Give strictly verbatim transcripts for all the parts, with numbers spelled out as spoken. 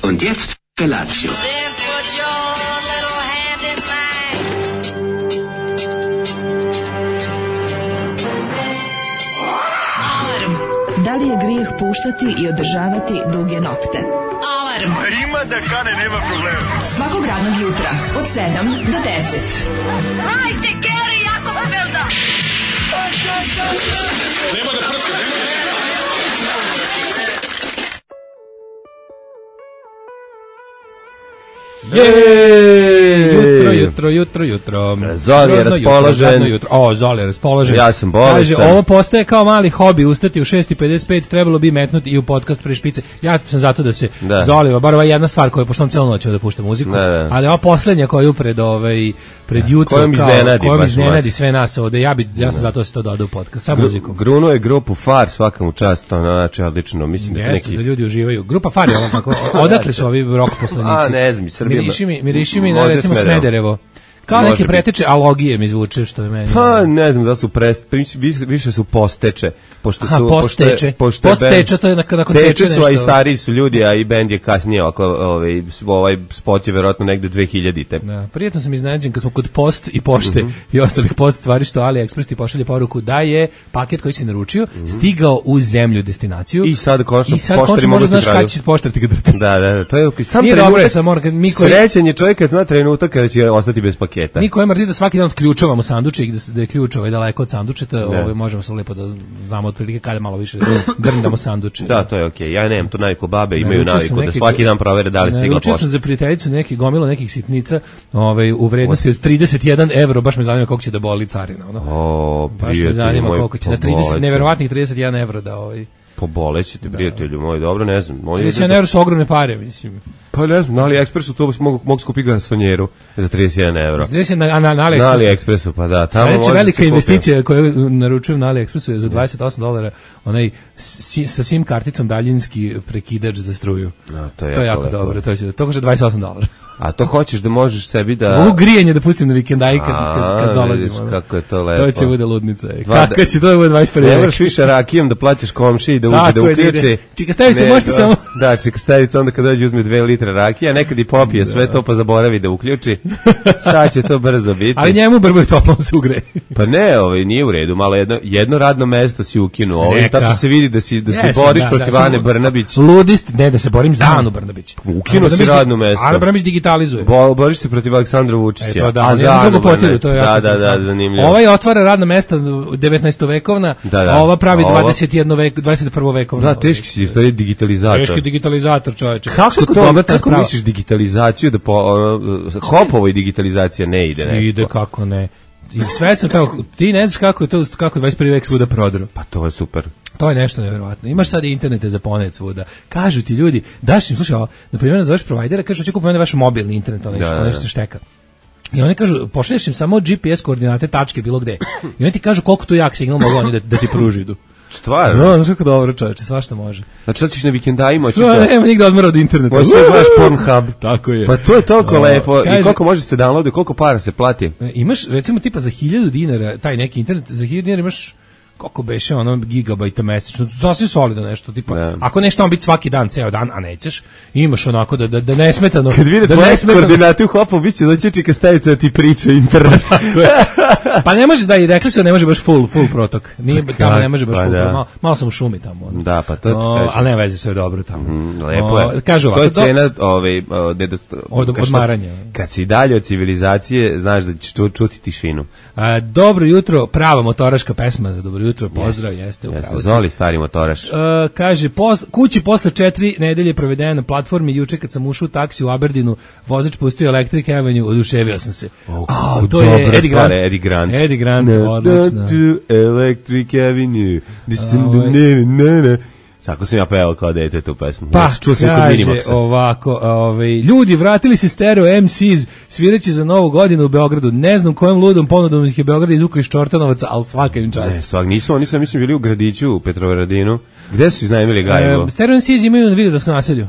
Und jetzt Felatio. Da li je grijeh puštati i održavati duge nokte? Alarm! Ima da kane, nema problema. Svakog radnog jutra, od sedam do deset. Hajde, Geri, jako se velda! Nema da prska, nema da Jej! Jutro, jutro, jutro, jutro. Zoli je raspoložen. Jutro, jutro. O, Zoli je raspoložen. Ja sam bolestan. Kaže, ovo postaje kao mali hobi, ustati u šest i pedeset pet, trebalo bi metnuti i u podcast pre špice. Ja sam zato da se da. Zoliva, bar ova jedna stvar koja je, pošto on cijelu noć da pušta muziku, da, da. Ali ova poslednja koja je upred, ovaj, pred jutro, kojom iznenadi, kojom iznenadi sve nas ovde, ja, bi, ja sam zato da se to doda u podcast, sa muzikom. Grunuo je grupu Far, svakamu čast, ono, znači, odlično, mislim da Jeste, neki... da ljudi uživaju. Grupa Far je ovo, tako, odakle su ovi rock poslanici? A, ne znam, Srbija... Miriši mi, miriši mi na, recimo, Smederevo. Kao neke preteče alogije mi zvuče, što je meni. Pa ne znam da su prest, više su posteče, pošto su Aha, posteče. Pošto posteče, to je nakon teče nešto. Teče su, a i stariji su ljudi, a i bend je kasnije, oko, ovaj, ovaj spot je verovatno negde dve hiljadite. Da, prijetno sam iznenađen kad smo kod post i pošte mm -hmm. i ostalih post stvari što AliExpress ti pošalje poruku da je paket koji si naručio mm -hmm. stigao u zemlju destinaciju. I sad konačno poštari mogu znaš kada će poštar ti ga drti. Da, da, to je sam trenutak. Dobro, sam mora, mi koji... Srećan je čovjek kad zna trenutak kada će ostati bez paketa. Mi koji mrzi da svaki dan otključavamo sanduče i da, da je ključ ovaj daleko od sandučeta, ovaj, možemo se lepo da znamo otprilike kada malo više drndamo sanduče. Da, to je okej. Okay. Ja nemam tu naviku, babe imaju naviku da svaki dan provere da li stigla pošta. Učio sam za prijateljicu neki gomilo nekih sitnica, ovaj, u vrednosti od trideset jedan evro, baš me zanima koliko će da boli carina. Ono. O, baš me zanima koliko će na trideset, neverovatnih trideset jedan evro da... Ovaj, pobolećete, prijatelju moj, dobro, ne znam. trideset jedan evro su ogromne pare, mislim. Pa ne znam, na AliExpressu to mogu, mogu skupiti garsonjeru za trideset jedan evro. trideset jedan na, na, na AliExpressu. Na AliExpressu, pa da. Tamo Sljedeća velika investicija koju naručujem na AliExpressu je za dvadeset osam dolara, onaj si, sa SIM karticom daljinski prekidač za struju. No, to je, to je jako lepo. Dobro, to će, to košta dvadeset osam dolara. A to hoćeš da možeš sebi da... Mogu grijanje da pustim na vikendaj kad, kad, kad dolazim. Vidiš, kako je to lepo. To će bude ludnica. Kako će to bude dvadeset prvi vek? Ne moraš više rakijom da plaćaš komši i da uđe da uključi. Čika stavica možete samo... Da, čika stavica onda kad dođe uzme dve litre rakija, nekad i popije da. Sve to pa zaboravi da uključi. Sad će to brzo biti. Ali njemu brbo je toplo se ugre. Pa ne, ovaj, nije u redu, malo jedno, jedno radno mesto si ukinuo. Ovaj, tačno se vidi da, si, da se boriš da, protiv da, Ane Brnabić. Ludist, ne da se borim za Anu Brnabić. Ukinuo si radno mesto. Ana Brnabić digitalizuje. Boriš se protiv Aleksandra Vučića. E, to da, a za drugo potiru, to je da, da, da, zanimljivo. Ovaj otvara radna mesta devetnaestovekovna, da, da. A ova pravi ova... dvadeset jedno vek, dvadeset prvo vekovna. Da, teški si, stvari digitalizator. Teški digitalizator, čoveče. Kako to, kako, kako misliš digitalizaciju da po uh, Hopovoj digitalizacija ne ide, ne? Ide kako ne. I sve sam kao, ti ne znaš kako je to, kako je dvadeset prvi vek svuda prodro. Pa to je super. To je nešto nevjerovatno. Imaš sad internete za ponet svuda. Kažu ti ljudi, daš im, slušaj, na primjer nazoveš provajdera, kažu hoće kupiti vaš mobilni internet, ono nešto, nešto se šteka. I oni kažu, pošalješ im samo G P S koordinate, tačke, bilo gde. I oni ti kažu koliko tu jak signal mogu oni da, da ti pruži idu. Stvarno? No, znaš kako dobro, čoveče, svašta može. Znači sad ćeš na vikendajima, hoćeš da... Nema nigde odmora od interneta. Hoćeš da gledaš Pornhub. Tako je. Pa to je toliko lepo. Kaže, i koliko može se downloaditi, koliko para se plati? Imaš, recimo, tipa za hiljadu dinara, taj neki internet, za hiljadu dinara imaš koliko beše ono gigabajta mesečno, sasvim solido nešto, tipa, yeah. Ako nešto on biti svaki dan, ceo dan, a nećeš, imaš onako da, da, da nesmetano. Kad vide da tvoje koordinate u Hopu, bit će doći čika stavica da ti priča internet. Pa ne može da, i rekli su da ne može baš full, full protok, nije, tamo ne može baš pa full, da. malo, malo sam u šumi tamo. Ono. Da, pa to ti kažem. Ali ne vezi, sve je dobro tamo. Mm, lepo je. O, kažu ovako, to je cena ovaj, nedost... od, odmaranja. Kad si dalje od civilizacije, znaš da ćeš čuti tišinu. A, dobro jutro, prava motoraška pesma za dobro jutro, pozdrav, yes. Jeste, Jeste, Zoli stari motoraš. Uh, kaže, pos, kući posle četiri nedelje provedene na platformi, juče kad sam ušao u taksi u Aberdinu, vozač pustio Electric Avenue, oduševio sam se. Oh, oh, to je Eddie Grant. Eddie Grant. Eddie Grant, odlično. Electric Avenue. Sako sam ja pevao kao dete tu pesmu. Pa, čuo sam kaže ovako, ovaj, ljudi vratili se stereo M Cs svirajući za novu godinu u Beogradu. Ne znam kojom ludom ponudom ih je Beograd izvukao iz Čortanovaca, ali svaka im čast. Ne, svak, nisu, oni su, mislim, bili u Gradiću, u Petrovaradinu. Gde su iznajmili Gajevo? E, stereo M Cs imaju na Vidovdanskom naselju.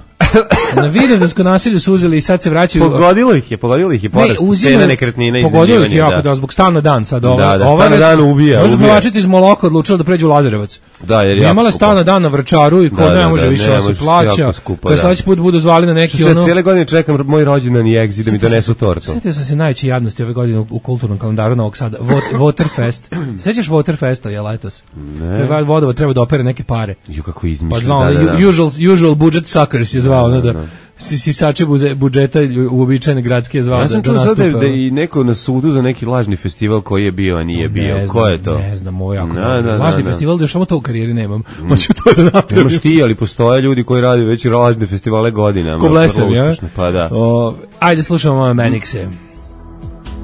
Na Vidovdanskom naselju su uzeli i sad se vraćaju. Pogodilo ih je, pogodilo ih je porast cena nekretnina. Pogodilo ih je jako, da, zbog stan na dan sad. Ovaj, da, da, stan na dan ubija. Možda Plovačica iz Moloka odlučila da pređe u Lazarevac. Da, jer je imala stalno dan na Vračaru i ko da, ne da, može da, više da se plaća. Kad da. Sledeći put budu zvali na neki ono. Cijele godine čekam moj rođendan i exit da mi donesu tortu. Sjetio sam se najveće jadnosti ove godine u, u kulturnom kalendaru Novog Sada. Waterfest. Sećaš Waterfesta je letos? Ne. Vodovod treba da opere neke pare. Jo kako izmišlja. Pa zvao, da, da, da. Usual, usual budget suckers je zvao, da, da. da. Sisače budžeta uobičajene gradske zvao. Ja sam čuo sad da, da i neko na sudu za neki lažni festival koji je bio, a nije bio. Ne Ko je to? Ne znam, ovo jako. Da, da, lažni da, festival, da još samo to u karijeri nemam. Hoću to da napravim. Nemaš ti, ali postoje ljudi koji rade već lažne festivale godinama. Ko blesem, ja? Pa da. O, ajde slušamo Manixe.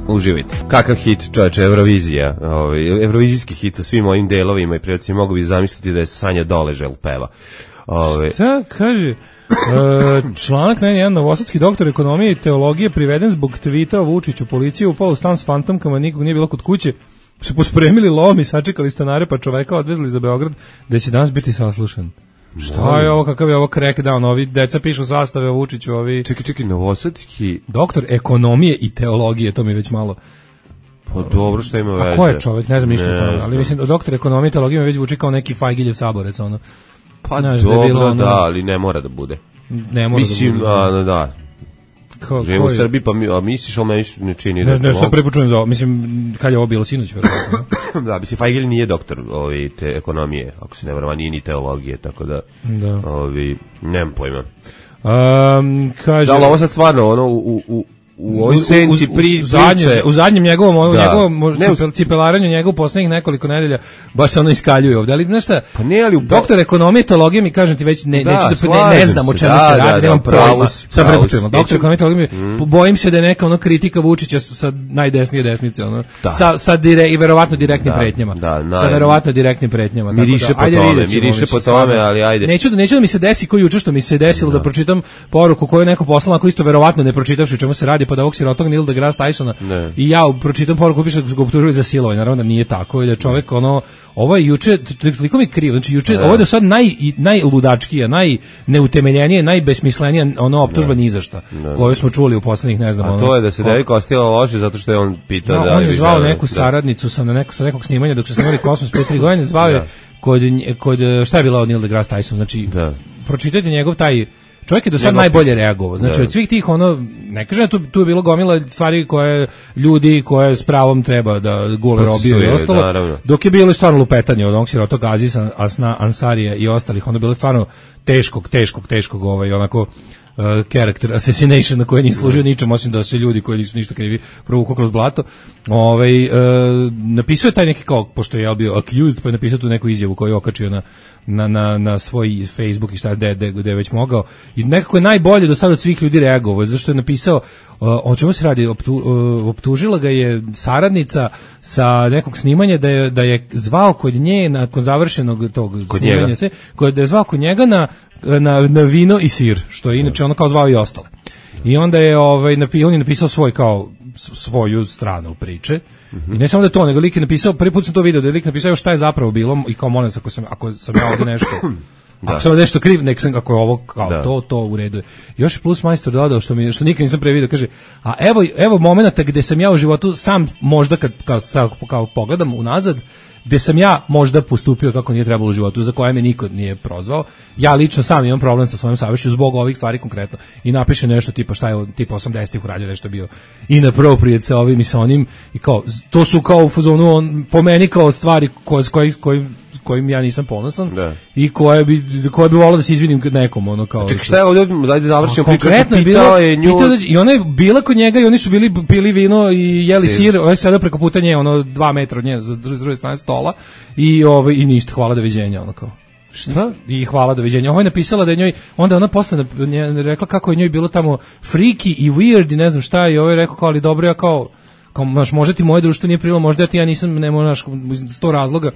Uživite. Kakav hit, čoveče, Eurovizija. Ovaj Eurovizijski hit sa svim ovim delovima i predstavljamo mogu bi zamisliti da je Sanja Doležel peva. Ove. Šta kaže? E, članak na jedan novosadski doktor ekonomije i teologije priveden zbog tvita o Vučiću. Policija upala u stan s fantomkama, nikog nije bilo kod kuće. Se pospremili lom i sačekali stanare, pa čoveka odvezli za Beograd, da će danas biti saslušan. Šta je ovo, kakav je ovo crackdown? Ovi deca pišu sastave o Vučiću, ovi... Čekaj, čekaj, novosadski... Doktor ekonomije i teologije, to mi već malo... Pa dobro, što ima veze. A ko je čovek, ne znam ništa o tome, ali mislim, doktor ekonomije i teologije mi već zvuči kao neki Fajgiljev saborec, ono. Pa znaš, dobro, da, bilo, ono, da, ali ne mora da bude. Ne mora mislim, da bude. A, da. Živimo u Srbiji, pa mi, a misliš, ali meni ne čini. Ne, ne, sad prepočujem za ovo. Mislim, kad je ovo bilo sinoć, verovatno. Da, mislim, Fajgilj nije doktor ovi, te ekonomije, ako se ne vrama, nije ni teologije, tako da, da. Ovi, nemam pojma. Um, kaže... Da, ali ovo sad stvarno, ono, u... u u ovoj senci pri u, zadnje, u zadnjem njegovom u njegovom cipel, cipelaranju njegov poslednjih nekoliko nedelja baš se ono iskaljuje ovde, ali znaš šta, pa ne, ali u doktor ekonomije teologije mi kažem ti već ne, da, neću da ne, ne znam o čemu da, se radi, da, nemam pojma. Sad prepočujemo, doktor ekonomije teologije mm. bojim se da je neka ono kritika Vučića sa, sa najdesnije desnice, ono da. sa sa dire, i verovatno direktnim da, pretnjama da, na, sa verovatno direktnim pretnjama, miriše po tome, miriše po tome, ali ajde. Neću da neću da mi se desi ko juče što mi se desilo da pročitam poruku koju neko poslao, ako isto verovatno ne pročitavši o čemu se radi, pa da ovog sirotog Neil deGrasse Tysona i ja pročitam poruku piše da ga optužuju za silovanje, naravno da nije tako, jer je čovjek ono, ovo je juče, toliko mi krivo, znači juče, ovo je do sad naj, najludačkija, najneutemeljenije, najbesmislenija ono optužba ni za šta, koju smo čuli u poslednjih, ne znam. A to je da se Deviko ostila loše zato što je on pitao da... da on je zvao neku saradnicu sa, na neko, sa nekog snimanja dok su snimali Kosmos pre tri godine, zvao je kod, kod, šta je bila od Neil deGrasse Tyson, znači, pročitajte njegov taj... Čovjek je do sad najbolje reagovao. Znači, od svih tih, ono, ne kažem, tu, tu je bilo gomila stvari koje ljudi koje s pravom treba da gule robiju i ostalo, naravno. Dok je bilo stvarno lupetanje od onog sirotog Azisa, Asna, Ansarija i ostalih, ono je bilo stvarno teškog, teškog, teškog, ovaj, onako, uh, character assassination na koje nije služio ničem, osim da se ljudi koji nisu ništa krivi provuku kroz blato. Ovaj, uh, napisao je taj neki kao, pošto je ja bio accused, pa je napisao tu neku izjavu koju je okačio na Na, na, na svoj Facebook i šta gde, gde, gde je već mogao i nekako je najbolje do sada od svih ljudi reagovao, zašto je napisao uh, o čemu se radi, optu, uh, optužila ga je saradnica sa nekog snimanja da je, da je zvao kod nje nakon završenog tog kod snimanja se, kod, da je zvao kod njega na, na, na vino i sir, što je inače ono kao zvao i ostale i onda je ovaj, napi, on je napisao svoj kao svoju stranu priče. I ne samo da je to, nego lik je napisao, prvi put sam to video, da je lik napisao šta je zapravo bilo i kao molim se, ako sam, ako sam ja ovdje nešto, da. Ako sam nešto kriv, nek sam, ako je ovo, kao da. to, to u redu. Još je plus majstor dodao, što, mi, što nikad nisam pre video, kaže, a evo, evo momenta gde sam ja u životu sam možda kad kao, kao pogledam unazad, gde sam ja možda postupio kako nije trebalo u životu, za koje me niko nije prozvao. Ja lično sam imam problem sa svojom savješću zbog ovih stvari konkretno. I napiše nešto tipa šta je tipa osamdesetih uradio nešto bio inappropriate sa ovim i sa onim i kao to su kao u fazonu on po meni kao stvari koje koji koji kojim ja nisam ponosan da. I koje bi za koje bi voleo da se izvinim nekom ono kao. Čekaj, šta je ovdje, ajde završimo priču. Konkretno je bilo je nju... i ona je bila kod njega i oni su bili pili vino i jeli sir, sir ovaj sada preko puta nje ono dva metra od nje za druge strane stola i ovaj i ništa, hvala doviđenja ono kao. Šta? I hvala doviđenja. Ovo je napisala da je njoj, onda ona posle rekla kako je njoj bilo tamo freaky i weird i ne znam šta i ovo je rekao kao ali dobro ja kao kao znaš, možda ti moje društvo nije prilo, možda ti ja nisam, nema znaš, sto razloga,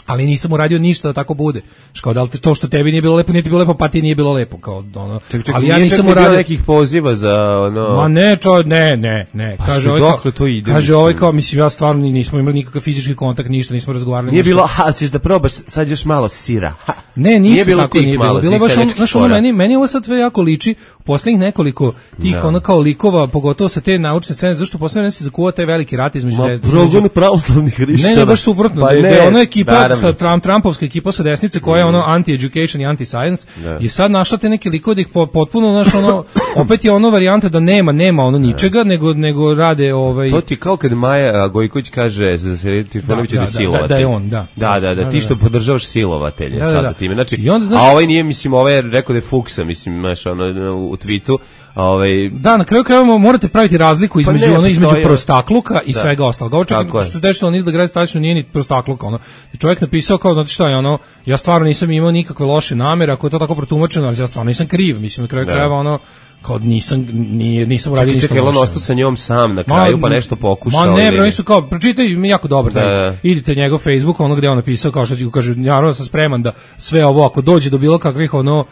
ali nisam uradio ništa da tako bude. Kao da li to što tebi nije bilo lepo, nije ti bilo lepo, pa ti nije bilo lepo, kao ono. Ček, ček, ali ja nisam uradio nekih poziva za ono. Ma ne, čo, ne, ne, ne. Pa kaže ovaj kao, to ide, kaže ovaj kao mislim ja stvarno nismo imali nikakav fizički kontakt, ništa, nismo razgovarali. Nije ništa. Bilo, ha, ćeš da probaš sad još malo sira. Ha. Ne, ništa bilo tako nije bilo. malo, Bilo tih baš ono, seljačkih znaš, ono, fora. meni, meni ovo sad sve jako liči u poslednjih nekoliko tih Da. ono kao likova, pogotovo sa te naučne scene, zašto poslednje se zakuvao taj veliki rat između Ma, desnice. progon pravoslavnih hrišćana. Ne, ne, baš suprotno. Pa da, je- da je ne, ono ekipa naravno. sa Trump, Trumpovska ekipa sa desnice koja je ono anti-education i anti-science Da. je sad našla te neke likove da ih po- potpuno, znaš, ono, opet je ono varijanta da nema, nema ono ničega, nego, nego rade ovaj... To ti je kao kad Maja Gojković kaže za Sergej Trifunović Da, da, da, da, silovatelj. da, da je on, da. Da, da, da, Da, ti da, što da. podržavaš silovatelje Da, da, sada da. time. Znači, I onda, znaš- a ovaj nije, mislim, ovaj je rekao da je fuksa, mislim, znaš, ono, u tweetu, a ovaj... Da, na kraju krajeva morate praviti razliku između Pa ne, ono između postoji- prostakluka i Da. svega ostalog. Ovo čak Tako je. što se dešava niz da grad stanično nije ni prostakluka, ono. Čovjek napisao kao, znate šta je ono, ja stvarno nisam imao nikakve loše namere, ako je to tako protumačeno, ali ja stvarno nisam kriv, mislim na kraju Da. krajeva ono kao nisam nije nisam uradio Čekaj, ništa čekaj, jel on loše. ostao sa njom sam na kraju, pa nešto pokušao. Ma ne, ili- bre, oni su kao, pročitaj, mi jako dobar taj. Da. Idite njegov Facebook, ono gde je on napisao, kao što ti kaže, naravno sam spreman da sve ovo, ako dođe do bilo kakvih, ono,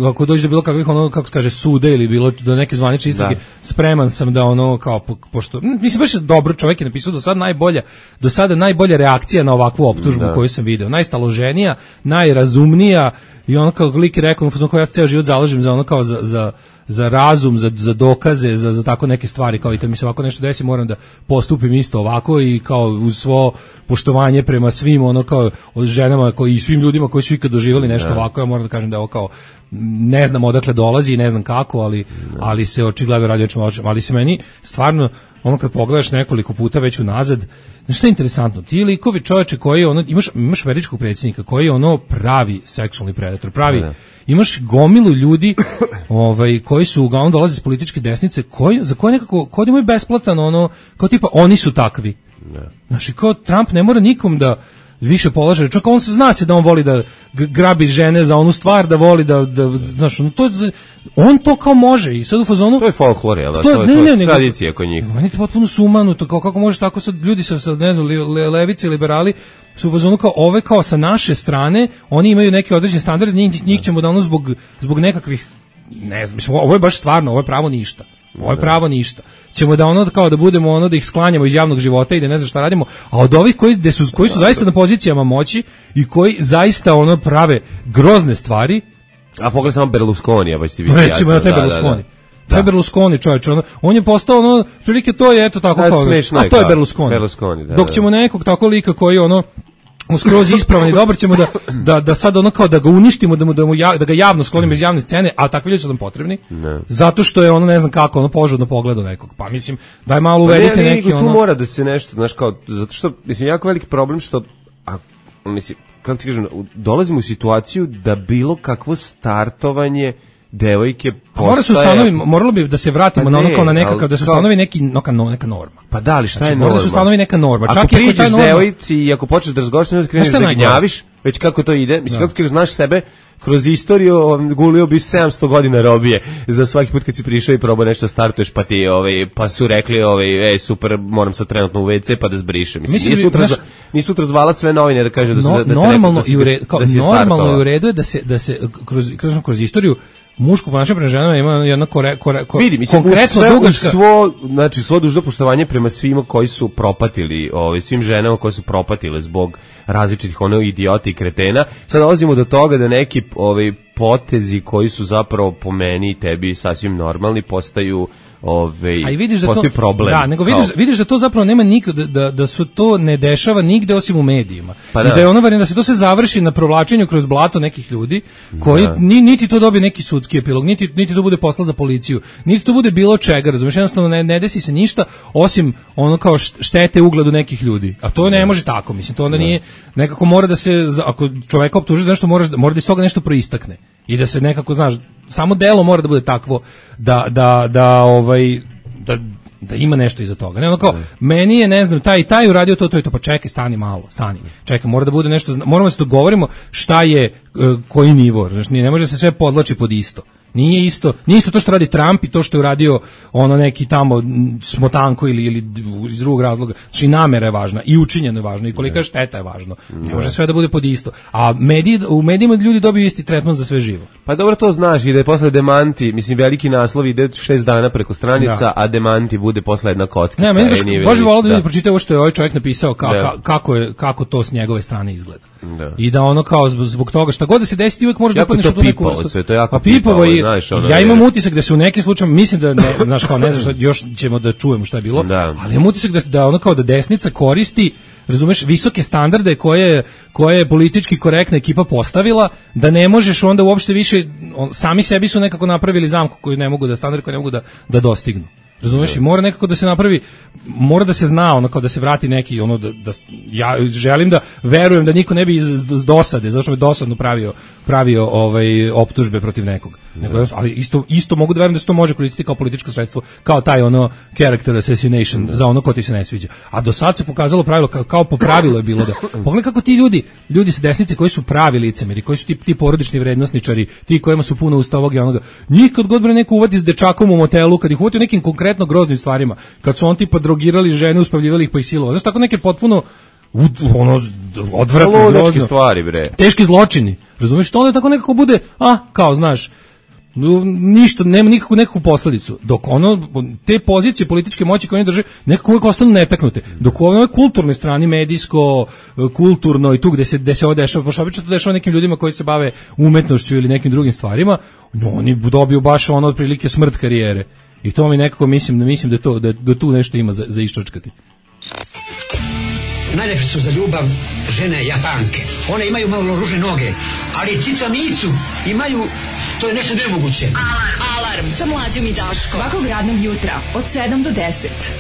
ako dođe do bilo kakvih, ono, kako se kaže, sude ili bilo do neke zvanične istrage, Da. spreman sam da ono, kao, po- pošto, m, mislim, baš je dobro, čovjek je napisao do sada najbolja, do sada najbolja reakcija na ovakvu optužbu Da. koju sam video, najstaloženija, najrazumnija, i ono kao lik je rekao, ono, kao ja se ceo život zalažem za ono kao za, za za razum, za, za dokaze, za, za tako neke stvari, kao i kad mi se ovako nešto desi, moram da postupim isto ovako i kao uz svo poštovanje prema svim, ono kao od ženama koji, i svim ljudima koji su ikad doživjeli nešto ovako, ja moram da kažem da je ovo kao, ne znam odakle dolazi i ne znam kako, ali, ali se očigledno radi o čemu hoćemo, ali se meni stvarno, ono kad pogledaš nekoliko puta već unazad, znaš šta je interesantno, ti likovi čoveče koji, ono, imaš, imaš američkog predsjednika koji je ono pravi seksualni predator, pravi, imaš gomilu ljudi ovaj koji su uglavnom dolaze iz političke desnice koji za koje nekako kod imaju besplatan ono kao tipa oni su takvi. Znači kao Trump ne mora nikom da više polaže, čak on se zna se da on voli da g- grabi žene za onu stvar, da voli da, da znaš, ono, to, je- on to kao može i sad u fazonu To je folklor, jel da? To je- To je, ne, to je ne, nego- tradicija kod njih. meni je to potpuno sumanuto, kao kako možeš tako sad ljudi sa, sa ne znam, li- le- levice, liberali su u fazonu kao ove kao sa naše strane, oni imaju neke određene standarde, njih, njih ćemo da ono zbog, zbog nekakvih, ne znam, mislim, ovo je baš stvarno, ovo je pravo ništa. Ovo je pravo ništa. Ćemo da ono kao da budemo ono da ih sklanjamo iz javnog života i da ne znam šta radimo, a od ovih koji gde su koji su zaista na pozicijama moći i koji zaista ono prave grozne stvari, A pogledaj samo Berlusconija, pa će ti biti recimo jasno. na taj Da, da, da. Berlusconi. Taj Berlusconi, čovječ, ono, on je postao ono, prilike to je eto tako Da, kao, smešno je a to je kao Berlusconi. Berlusconi, da, Dok da. ćemo nekog tako lika koji je ono skroz ispravan i dobar ćemo da, da, da sad ono kao da ga uništimo, da, mu, da, mu ja, da ga javno sklonimo iz javne scene, a takvi ljudi su nam potrebni, zato što je ono ne znam kako, ono požudno pogleda nekog. Pa mislim, daj malo Pa ne, uvedite ne, neki nego tu ono... mora da se nešto, znaš, kao, zato što, mislim, jako veliki problem što, a, mislim, kako ti kažem, u- dolazimo u situaciju da bilo kakvo startovanje devojke A mora se postaje... ustanovi, moralo bi da se vratimo Pa na ono ne, kao na nekakav, ali da se kao- ustanovi neki, neka, neka norma. Pa da, ali šta Znači, je mora norma? da se ustanovi neka norma. Ako Čak i ako je ta priđeš norma- devojci i ako počneš da razgovaraš, ne kreneš Znaš šta je da najgore? gnjaviš, već kako to ide, mislim, kako ti kažeš, znaš sebe, kroz istoriju um, gulio bi sedamsto godina robije za svaki put kad si prišao i probao nešto startuješ, pa ti, ovaj, pa su rekli, ovaj, ej, super, moram sad trenutno u ve ce pa da zbrišem. Mislim, Mislim nisu, da bi, utra, znaš- nisu utra zvala sve novine da kažu da su No, da, da, normalno da, si- i u redu, kao, da si je normalno startova. i u redu je da se da se kroz kroz, kroz istoriju muško ponašanje prema ženama ima jedna kore, kore, kore, Vidi, mislim, konkretno uz sve, uz dugačka. svo, znači, svo dužno poštovanje prema svima koji su propatili, ovaj, svim ženama koje su propatile zbog različitih ono idiota i kretena. Sad dolazimo do toga da neki ovaj, potezi koji su zapravo po meni i tebi sasvim normalni postaju ovaj, A i vidiš da to postaju problem. Da, nego vidiš, Kao- vidiš da to zapravo nema nikad da, da, da su to ne dešava nigde osim u medijima. Pa I da. da je ono varijanta da se to sve završi na provlačenju kroz blato nekih ljudi koji Da. ni, niti to dobije neki sudski epilog, niti niti to bude posla za policiju, niti to bude bilo čega, razumiješ, jednostavno ne, ne desi se ništa osim ono kao št- štete ugledu nekih ljudi. A to ne može tako, mislim, to onda nije nekako mora da se za- ako čoveka optuži za nešto moraš da- mora da iz toga nešto proistakne i da se nekako znaš, samo delo mora da bude takvo da da da ovaj da da ima nešto iza toga. Ne, ono kao, meni je, ne znam, taj i taj uradio to, to i to, pa čekaj, stani malo, stani. Čekaj, mora da bude nešto, zna- moramo da se dogovorimo šta je, e, koji nivo, znači, ne može se sve podlači pod isto. Nije isto, nije isto to što radi Trump i to što je uradio ono neki tamo smotanko ili, ili iz drugog razloga. Znači namera je važna i učinjeno je važno i kolika šteta je važno. Ne može sve da bude pod isto. A mediji, u medijima ljudi dobiju isti tretman za sve živo. Pa dobro to znaš i da je posle demanti, mislim veliki naslov ide šest dana preko stranica, da. A demanti bude posle jedna kockica. Ne, meni baš, baš bi volao da ljudi pročitaju ovo što je ovaj čovjek napisao ka, ka, kako, je, kako to s njegove strane izgleda. Da. I da ono kao zbog toga šta god da se desi ti uvijek možeš da upadneš u tu neku vrstu. Sve, to je jako pa pipavo i znaš, ono ja imam utisak da se u nekim slučajevima mislim da ne, znaš kao ne znaš još ćemo da čujemo šta je bilo, da. Ali imam utisak da da ono kao da desnica koristi, razumeš, visoke standarde koje koje je politički korektna ekipa postavila, da ne možeš onda uopšte više on, sami sebi su nekako napravili zamku koju ne mogu da standard koji ne mogu da da dostignu. Razumeš, i mora nekako da se napravi, mora da se zna, ono kao da se vrati neki, ono da, da ja želim da verujem da niko ne bi iz, iz dosade, zato što me dosadno pravio, pravio ovaj, optužbe protiv nekog. Nego, ali isto, isto mogu da verujem da se to može koristiti kao političko sredstvo, kao taj ono character assassination za ono ko ti se ne sviđa. A do sad se pokazalo pravilo, kao, kao po pravilu je bilo da, pogledaj kako ti ljudi, ljudi sa desnice koji su pravi licemeri, koji su ti, ti porodični vrednosničari, ti kojima su puno usta ovoga i onoga, njih kad god bre neko uvati s dečakom u motelu, kad ih uvati u nekim konkretnim groznim stvarima, kad su on tipa drogirali žene, uspavljivali ih pa i silovali. Znaš, tako neke potpuno u, ono, odvratne stvari, bre. Teški zločini. Razumiješ, to onda tako nekako bude, a, kao, znaš, ništa, nema nikakvu nekakvu posledicu. Dok ono, te pozicije političke moći koje oni drže, nekako uvijek ostanu netaknute. Dok u ovoj kulturnoj strani, medijsko, kulturno i tu gde se, gde se ovo dešava, pošto obično to dešava nekim ljudima koji se bave umetnošću ili nekim drugim stvarima, no, oni dobiju baš ono otprilike smrt karijere. I to mi nekako mislim da mislim da to da, da tu nešto ima za za iščačkati. Najlepše su za ljubav žene Japanke. One imaju malo ružne noge, ali cica micu imaju, to je nešto nemoguće. Alarm, alarm sa Mlađom i Daškom. Svakog radnog jutra od sedam do deset.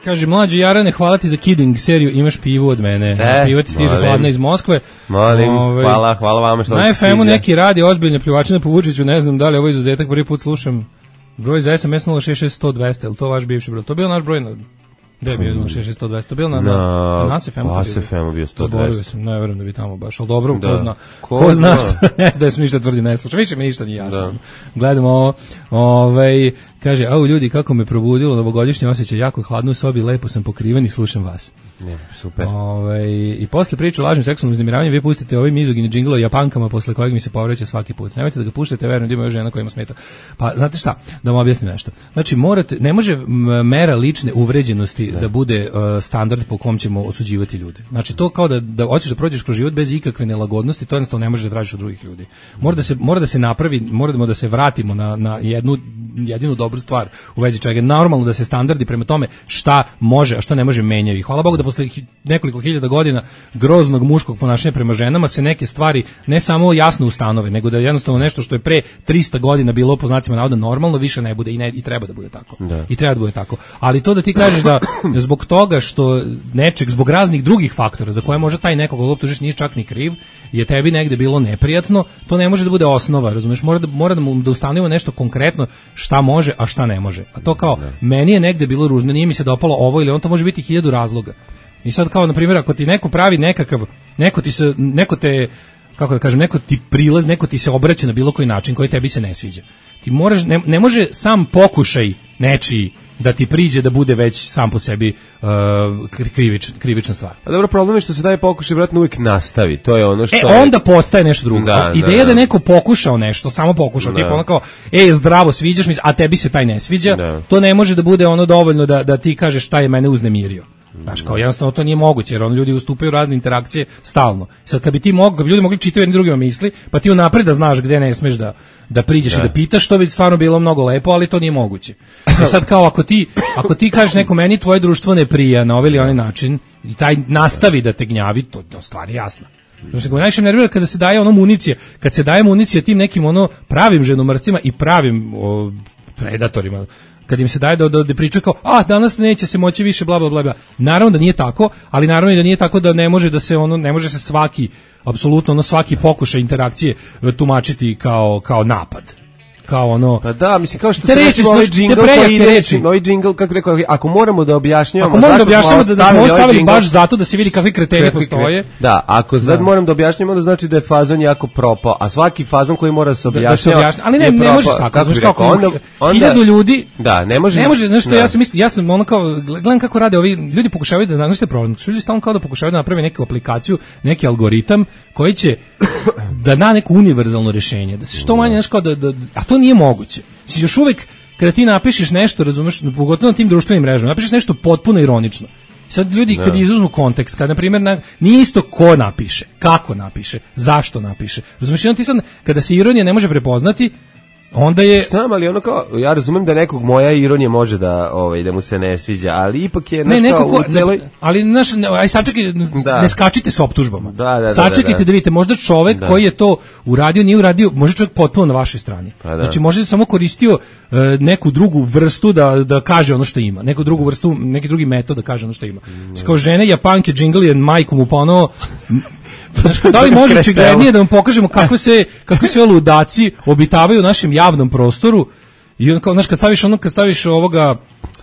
Kaže, Mlađo Jarane, hvala ti za Kidding seriju, imaš pivu od mene. E, pivo ti stiže hladna iz Moskve. Molim, Ove, hvala, hvala vama što na F M-u neki radi ozbiljne pljuvačine po Vučiću, ne znam da li je ovo izuzetak, prvi put slušam. Broj za S M S nula šest šest sto dvesta, je li to vaš bivši broj? To je bio naš broj na... Gde je bio nula šest šest sto dvesta? To je bio na, na, na, na Nas F M-u? Na Nas F M-u bio sto dvesta. Zaboravio sam, ne verujem da bi tamo baš, ali dobro, da. ko zna, ko, ko zna što, ne znam da sam ništa tvrdim, ne slušam, više mi ništa nije jasno. Da. Gledamo ovo, ovaj, kaže, au ljudi, kako me probudilo, novogodišnje osjećaj, jako hladno u sobi, lepo sam pokriven i slušam vas. Ne, super. Ovaj, i posle priče o lažnom seksualnom uznemiravanju vi pustite ovaj mizogini džingl o Japankama posle kojeg mi se povreće svaki put. Nemojte da ga puštate, verujem da ima još žena koja ima smeta. Pa znate šta, da vam objasnim nešto. Znači morate, ne može mera lične uvređenosti ne. da bude uh, standard po kom ćemo osuđivati ljude. Znači to kao da da hoćeš da prođeš kroz život bez ikakve nelagodnosti, to jednostavno ne možeš da tražiš od drugih ljudi. Mora da se mora da se napravi, moramo da se vratimo na na jednu jedinu dobru stvar u vezi čega je normalno da se standardi prema tome šta može, a šta ne može menjaju. Hvala Bogu da posle nekoliko hiljada godina groznog muškog ponašanja prema ženama se neke stvari ne samo jasno ustanove, nego da jednostavno nešto što je pre trista godina bilo po znacima navoda normalno više ne bude i ne i treba da bude tako. Da. I treba da bude tako. Ali to da ti kažeš da zbog toga što nečeg zbog raznih drugih faktora za koje može taj neko koga optužiš nije čak ni kriv, je tebi negde bilo neprijatno, to ne može da bude osnova, razumeš? Mora da mora da mu da ustanovimo nešto konkretno šta može, a šta ne može. A to kao meni je negde bilo ružno, nije mi se dopalo ovo ili on, to može biti hiljadu razloga. I sad kao na primjer ako ti neko pravi nekakav neko ti se neko te kako da kažem, neko ti prilaz, neko ti se obraća na bilo koji način koji tebi se ne sviđa. Ti moraš ne, ne može sam pokušaj nečiji da ti priđe da bude već sam po sebi uh, krivič, krivična stvar. A dobro, problem je što se daje pokušaj vratno uvijek nastavi. To je ono što E, je... onda postaje nešto drugo. Da, Ideja da, da je neko pokušao nešto, samo pokušao, tipa ono kao, ej, zdravo, sviđaš mi, a tebi se taj ne sviđa, da. To ne može da bude ono dovoljno da, da ti kažeš šta je mene uznemirio. Znaš, kao jednostavno to nije moguće, jer on ljudi ustupaju razne interakcije stalno. Sad kad bi ti mogli, kad bi ljudi mogli čitati jedni drugima misli, pa ti unapred da znaš gde ne smeš da da priđeš da. i da pitaš, to bi stvarno bilo mnogo lepo, ali to nije moguće. I sad kao ako ti ako ti kažeš neko meni tvoje društvo ne prija na ovaj ili onaj način i taj nastavi da te gnjavi, to to stvar je jasna. Znači, go najviše nervira kada se daje ono municija, kad se daje municija tim nekim ono pravim ženomrcima i pravim o, predatorima. Kad im se daje da, da, da pričaju kao, a danas neće se moći više, bla, bla, bla, bla. Naravno da nije tako, ali naravno i da nije tako da ne može da se ono, ne može se svaki, apsolutno ono svaki pokušaj interakcije tumačiti kao, kao napad. kao ono. Pa da, mislim kao što te se reči, recimo ovaj te džingl prejake koji ide, reči. ovaj džingl kako rekao, ako moramo da objašnjavamo, ako moramo da zašto smo objašnjavamo da, da smo ostavili ostavili ovaj džingl, baš zato da se vidi kakvi kreteni postoje. Da, ako sad moram da objašnjavamo, onda znači da je fazon jako propao, a svaki fazon koji mora se Da, da se objašnjava, objašnja, ali ne, je ne propao. možeš tako, znaš bi kako rekao, onda, onda, hiljadu ljudi, da, ne može, ne može, znaš što da. ja sam mislim, ja sam ono kao, gledam kako rade ovi, ljudi pokušavaju da, znaš što je problem, ljudi stalno kao da pokušavaju da naprave neku aplikaciju, neki algoritam koji će da na neko univerzalno rješenje, da se što manje, znaš kao da, da, a to nije moguće. Si još uvek, kada ti napišeš nešto, razumeš, pogotovo na tim društvenim mrežama, napišeš nešto potpuno ironično. Sad ljudi kad izuzmu kontekst, kad na primjer na, nije isto ko napiše, kako napiše, zašto napiše. Razumeš, ti sad kada se ironija ne može prepoznati, onda je Znam, ali ono kao, ja razumem da nekog moja ironija može da, ovaj, da mu se ne sviđa, ali ipak je, ne, znaš, kao, nekako, u celoj... ali znaš, aj sačekaj, Da. ne skačite sa optužbama. Da, da, da, Sačekajte da, da. da vidite, možda čovek Da. koji je to uradio, nije uradio, možda čovjek potpuno na vašoj strani. Pa da. Znači, možda je samo koristio e, neku drugu vrstu da, da kaže ono što ima, neku drugu vrstu, neki drugi metod da kaže ono što ima. Mm. Kao žene, Japanke, džingl je majku mu ponovo. Znaš, da li može očiglednije da vam pokažemo kako se kako sve ludaci obitavaju u našem javnom prostoru i on kao, znaš, kad staviš ono, kad staviš ovoga,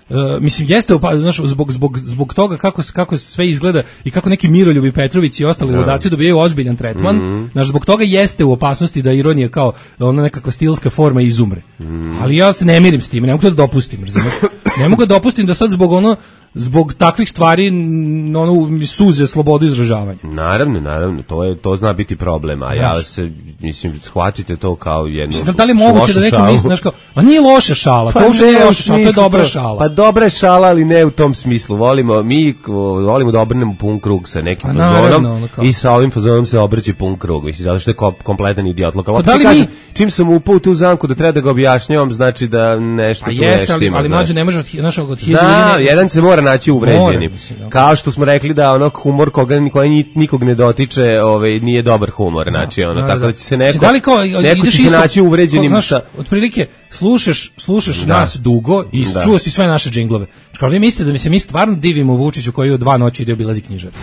uh, mislim, jeste, opa, znaš, zbog, zbog, zbog toga kako, kako sve izgleda i kako neki Miroljubi Petrović i ostali ludaci dobijaju ozbiljan tretman, mm-hmm. znaš, zbog toga jeste u opasnosti da ironija kao ona nekakva stilska forma izumre. Mm-hmm. Ali ja se ne mirim s tim, ne mogu to da dopustim, razumiješ? Ne mogu da dopustim da sad zbog ono, zbog takvih stvari n- ono mi suze slobodu izražavanja. Naravno, naravno, to je to zna biti problem, a ja se mislim shvatite to kao jednu. Mislim, da li je moguće da neko šalu. misli, znaš kao, a nije loša šala, Pa to uopšte nije ne u loša šala, to je smislu dobra to- šala. Pa dobra je šala, ali ne u tom smislu. Volimo mi volimo da obrnemo pun krug sa nekim Pa naravno, fazonom ono kao. i sa ovim fazonom se obrće pun krug. Mislim, zato što je ko- kompletan idiot. Lokal. Pa da li kažem, mi- čim sam upao u tu zamku da treba da ga objašnjavam, znači da nešto Pa tu jeste, nešto ali, ima. ali znaš. mlađe ne može od, hi- znaš, od hiljadu Da, ljudi ne- jedan se mora naći uvređenim. Mora, mislim, da. Kao što smo rekli da ono humor koga koji ni- nikog ne dotiče, ovaj nije dobar humor, znači ono Da, tako da. da će se neko Da li kao, neko ideš će se isto- naći uvređenim kao, znaš, sa otprilike slušaš, slušaš Da. nas dugo i Da. čuo si sve naše džinglove. Kao vi mislite da mi se mi stvarno divimo Vučiću koji u dva noći ide obilazi knjižare.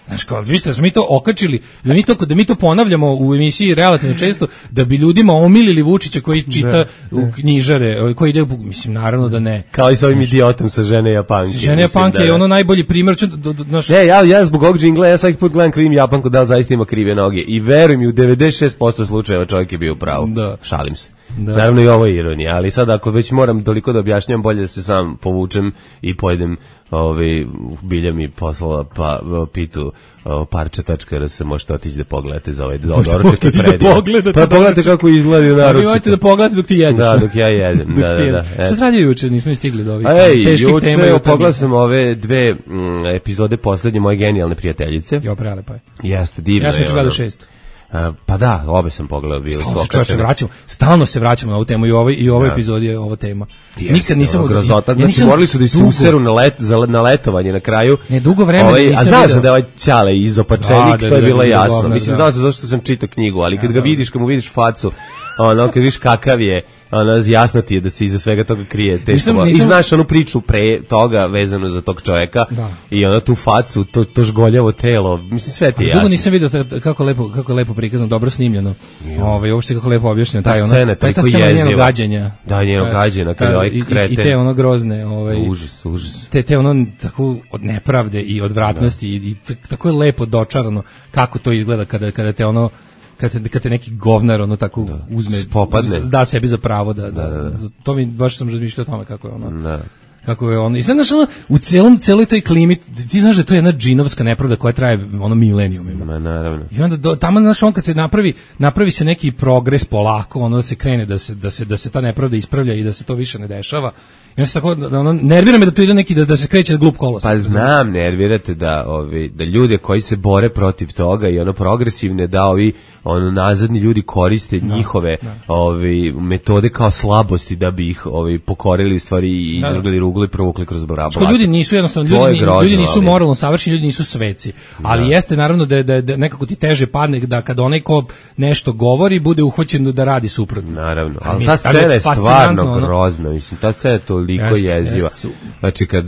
Znaš, kao, vi ste, da smo mi to okačili, da mi to, da mi to ponavljamo u emisiji relativno često, da bi ljudima omilili Vučića koji čita u knjižare, koji ide, u, mislim, naravno da ne. kao i sa ovim idiotom sa žene Japanke. Žene mislim, Japanke da, je da. ono najbolji primjer. Ću, do, do, naš, Ne, ja, ja zbog ovog džingla, ja svaki put gledam krivim Japanku da li zaista ima krive noge. I veruj mi, u devedeset šest posto slučajeva čovjek je bio u pravu. Da. Šalim se. Da. Naravno i ovo je ironija, ali sad ako već moram toliko da objašnjam, bolje da se sam povučem i pojedem ovaj, bilja mi poslala pa, pitu o, parče tačka r s, možete otići da pogledate za ovaj doručak Možete i otići da predivno. pogledate Pa pogledajte doručak. kako izgleda Vi naručak. možete da pogledate dok ti jedeš. Da, dok ja jedem. Dok da, ti da, jedeš. da. Šta se radio juče? Nismo ni stigli do ovih Ej, teških tema. i juče utakmica. pogledao sam ove dve mm, epizode poslednje moje genijalne prijateljice. Jo, prelepa je. Jeste, divno Ja sam je juče gledao ono. šest. A, pa da, obe sam pogledao, bili su Stalno se čovječe okačene. vraćamo, stalno se vraćamo na ovu temu i u ovoj i u ovoj Da. epizodi je ova tema. Jeste, Nikad nisam ono, od- grozota, ja znači nisam morali su da se dugo- useru na let za na letovanje na kraju. Ne, dugo vremena Ovaj, nisam a znao video. sam da je ovaj Ćale izopačenik, Da, da, to je da, bilo da, da, jasno. govnar, Mislim, da. znao sam zašto sam čitao knjigu, ali kad ga vidiš, kad mu vidiš facu, ono, kad vidiš kakav je, ono, jasno ti je da se iza svega toga krije teško. Nisam- I nisam- znaš onu priču pre toga vezano za tog čoveka Da. i ono tu facu, to, to žgoljavo telo, mislim, sve ti je jasno. Dugo nisam video ta- kako lepo kako je lepo prikazano, dobro snimljeno. Ovaj uopšte kako lepo objašnjeno taj Ta ono. scena je taj ta toliko scena jeziva. njenog gađenja. Da, njenog Ta- gađenja, kad ta- ovaj i- i- I kreten. te ono grozne, ovaj Užas, užas. te te ono tako od nepravde i odvratnosti i, i t- tako je lepo dočarano kako to izgleda kada kada te ono kad te, kad te neki govnar ono tako uzme Popadne. da sebi za pravo da, da, za- to mi baš sam razmišljao o tome kako je ono Da. kako je ono i sad znaš ono u celom celoj toj klimi ti znaš da je to jedna džinovska nepravda koja traje ono milenijumima. Ma, naravno. I onda do, tamo znaš on kad se napravi napravi se neki progres polako, ono da se krene da se da se da se ta nepravda ispravlja i da se to više ne dešava. I onda se tako da, ono nervira me da to ide neki da, da se kreće glup kolos. Pa znam, nervirate da ovi da ljude koji se bore protiv toga i ono progresivne da ovi ono nazadni ljudi koriste njihove ovi metode kao slabosti da bi ih ovi pokorili u stvari i Da, da. izvrgli ruglu rugli provukli kroz blato. Što ljudi nisu jednostavno ljudi, grozno, ljudi nisu ali... moralno savršeni, ljudi nisu sveci. Ali da. Jeste naravno da, da, da nekako ti teže padne da kad onaj ko nešto govori bude uhvaćen da radi suprotno. Naravno, ali ta scena je stvarno grozna, mislim, ta scena je toliko jest, jeziva. Jest, znači kad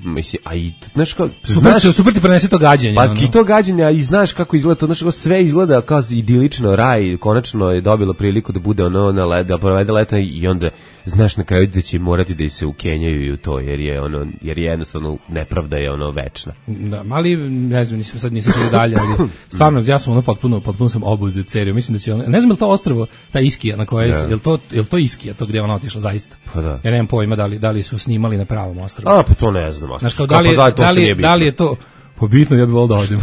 mislim, a i znaš kao super, znaš, super ti prenese to gađenje. Pa i to gađenje i znaš kako izgleda to, znaš, sve izgleda kao idilično, raj konačno je dobilo priliku da bude ono na led, da provede leto i onda znaš na kraju da će morati da se ukenjaju i u to, jer je ono, jer je jednostavno nepravda je ono večna. Da, mali, ne znam, nisam sad nisam čuo dalje, ali stvarno ja sam ono potpuno, potpuno sam obuzet seriju. Mislim da će ono, ne znam je li to ostrvo, ta Iskija na kojoj, je li to, je li to Iskija, to gdje ona otišla zaista? Pa da. Ja nemam pojma da li, da li su snimali na pravom ostrvu. A, pa to ne znam. Znaš, kao, da li, da, da, li, da li je to, pa bitno, ja bih volio da odim.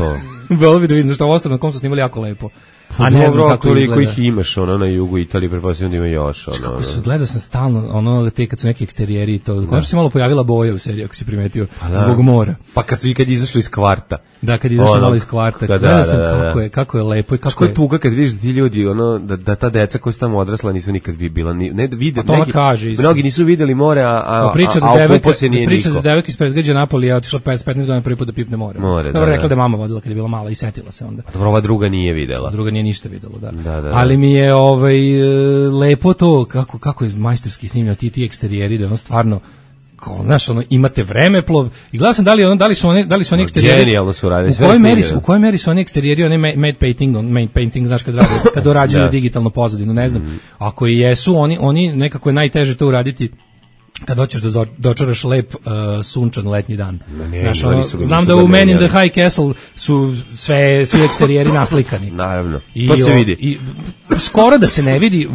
Volio bih da vidim, zašto ostrvo na kom su snimali jako lepo. A ne znam kako toliko ih imaš ono na jugu Italije, pretpostavljam da ima još ono. Kako su, gledao sam stalno ono te kad su neki eksterijeri i to. Konačno se malo pojavila boja u seriji, ako si primetio, pa zbog mora. Pa kad su i kad izašli iz kvarta. Da, kad izašli malo iz kvarta. Da, gledao sam da, da, kako je, kako je lepo i kako Ško je tuga kad vidiš da ti ljudi ono da, da ta deca koja su tamo odrasla nisu nikad bi bila ni ne vide neki. Kaže, mnogi nisu videli more, a a, priča a, a devojka, se nije priča niko. Da devojka ispred gađa Napoli je otišla pedeset petnaest godina prvi put da pipne more. more Dobro, rekla da je mama vodila kad je bila mala i setila se onda. A dobro, ova druga nije videla. Druga nije ništa videla, da. Da, da, ali mi je ovaj lepo to kako kako je majstorski snimljeno ti ti eksterijeri da ono stvarno kao znaš ono imate vremeplov i gledao sam da li ono da li su oni da li su oni eksterijeri genijalno su radili sve u kojoj meri u kojoj meri su oni eksterijeri oni made painting on made painting znaš kad rade kad dorađuju da. digitalnu pozadinu ne znam mm. ako i jesu oni oni nekako je najteže to uraditi kad hoćeš da dočaraš lep uh, sunčan letnji dan. Ne, znaš, ono, znam da u Men in the High Castle su sve svi eksterijeri naslikani. Naravno. I, to se vidi. I, skoro da se ne vidi,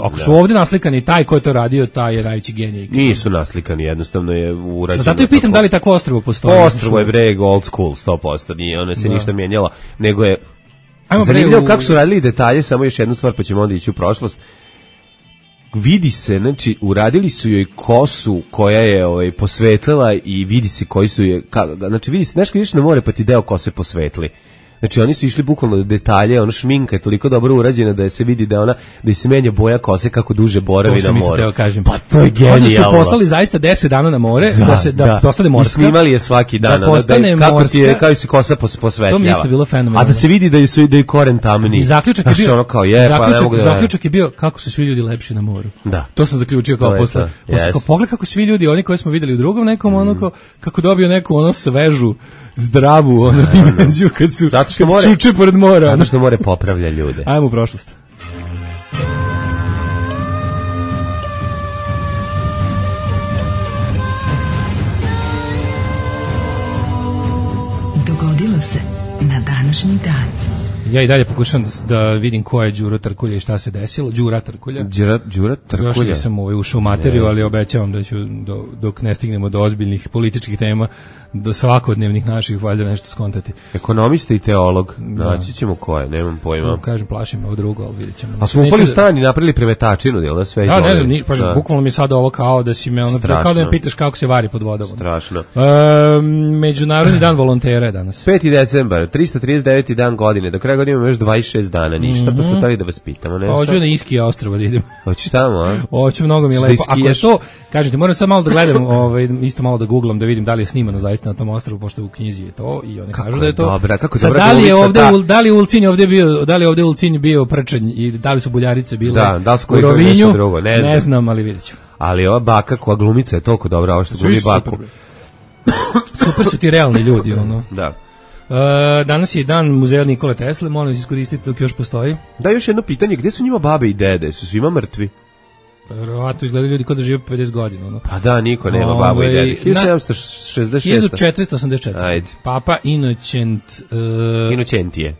ako su da. ovdje naslikani, taj ko je to radio, taj je najveći genij. Nisu naslikani, jednostavno je urađeno. Zato i pitam tako. Da li takvo ostrvo postoji. Ostrvo je breg old school, sto posto, nije, ono se da. ništa mijenjalo, nego je Ajmo zanimljivo u... kako su radili detalje, samo još jednu stvar, pa ćemo onda ići u prošlost. Vidi se, znači, uradili su joj kosu koja je ovaj, posvetlila i vidi se koji su je, ka, znači vidi se, nešto ideš na more pa ti deo kose posvetli. Znači oni su išli bukvalno do detalje, ono šminka je toliko dobro urađena da se vidi da ona da se menja boja kose kako duže boravi na more. To kažem. Pa to je genijalno. Oni su poslali zaista deset dana na more da, da se da, da postane morska. I snimali je svaki dan, da postane da, kako ti je kao se kosa pos, posvetljava. To mi isto bilo fenomenalno. A da se vidi da su da i koren tamni. I zaključak je bio ono kao je, zaključak, pa ne mogu da zaključak je bio kako su svi ljudi lepši na moru. Da. To sam zaključio kao posle. Posle pogled kako svi ljudi, oni koje smo videli u drugom nekom ono kako dobio neku ono svežu zdravu ono dimenziju kad su kad čuče pored mora. Zato što more popravlja ljude. Ajmo u prošlost. Dogodilo se na današnji dan. Ja i dalje pokušam da, da vidim ko je Đuro Trkulja i šta se desilo. Đura Trkulja. Đura, Đura Trkulja. Još nisam ovaj ušao u materiju, ali obećavam da ću do, dok ne stignemo do ozbiljnih političkih tema, do svakodnevnih naših valjda nešto skontati. Ekonomista i teolog. Naći ćemo ko je, nemam pojma. To kažem, plašim me ovo drugo, ali vidjet ćemo. A smo upali u stan i napravili premetačinu, jel da sve? Da, ne znam, niš, pa bukvalno mi sada ovo kao da si me ono, kao da me pitaš kako se vari pod vodom. Strašno. E, Međunarodni dan volontera je danas. peti decembar, trista trideset deveti dan godine. Do kraja godine imamo još dvadeset šest dana, ništa, mm-hmm. pa smo tali da vas pitamo. Pa hoću na Iskija ostrvo da idem. Hoćeš tamo, a? Hoću, mnogo mi je lepo. Ako je to, kažete, moram sad malo da gledam, ovaj, isto malo da googlam, da vidim da li je snimano zaista na tom ostrvu, pošto u knjizi je to i oni kažu da je to. Dobra, kako sad, dobra da li je ovde, ta... da li Ulcinj ovde bio, da li je ovde Ulcinj bio prčanj i da li su Buljarice bile da, da u Rovinju, drugo, ne, znam. ne znam, ali vidjet ću. Ali ova baka koja glumica je toliko dobra, ovo što glumi baku. Super, super su ti realni ljudi, ono. Da. Uh, danas je dan muzeja Nikole Tesle, molim iskoristiti dok još postoji. Da, još jedno pitanje, gdje su njima babe i dede? Su svima mrtvi? Verovatno izgledaju ljudi kao da žive pedeset godina. Ono. Pa da, niko nema babu i dede. hiljadu sedamsto šezdeset šest. hiljadu četiristo osamdeset četiri. Ajde. Papa Inocent... Uh, Inocentije.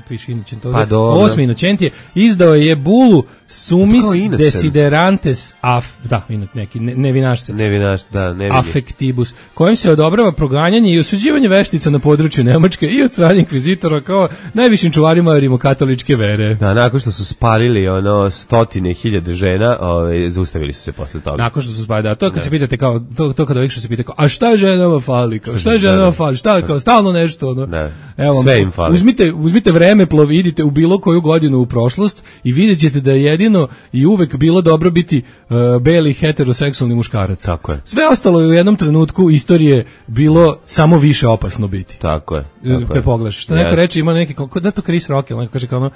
Piše Inocent. Pa Osmi Inocentije. Izdao je bulu Sumis Desiderantes af... Da, neki, ne, nevinašce. Nevinaš, da, nevini. Affectibus, kojim se odobrava proganjanje i osuđivanje veštica na području Nemačke i od strane inkvizitora kao najvišim čuvarima rimokatoličke vere. Da, nakon što su spalili ono stotine hiljade žena, ove, zaustavili su se posle toga. Nakon što su spalili, da, to kad ne. se pitate kao, to, to kada ovih što se pita kao, a šta ženama fali, kao, šta ženama fali, šta, kao, stalno nešto, ono. Ne. Evo, sve im fali. Uzmite, uzmite Otvorite vremeplov, idite u bilo koju godinu u prošlost i vidjet ćete da je jedino i uvek bilo dobro biti uh, beli heteroseksualni muškarac. Tako je. Sve ostalo je u jednom trenutku istorije bilo samo više opasno biti. Tako je. Tako Kad pogledaš. Što neko reče, ima neki, kao, da to Chris Rock, neko kaže kao ono,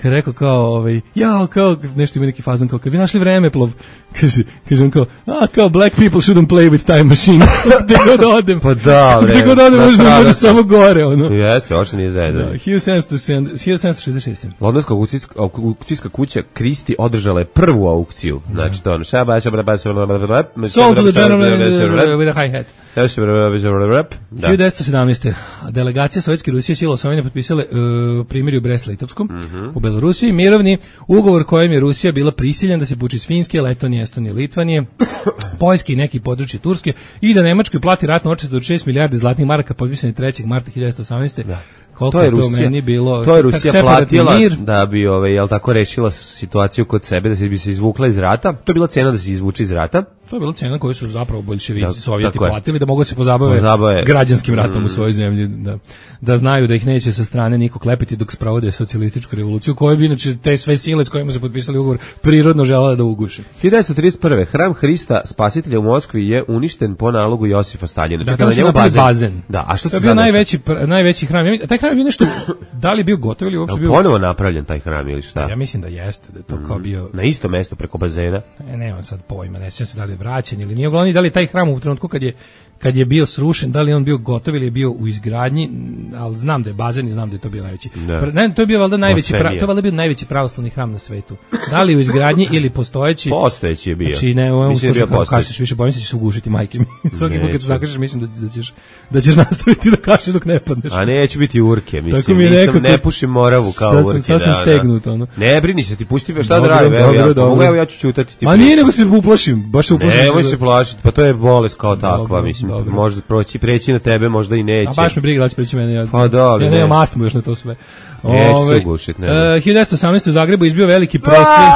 kad rekao kao, ovaj, jao, kao, nešto ima neki fazan, kao, kad bi našli vremeplov, kaže, kaže on kao, a, kao, black people shouldn't play with time machine. Gde god odem. Pa da, bre. Gde god odem, možda da bude samo gore, ono. Jeste, oče nije zajedno. Da, hiljadu sedamsto šezdeset šeste. Londonska aukcijska kuća Christie održala je prvu aukciju. Znači, to ono, šaba, šaba, šaba, sold to the general with a hi-hat. Da. hiljadu devetsto sedamnaeste. Delegacija Sovjetske Rusije sila osvojene potpisale uh, primirje u Brest-Litovskom mm-hmm. u Belorusiji, mirovni ugovor kojem je Rusija bila prisiljena da se povuče iz Finske, Letonije, Estonije, Litvanije, Poljske i neki područje Turske i da Nemačkoj plati ratnu odštetu od šest milijardi zlatnih maraka potpisane trećeg marta hiljadu devetsto osamnaeste. Da. Koliko to je to Rusija, meni bilo, to je Rusija platila mir. Da bi ovaj jel tako rešila situaciju kod sebe, da se bi se izvukla iz rata. To je bila cena da se izvuče iz rata. To je bila cena koju su zapravo boljševici, da, Sovjeti platili da mogu se pozabave, pozabave građanskim ratom mm. u svojoj zemlji, da, da znaju da ih neće sa strane niko klepiti dok sprovode socijalističku revoluciju, koju bi inače te sve sile s kojima su potpisali ugovor prirodno želele da uguše. hiljadu devetsto trideset prve. Hram Hrista Spasitelja u Moskvi je uništen po nalogu Josifa Staljina. Da, na njemu bazen. bazen. Da, a što to je bio najveći, pr, najveći hram. Taj hram je bio nešto, da li bio gotov ili uopšte bio... Ponovo napravljen taj hram ili šta? Ja mislim da jeste, da je to mm. kao bio... Na isto mesto preko bazena? E, nemam sad pojma, ne sjećam se da li je vraćen ili nije. Uglavnom, da li taj hram u trenutku kad je kad je bio srušen, da li on bio gotov ili je bio u izgradnji, ali znam da je bazen i znam da je to bio najveći. Da. Ne, to je bio valjda najveći, pra, to je valjda bio najveći pravoslavni hram na svetu. Da li u izgradnji ili postojeći? Postojeći je bio. Znači ne, on sluša kako kažeš, više bojim se da ćeš ugušiti majke mi. Svaki put kad zakažeš mislim da, da ćeš da ćeš nastaviti da kažeš dok ne padneš. A neće biti urke, mislim, mi nisam ne pušim Moravu kao urke. Sasvim da, stegnut, ono. Ne brini se, ti pusti šta da radim, evo ja, mogu evo ja ću ćutati ti. Ma nije nego se uplašim, baš se uplašim. Nemoj se plašiti, pa to je bolest kao takva, mislim, možda proći preći na tebe, možda i neće. A baš me briga da će preći mene. Ja, pa da, ali ja nemam astmu još na to sve. Neće se ugušiti, ne. hiljadu devetsto osamnaeste. u Zagrebu izbio veliki prosvjed.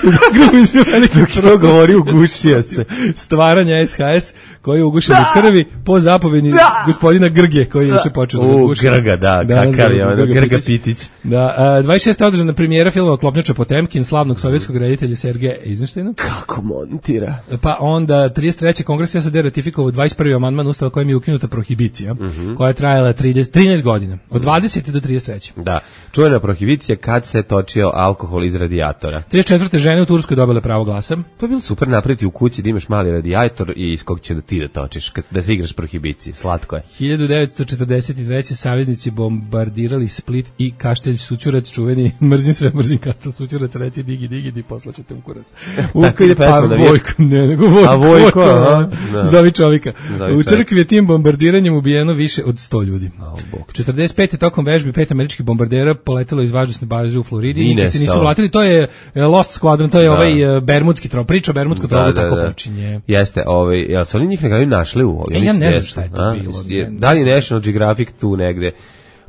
U Zagrebu izbio veliki prosvjed. govori, ugušio se. Stvaranja S H S koji je ugušen u krvi po zapovedi gospodina Grge koji je juče počeo da uguši. U, Grga, da, da kakav je ono, Grga Pitić. Da, dvadeset šeste. održana premijera filma Klopnjača Potemkin, slavnog sovjetskog reditelja Sergeja Eizenštajna. Kako montira. Pa onda trideset treće. Kongres S A D ratifikovao dvadeset prvi amandman Ustava kojim je ukinuta prohibicija, mm-hmm. koja je trajala trideset, trinaest godina, od dvadesete do trideset treće. Da, čuvena prohibicija kad se točio alkohol iz radijatora. trideset četvrte. žene u Turskoj dobile pravo glasa. To je bilo super napraviti u kući da imaš mali radijator i iz kog će da ti da točiš, kad, da se igraš prohibicije, slatko je. hiljadu devetsto četrdeset treće. saveznici bombardirali Split i Kaštelj Sućurac, čuveni, mrzim sve, mrzim Kaštelj Sućurac, reci digi, digi, di poslaćete u kurac. U, Tako ide pesma pa, da Vojko, ne, nego Vojko. A Vojko, aha. Da. Zovi čovjeka. Zovi u crkvi je tim bombardiranjem ubijeno više od sto ljudi. Oh, četrdeset pete. tokom vežbi pet američkih bombardera poletelo iz vazdušne baze u Floridi i nikad se nisu vratili. To je Lost Squadron, to je da. ovaj bermudski trov, priča o bermudskom trovu, da, tako da, počinje. Jeste, ovaj, jel su oni njih nekada našli u ovoj? E, ja ne znam šta je to a? bilo. Je, da li National Geographic tu negde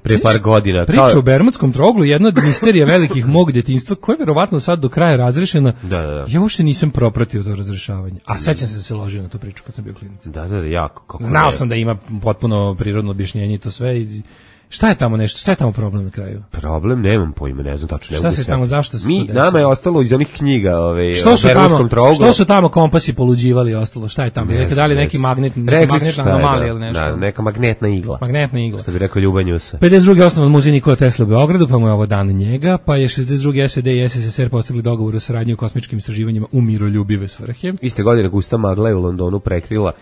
pre par godina? Priča kao... o bermudskom troglu, jedna od misterija velikih mog djetinjstva, koja je verovatno sad do kraja razrešena. Da, da, da. Ja uopšte nisam propratio to razrešavanje. A sećam se da se ložio na tu priču kad sam bio klinac. Da, da, da, jako. Kako Znao sam da ima potpuno prirodno objašnjenje i to sve i šta je tamo nešto? Šta je tamo problem na kraju? Problem, nemam pojma, ne znam tačno. Šta se tamo, zašto se Mi, to desilo? Nama je ostalo iz onih knjiga, ove, što su tamo, trogu. Što su tamo kompasi poluđivali i ostalo? Šta je tamo? Rekli da li neki magnet, neka magnetna anomalija ili nešto? Da, neka magnetna igla. Magnetna igla. Što bi rekao Ljubanjusa. pedeset druge. osnovan muzej Nikola Tesla u Beogradu, pa mu je ovo dan njega, pa je šezdeset druge. S A D i S S S R postigli dogovor o saradnji u kosmičkim istraživanjima u miroljubive svrhe. Iste godine gusta magla je u Londonu prekrila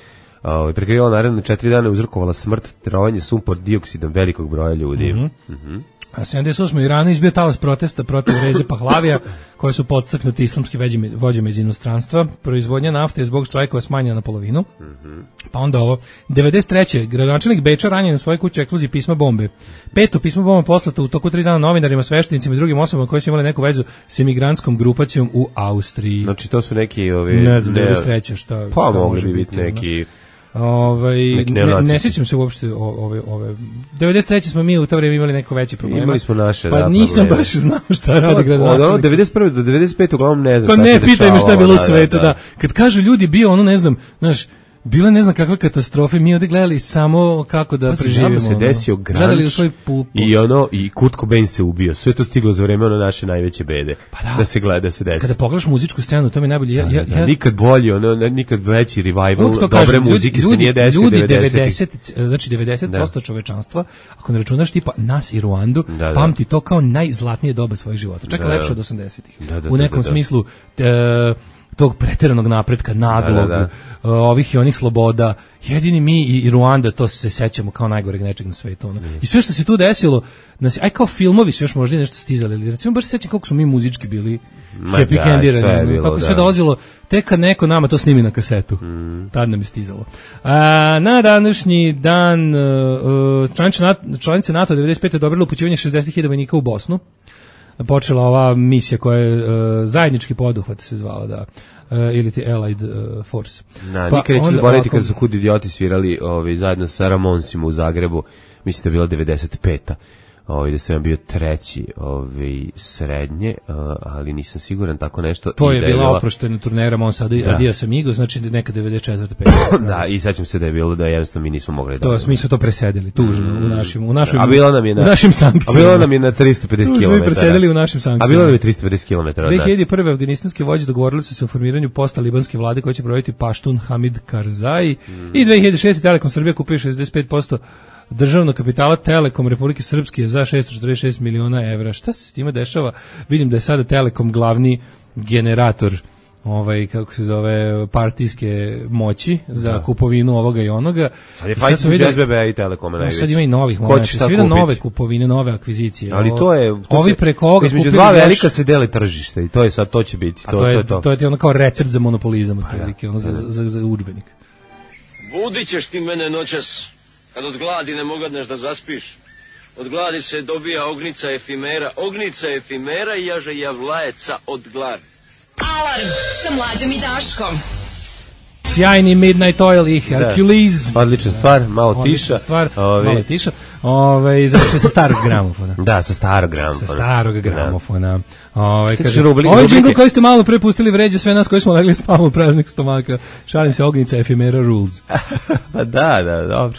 Uh, prekrivala naredne četiri dana, uzrokovala smrt, trovanje sumpor dioksidom velikog broja ljudi. Mm-hmm. Mm-hmm. A sedamdeset osme. u Iranu izbio talas protesta protiv Reze Pahlavija, koje su podstaknuti islamski vođama iz inostranstva. Proizvodnja nafte je zbog štrajkova smanjena na polovinu. Mm-hmm. Pa onda ovo. devedeset treće. gradonačelnik Beča ranjen u svojoj kući eksploziji pisma bombe. Peto pismo bomba poslato u toku tri dana novinarima, sveštenicima i drugim osobama koji su imali neku vezu s emigrantskom grupacijom u Austriji. Znači to su neki ovi... Ne znam, devedeset treće. šta, pa šta mogli bi biti neki... Ovaj ne, ne sjećam se uopšte ove ove devedeset treće. smo mi u to vrijeme imali neko veći problem. Imali smo naše, pa da, nisam probleme. baš znao šta radi gradonačelnik. Od devedeset prve do devedeset pete uglavnom ne znam. Pa ne pitaj me šta je bilo u da, svetu, da, da. Kad kažu ljudi bio ono ne znam, znaš, Bila ne znam kakva katastrofa, mi ovdje gledali samo kako da pa, preživimo. Se desio gledali u svoj pu, pu. I ono, i Kurt Cobain se ubio. Sve to stiglo za vreme ono naše najveće bede. Pa da. Da se gleda, da se desi. Kada pogledaš muzičku scenu, to mi je najbolje. Ja, da, ja, da, ja, nikad bolji, ono, nikad veći revival dobre kažem, muzike ljudi, se nije desio ljudi devedesetih. Znači devedeset posto da. Čovečanstva, ako ne računaš tipa nas i Ruandu, da, da. pamti to kao najzlatnije doba svojih života. Čak da, lepše da. od osamdesetih. Da, da, u nekom da, da, da. smislu e, tog preteranog napretka, naglog, da, da, da. ovih i onih sloboda. Jedini mi i, i Ruanda, to se sećamo kao najgoreg nečeg na svetu. Ono. I sve što se tu desilo, nas, aj kao filmovi su još možda nešto stizali, ali recimo baš se sećam kako smo mi muzički bili happy candirani, kako sve dolazilo, tek kad neko nama to snimi na kasetu. Mm. Tad nam je stizalo. A, na današnji dan uh, članice NATO devedeset pete dobrile upućivanje šezdeset hiljada vojnika u Bosnu. Počela ova misija koja je uh, zajednički poduhvat se zvala, da, uh, ili ti Allied uh, Force. Na, pa nikad neću zaboraviti kada su Kud idioti svirali ovaj, zajedno sa Ramonsima u Zagrebu, mislim da je bila devedeset peta Ovaj da sam bio treći, ovaj srednje, ali nisam siguran tako nešto. To je bila oproštena turnera Monsado i Adios Amigo, znači neka devedeset četvrte pete Da, i sećam se da je bilo da jednostavno mi nismo mogli da. To mi smo to presedili tužno mm. u našim u našim A bilo nam je na u našim sankcijama. A bilo nam je na tristo pedeset kilometara. Mi presedili u našim sankcijama. A bilo nam je tristo pedeset kilometara. dve hiljade prve afganistanske vođe dogovorili su se o formiranju post-talibanske vlade koja će brojiti Paštun Hamid Karzai mm. i dve hiljade šeste Telekom Srbija kupio šezdeset pet posto državnog kapitala Telekom Republike Srpske za šessto četrdeset šest miliona evra. Šta se s time dešava? Vidim da je sada Telekom glavni generator ovaj, kako se zove, partijske moći za da. kupovinu ovoga i onoga. Sad je fajt između S B B i Telekoma najveći. Sad ima i novih momenta. Sad vidim nove kupovine, nove akvizicije. Ali to je... To ovi se, preko ovoga između dva velika se deli tržište i to je sad, to će biti. To, to, je, to je to. To je ti ono kao recept za monopolizam, otprilike, ono za, za, za udžbenik. Budit ćeš ti mene noćas. Kad od gladi ne mogadneš da zaspiš, od gladi se dobija ognica efimera, ognica efimera i jaže javlajeca od gladi. Alarm sa Mlađom i Daškom. Sjajni Midnight Oil i Hercules. Da. Odlična stvar, malo Odlična tiša. Stvar, Ove... malo tiša. Ove, završio sa starog gramofona. Da, sa starog gramofona. Sa starog gramofona. Da. Ove, kaže, rubli, ovaj džingl koji ste malo prepustili vređa sve nas koji smo legli spavamo praznik stomaka. Šalim se, ognica efimera rules. Da, da, dobro.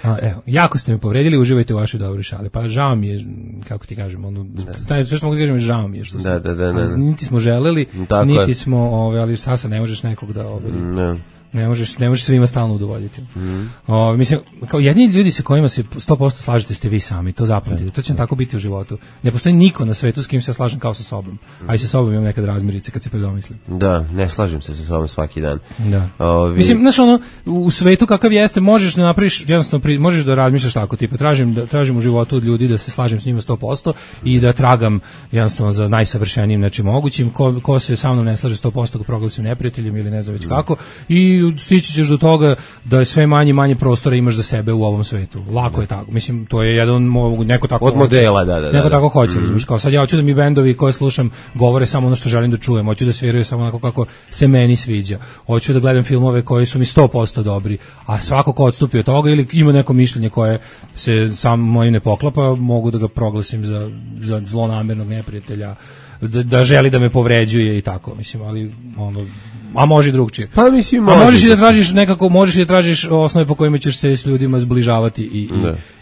A, evo, jako ste me povredili, uživajte u vašoj dobroj šali. Pa žao mi je, kako ti kažem, ono, da. Sve što mogu da kažem, žao mi je što smo, da, da, da, da. niti smo želeli, tako niti je. smo, ove, ali sasa ne možeš nekog da, ove, ne. Ne možeš, ne možeš svima stalno udovoljiti. Mm. O, mislim, kao jedini ljudi sa kojima se sto posto slažete ste vi sami, to zapamtite. To će vam tako biti u životu. Ne postoji niko na svetu s kim se slažem kao sa sobom. Mm. A i sa sobom imam nekad razmirice kad se predomislim. Da, ne slažem se sa sobom svaki dan. Da. Ovi... Mislim, znaš ono, u svetu kakav jeste, možeš da napraviš, jednostavno, pri, možeš da razmišljaš tako, tipa, tražim, da, tražim u životu od ljudi da se slažem s njima sto posto i da tragam jednostavno za najsavršenijim nečim mogućim. Ko, ko se sa mnom ne slaže sto posto ga proglasim neprijateljem ili ne znam već mm. kako. I stići ćeš do toga da je sve manje manje prostora imaš za sebe u ovom svetu. Lako je tako. Mislim, to je jedan neko tako od modela, da, da, da. Neko tako hoće, mm. kao sad ja hoću da mi bendovi koje slušam govore samo ono što želim da čujem, hoću da sviraju samo onako kako se meni sviđa. Hoću da gledam filmove koji su mi sto posto dobri, a svako ko odstupi od toga ili ima neko mišljenje koje se sam mojim ne poklapa, mogu da ga proglasim za, za zlonamernog neprijatelja, da, da želi da me povređuje i tako, mislim, ali ono, a može i drugčije. Pa mislim, a možeš i da tražiš nekako, možeš i da tražiš osnove po kojima ćeš se s ljudima zbližavati i, i,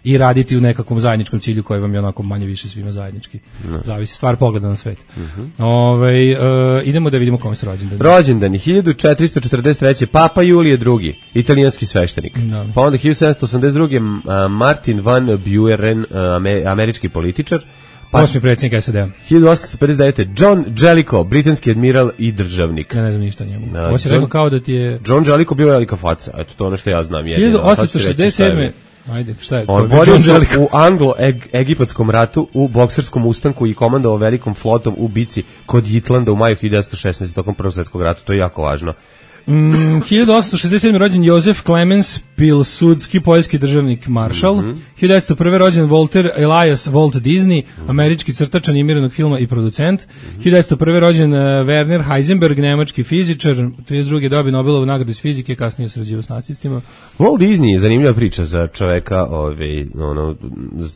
i raditi u nekakvom zajedničkom cilju koji vam je onako manje više svima zajednički. Ne. Zavisi stvar pogleda na svet. Uh-huh. Ove, uh, idemo da vidimo kome su rođendani. Rođendani hiljadu četiristo četrdeset treće Papa Julije drugi, italijanski sveštenik. Da. Pa onda hiljadu sedamsto osamdeset druge Martin van Buren, američki političar. Pa, osmi predsjednik S A D. hiljadu osamsto pedeset devete John Jellicoe, britanski admiral i državnik. Ja ne znam ništa o njemu. Da, ovo si rekao kao da ti je... John Jellicoe bio velika faca, eto to ono što ja znam. hiljadu osamsto šezdeset sedme Ajde, šta je? On borio se u anglo-egipatskom ratu, u bokserskom ustanku i komandovao velikom flotom u bici kod Jitlanda u maju hiljadu devetsto šesnaeste tokom Prvog svjetskog rata, to je jako važno. Mm, hiljadu osamsto šezdeset sedme rođen Jozef Clemens Pilsudski, poljski državnik maršal. Mm-hmm. hiljadu devetsto prve rođen Walter Elias Walt Disney, mm-hmm. američki crtač animiranog filma i producent. Mm-hmm. hiljadu devetsto prve rođen uh, Werner Heisenberg, nemački fizičar, trideset druge dobio Nobelovu nagradu iz fizike, kasnije sarađivao s nacistima. Walt Disney je zanimljiva priča za čoveka, ovaj, ono,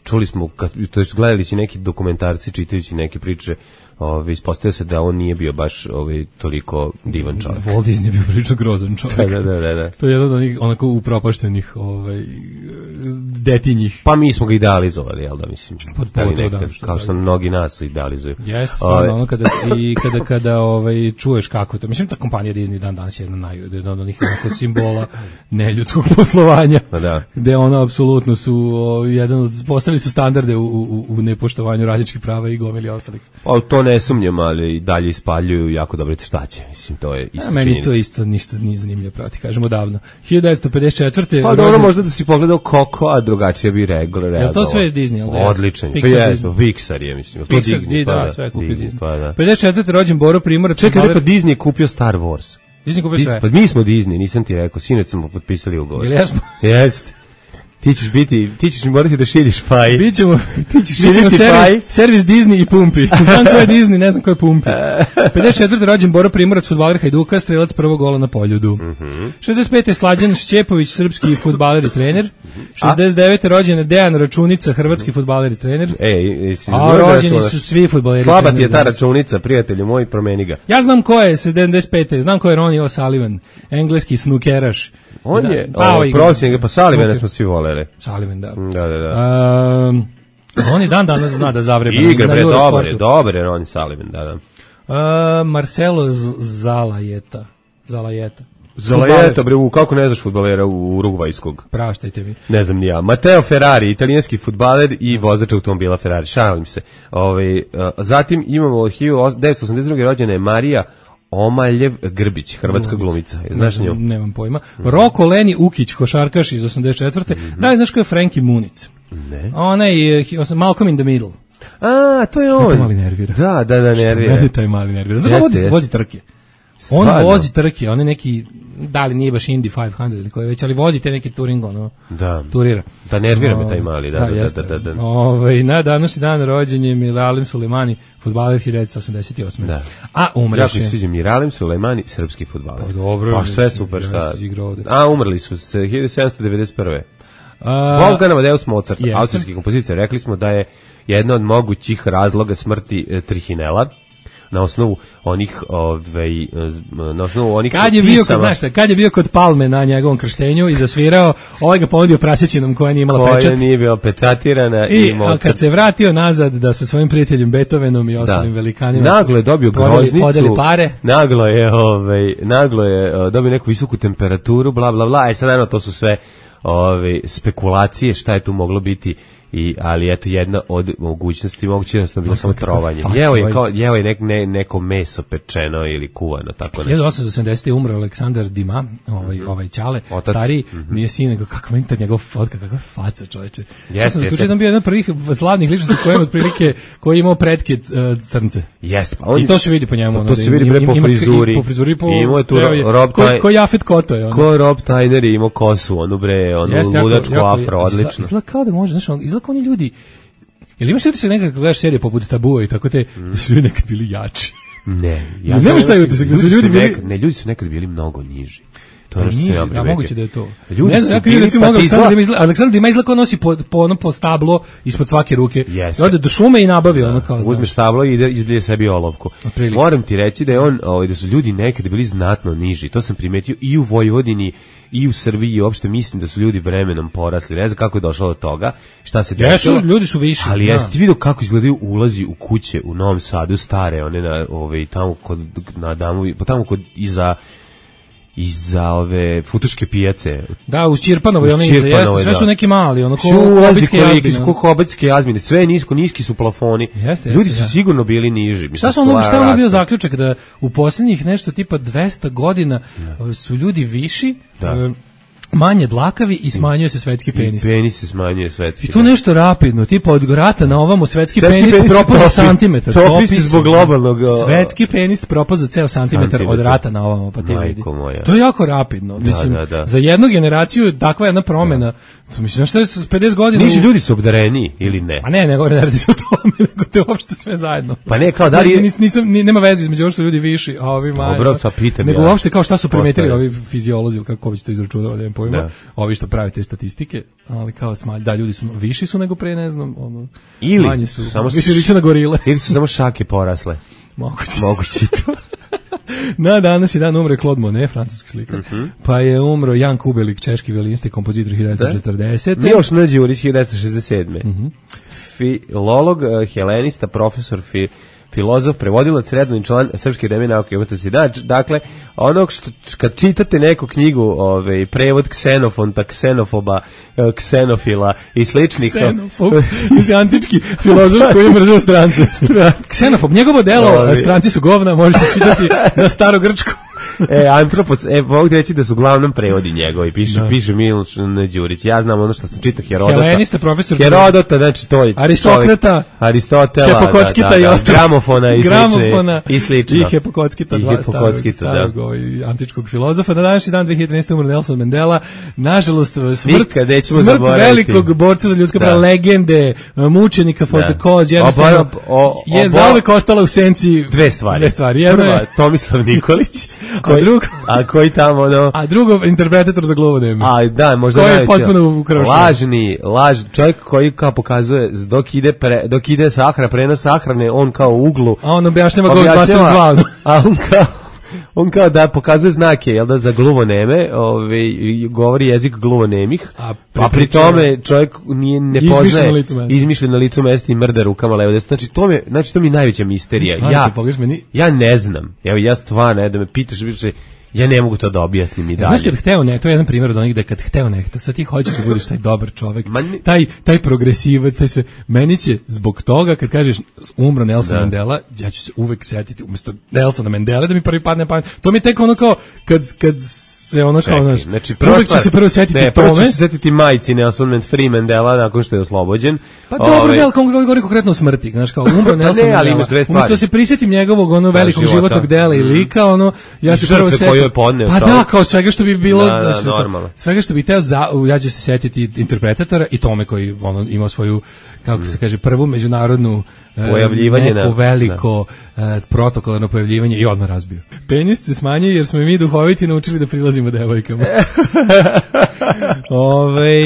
čuli smo, kad, to jest gledali si neki dokumentarci, čitajući neke priče Ovaj ispostavio se da on nije bio baš ovaj toliko divan čovjek. Walt Disney je bio prilično grozan čovjek. Da, da, da, da. To je jedan od onih onako upropaštenih ovaj detinjih. Pa mi smo ga idealizovali, jel da, mislim. Pod pogotovo da, kao što mnogi nas idealizuju. Jeste, stvarno, ono kada i kada kada ovaj čuješ kako to. Mislim ta kompanija Disney dan danas je jedna naj jedna od onih onako simbola neljudskog poslovanja. Pa da. Gde ona apsolutno su o, jedan od postavili su standarde u, u, u nepoštovanju radničkih prava i gomili ostalih. Pa to ne sumnjam, ali i dalje ispaljuju jako dobre crtaće. Mislim, to je isto. A meni činjenica. To isto ništa nije zanimljivo prati, kažemo davno. hiljadu devetsto pedeset četvrte Pa dobro, možda da si pogledao Coco, a drugačije bi reagovao. Je to sve Disney, al da? Odlično. Pa jesmo, Pixar je, mislim. Pixar, Disney, da, pa, sve kupio Disney. Pa, da. pedeset četvrte rođen Boro Primorac. Čekaj, rekao Disney je kupio Star Wars. Disney kupio sve. Pa mi smo Disney, nisam ti rekao, sinoć smo potpisali ugovor. Jel jesmo? Jeste. Ti ćeš biti, ti ćeš morati da šiljiš paj. Bićemo, ti ćeš šiljiš servis, servis Disney i Pumpi. Znam ko je Disney, ne znam ko je Pumpi. pedeset četvrte rođen Boro Primorac, fudbaler Hajduka, strelac prvog gola na Poljudu. Mm-hmm. šezdeset pete Slađan Šćepović, srpski fudbaler i trener. šezdeset devete rođen Dejan Računica, hrvatski fudbaler i trener. Ej, jesi A rođeni su svi fudbaleri. Slaba ti je ta računica, prijatelju moj, promeni ga. Ja znam ko je sedamdeset pete znam ko je Ronnie O'Sullivan, engleski snukeraš. On da, je, pa, prosjek, pa Sullivana smo svi voleli. Sullivan, da. Da, da, da. Um, on i dan danas zna da zavreba. Igra, bre, dobre, dobre, Ronnie Sullivan, da, da. Uh, Marcelo Z- Zalajeta. Zalajeta. Zalajeta, bre, kako ne znaš fudbalera u Urugvajskog? Praštajte mi. Ne znam ni ja. Matteo Ferrari, italijanski fudbaler i vozač automobila Ferrari. Šalim se. Ove, uh, zatim imamo hiljadu devetsto osamdeset druge rođene Marija Omaljev Grbić, hrvatska glumica. Znaš nju? Nemam pojma. Roko Leni Ukić, košarkaš iz osamdeset četvrte Mm-hmm. Da li znaš ko je Frankie Muniz? Ne. Ona je Malcolm in the Middle. A, to je Što on. me mali nervira. Da, da, da, nervira. Što mene taj mali nervira. Znaš, vozi, vozi trke. On Stvarno? vozi trke, on je neki, da li nije baš Indy petsto ili koji već, ali vozi te neki Turing, ono, da. turira. Da, nervira me taj mali, da, da, da, da, da, da, da. Ove, na današnji dan rođen je Miralem Sulejmani, fudbaler hiljadu devetsto osamdeset osme Da. A umreše. Jako mi sviđa Miralem Sulejmani, srpski fudbaler. Pa dobro. Pa sve super, šta. A, umrli su se hiljadu sedamsto devedeset prve Wolfgang Amadeus Mozart, jeste. austrijski kompozitor. Rekli smo da je jedna od mogućih razloga smrti e, Trihinela. Na osnovu onih ovaj na osnovu onih kad je bio kod, znaš šta, kad je bio kod Palme na njegovom krštenju i zasvirao, ovaj ga ponudio prasećinom koja nije imala pečat. Koja nije bila pečatirana i, i a kad se vratio nazad da sa svojim prijateljem Beethovenom i ostalim da. velikanima naglo je dobio groznicu, podeli pare. Naglo je ovaj naglo je uh, dobio neku visoku temperaturu, bla bla bla. E sad naravno to su sve ove spekulacije šta je tu moglo biti. I ali eto jedna od mogućnosti moguće da sam bilo samo trovanje. Jeo je kao jeo je nek, ne, neko meso pečeno ili kuvano tako nešto. hiljadu osamsto osamdesete umro Aleksandar Dima, ovaj mm-hmm. ovaj ćale, Otac. stari, mm-hmm. nije sin nego kako meni ta njegov fotka, kakva faca, čoveče. Ja sam skučio da bio jedan od prvih slavnih ličnosti koji je otprilike koji je imao pretke uh, crnce. Jeste, pa on i to se vidi po njemu, to se vidi bre po frizuri. Po frizuri po imao tu Rob ko, ko Jafet Koto je on. Ko Rob Tyner je imao kosu, onu bre, onu ludačku afro, odlično. Izgleda kao da može, znači, izgleda kao oni ljudi. Jel imaš utisak nekad gledaš serije poput Tabua i tako te, mm. da su ljudi nekad bili jači? Ne. Ja ne nemaš taj utisak da su ljudi bili... Nekad, ne, ljudi su nekad bili mnogo niži. To je nešto niži, ja a moguće da je to. Ljudi ne znam, ja bili, recimo pa Aleksandar Dima izgleda, Aleksandar Dima izgleda kao nosi po, po ono po stablo ispod svake ruke. Jeste. Ode do šume i nabavi ono kao, uzme stablo i ide izlije sebi olovku. Moram ti reći da je on, ovaj, da su ljudi nekad bili znatno niži. To sam primetio i u Vojvodini i u Srbiji i uopšte mislim da su ljudi vremenom porasli. Ne znam kako je došlo do toga, šta se desilo. Jesu, ljudi su viši. Ali jesi ti vidio kako izgledaju ulazi u kuće u Novom Sadu stare, one na ove tamo kod na Damovi, pa tamo kod iza iza ove futuške pijace. Da, uz Čirpanovo i one iza, jeste, sve su neki mali, ono ko hobitske jazmine. Ko hobitske jazmine, sve nisko, niski su plafoni. Jeste, ljudi jeste, su ja. sigurno bili niži. Mislim, šta su ono, šta ono bio zaključak da u posljednjih nešto tipa dvesta godina ja. su ljudi viši, da. manje dlakavi i smanjuje se svetski penis. I penis se smanjuje svetski. I tu nešto rapidno, tipa od rata na ovamo svetski, svetski penis, penis propao za santimetar. Topi se zbog globalnog. Svetski penis propao za ceo santimetar od rata na ovamo, pa te vidi. To je jako rapidno. Mislim, da, da, da. Za jednu generaciju takva jedna promena. To mislim što je s pedeset godina. Nisu ljudi su obdareni ili ne? A ne, ne govore da radi se o tome, nego te uopšte sve zajedno. Pa ne, kao da li nis, nisam ni, nema veze između ovo što ljudi viši, a ovi manje. Dobro, sa pitam nego ja. Nego uopšte kao šta su primetili ovi fiziolozi, kako bi se to izračunalo, nemam pojma, da. ovi što prave te statistike, ali kao smalj, da, ljudi su, viši su nego pre, ne znam, ono, ili, manji su, samo više liče na gorile. Ili su samo šake porasle. Moguće. Moguće to. Na današnji dan umre Claude Monet, francuski slikar, uh-huh. pa je umro Jan Kubelik, češki violinista i kompozitor hiljadu devetsto četrdesete. Miloš N. Đurić, hiljadu devetsto šezdeset sedme. Uh-huh. Filolog, helenista, profesor, fi, filozof, prevodilac, redovni član Srpske akademije nauke i umetnosti. Da, dakle, onog što kad čitate neku knjigu, ovaj prevod Ksenofonta, Ksenofoba, Ksenofila i sličnih. Ksenofob, je antički filozof koji je mrzeo strance. Ksenofob, njegovo delo, stranci su govna, možete čitati na starogrčku. E, Antropos, e, mogu reći da su uglavnom prevodi njegovi, piše, da. piše Miloš N. Đurić. Ja znam ono što sam čitao Herodota. Helenista, profesor. Herodota, znači to je Aristokrata, Aristotela, Hepokockita da, da, i da, ostalo. Gramofona i Gramofona slično. I slično. I Hepokockita, I dva Hepokockita, starog, da. ovaj, antičkog filozofa. Na današnji dan dve hiljade trinaeste. umro Nelson Mandela. Nažalost, smrt, smrt velikog borca za ljudska prava, legende, mučenika for the cause, jednostavno je zauvek ostala u senci dve stvari. Dve stvari. Jedno Prva, je Tomislav Nikolić, koji, a drugo, a koji tamo ono, a drugo interpretator za gluvodeme. A da, možda koji je potpuno ukrošen. Lažni, laž, čovjek koji kao pokazuje dok ide pre, dok ide sahrana, prenos sahrane, on kao u uglu. A on objašnjava Ghostbusters dva. A on kao on kao da pokazuje znake, jel da, za gluvoneme, ovaj, govori jezik gluvonemih, a, a pri tome čovjek nije, ne poznaje, izmišljen na licu mesta i mrda rukama levo desno. Znači to mi, znači to mi najveća misterija. Ja, ja ne znam, evo ja stvarno, ne, da me pitaš, više, ja ne mogu to da objasnim i dalje. Znaš kad hteo ne, to je jedan primjer od onih da kad hteo ne, sad ti hoćeš da budeš taj dobar čovjek, taj, taj progresivac, taj sve. Meni će zbog toga kad kažeš umro Nelson da. Mandela, ja ću se uvek setiti umjesto Nelsona Mandela da mi prvi padne pamet. To mi je tek ono kao kad, kad se ono kao, znaš, znači, uvek ću se prvo setiti ne, tome. Prvo ću se setiti majci Nelson Free Mandela nakon što je oslobođen. Pa dobro, Ove... ne, ali govori konkretno o smrti, znaš, kao umro Nelson ne, Mandela. Umjesto da se prisjetim njegovog ono velikog života. životnog dela i lika, ono, ja se prvo setim. Pa da, kao svega što bi bilo, da, da, znači, normalno. Svega što bi teo, za, ja ću se setiti interpretatora i tome koji ono, imao svoju, kako se kaže, prvu međunarodnu pojavljivanje neko veliko uh, protokolarno pojavljivanje i odmah razbio. Penis se smanjuje jer smo mi duhoviti naučili da prilazimo devojkama. Ove,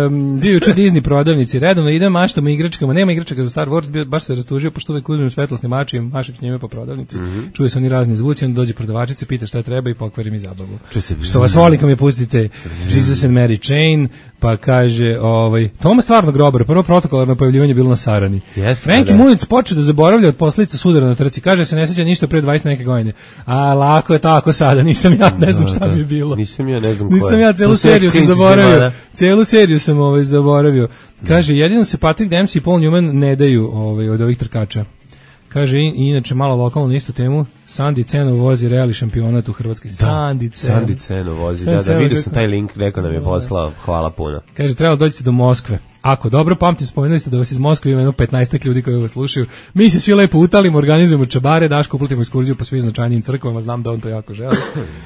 um, bio juče Disney prodavnici, redovno idem, maštamo igračkama, nema igračaka za Star Wars, bio, baš se rastužio, pošto uvek uzmem svetlosni mač i mašim s njime po prodavnici. Mm-hmm. Čuje se oni razni zvuci, on dođe prodavačica, pita šta treba i pokvari mi zabavu. Što vas voli kad mi pustite Jesus and Mary Chain, pa kaže, ovaj, Toma stvarno grobar, prvo protokolarno pojavljivanje bilo na Sarani. Yes, Franki Munic počeo da zaboravlja od posljedica sudara na trci, kaže se ne sjeća ništa pre dvadeset neke godine. A lako je tako sada, nisam ja, ne znam šta mi je bilo. Nisam ja, ne znam ko je. Nisam ja, celu seriju sam zaboravio. Celu seriju sam ovaj zaboravio. Kaže, jedino se Patrick Dempsey i Paul Newman ne daju ovaj, od ovih trkača. Kaže, i, inače, malo lokalno na istu temu, Sandi Ceno vozi reali šampionat u Hrvatskoj. Da, Sandi Ceno. Sandi Ceno vozi, Sandi da, da, vidio sam taj link, neko nam je poslao, hvala puno. Kaže, trebalo dođete do Moskve. Ako dobro pamtim, spomenuli ste da vas iz Moskve ima jedno petnaestak ljudi koji vas slušaju. Mi se svi lepo utalimo, organizujemo čabare, Daško uplatimo ekskurziju po svim značajnim crkvama, znam da on to jako želi.